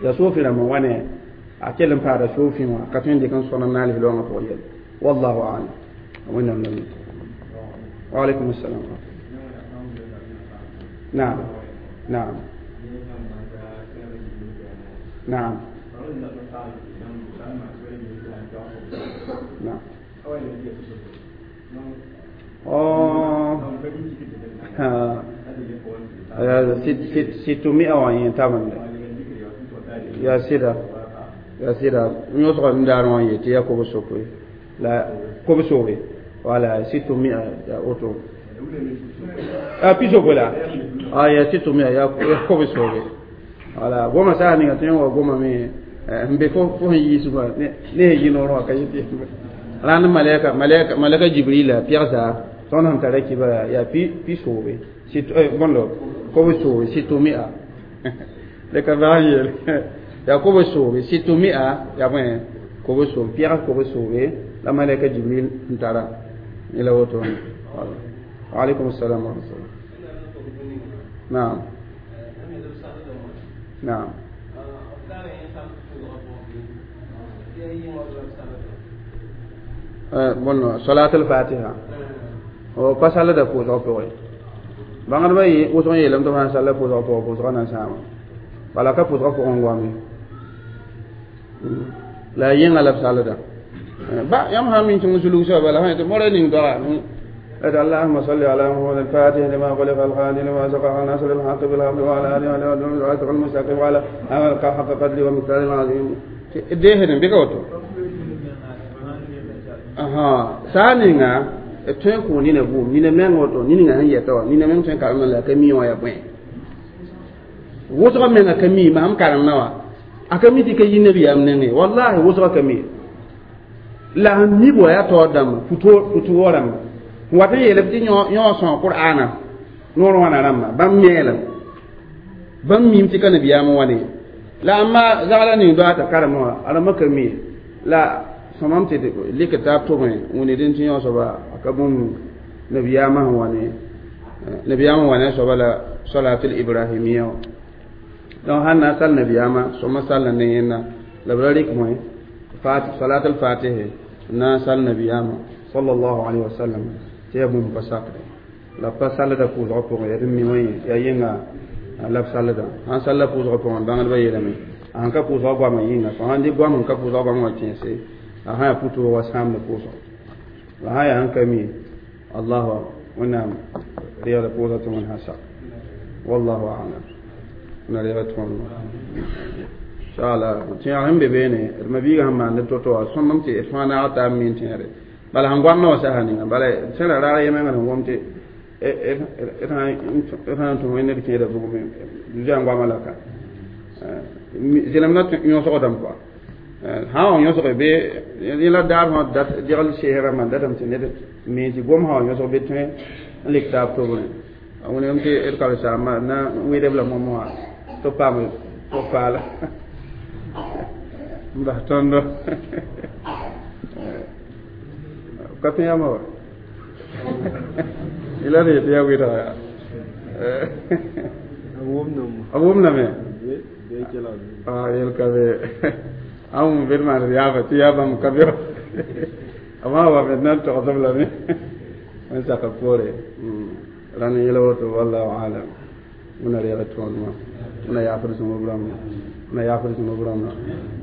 yaa soofẽ rãmb n wa ne a kell n paada soofẽ wã ka tõe n dɩk n sõna n naal loongã pʋgẽ yɛle wallahu alam wẽnnaam la mi wa alaikum assalam. نعم نعم نعم نعم. 600 taban ya sida ya sida yõsga n daar wã n yetɩ yaa kob-sokoe la kob-soobe wala 600 ya woto a pisogo la a ya 600 ya kob-soobe wala goma saa ninga tõe n wa goma me n be fo sẽn yiis wã ne sẽn yi noor wã ka yetɩ rãnd malɛka malɛka malɛka jibrila pɛgsa tõnd sẽn tara kibra yaa pi soobe bõndo kob-soobe 600 le ka baa n yeel yaa kob-soobe 600 yaa bõe kob-soobe pɛgs kob-soobe la malɛka jibril n tara la woto. Wa alaikum assalam wa rahmatullah. Naam naam bõndo salat al-fatiha o pa salda pʋʋsg pʋgẽ bãngdbã wʋsg n yeelame tɩ f sãn salla pʋʋsg pʋgẽ pʋʋsgã na n sãama bala ka pʋʋsgã pʋgẽ goame la a yẽnga la b salda ba yãmb sã n min tɩ zulug soaba la sã tɩ mora ning doga اللهم صل على محمد الفاتح لما خلق الخالق لما سبق ناصر الحق بالحق وعلى اله وصحبه المستقيم وعلى آله حق قدره ومقداره العظيم deesdẽ bɩ ka woto saa ninga d tõe n kõ nina vʋʋm nina meng woto niningã sẽn yɛta wã nina meng tõe n karemda la a ka mi wã yaa bõe wʋsgã menga ka mi mam karemdã wã a ka mi tɩ ka yi nabiyaam nengẽ wallahi wʋsgã ka mi la sẽn mi bo yaa taoor dãmba puto rãmba n wat n yeelb tɩ yõ sõa qur'aana noor wãna rãmba bãmb meelem bãmb mim tɩ ka nabiyaam n wa ne la amma zagla ning doa t'a karemã wã a rãmbã ka mi la sõmam tɩ lɩk taab tʋgẽ wẽne dẽn tɩ yõ soaba a ka bũmb nabiyaamã sẽn wa ne nabiyaamã wa ne a soaba la salatul ibrahimia wã donc sãn na n sal nabiyaamã sõma sall ne yẽnda La b ra rɩk moe salat al-fatihi na n sal nabiyaamã sallallahu alaihi wasallam tɩ yaa bũmb pa sakre la b pa sallda pʋʋsgã pʋgẽ yaa d mi wã yaa yẽnga la b sallda sãn salla pʋʋsgã pʋgẽ bãngdbã yeelame a sãn ka pʋʋsgã goamã yĩnga fo sãn dɩ goam n ka pʋʋsgã goam wã kẽese a sã yaa pʋ-toog wa sãamd pʋʋsga la sã yaa sẽn ka mi allahu wẽnnaam reegda pʋʋsga tɩ wẽnd sã sak wallahu alam na reega tõodmã inshallah tẽeg sẽn be beene d mabiiga sẽn maand to-to wã sõmem tɩ d fãa naag taab min tẽegre bala sẽn goamda wã sasa ninga bala sẽn ra raag yemengã sẽn wom tɩ d sã n tũ wẽnd d kẽeda bugme zoa goamã la ka zẽlem na yõsgdame kɔa sã n wa yõsge be yẽ la daar fãa dat degl seesã rãmbã datame tɩ ned mi tɩ gom sã wa yõsg be tõe n lik taab tobrẽ a wilgame tɩ d karen-saambã na n wɩdb la moamo wã tɩ b paam pʋg-paala n bas tõndo ka tẽ yãmba wa la d yetɩ yaa wɩdga yaa a wʋmdame yel ka be a wʋm bed maan d yaaba tɩ yaa bãmb ka be a wã wa me na n togsb lame n saka poore rãnd yẽla woto wallahu alam wẽna reeg tõodmã wẽna yaafd zũnub rãmba wẽna yaafd zũnub rãmba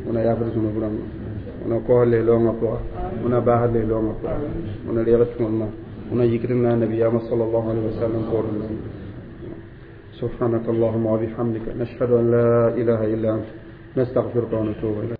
wẽna yaafd zũnub rãmba wẽna kos leloongã pʋga wẽna baasd leloongã pʋga wẽna reeg tõodmã wẽna yikd n na nabiyaamã sallallahu alaihi wasallam poorẽ. سبحانك اللهم وبحمدك، نشهد أن لا إله إلا أنت، نستغفرك ونتوب إليك.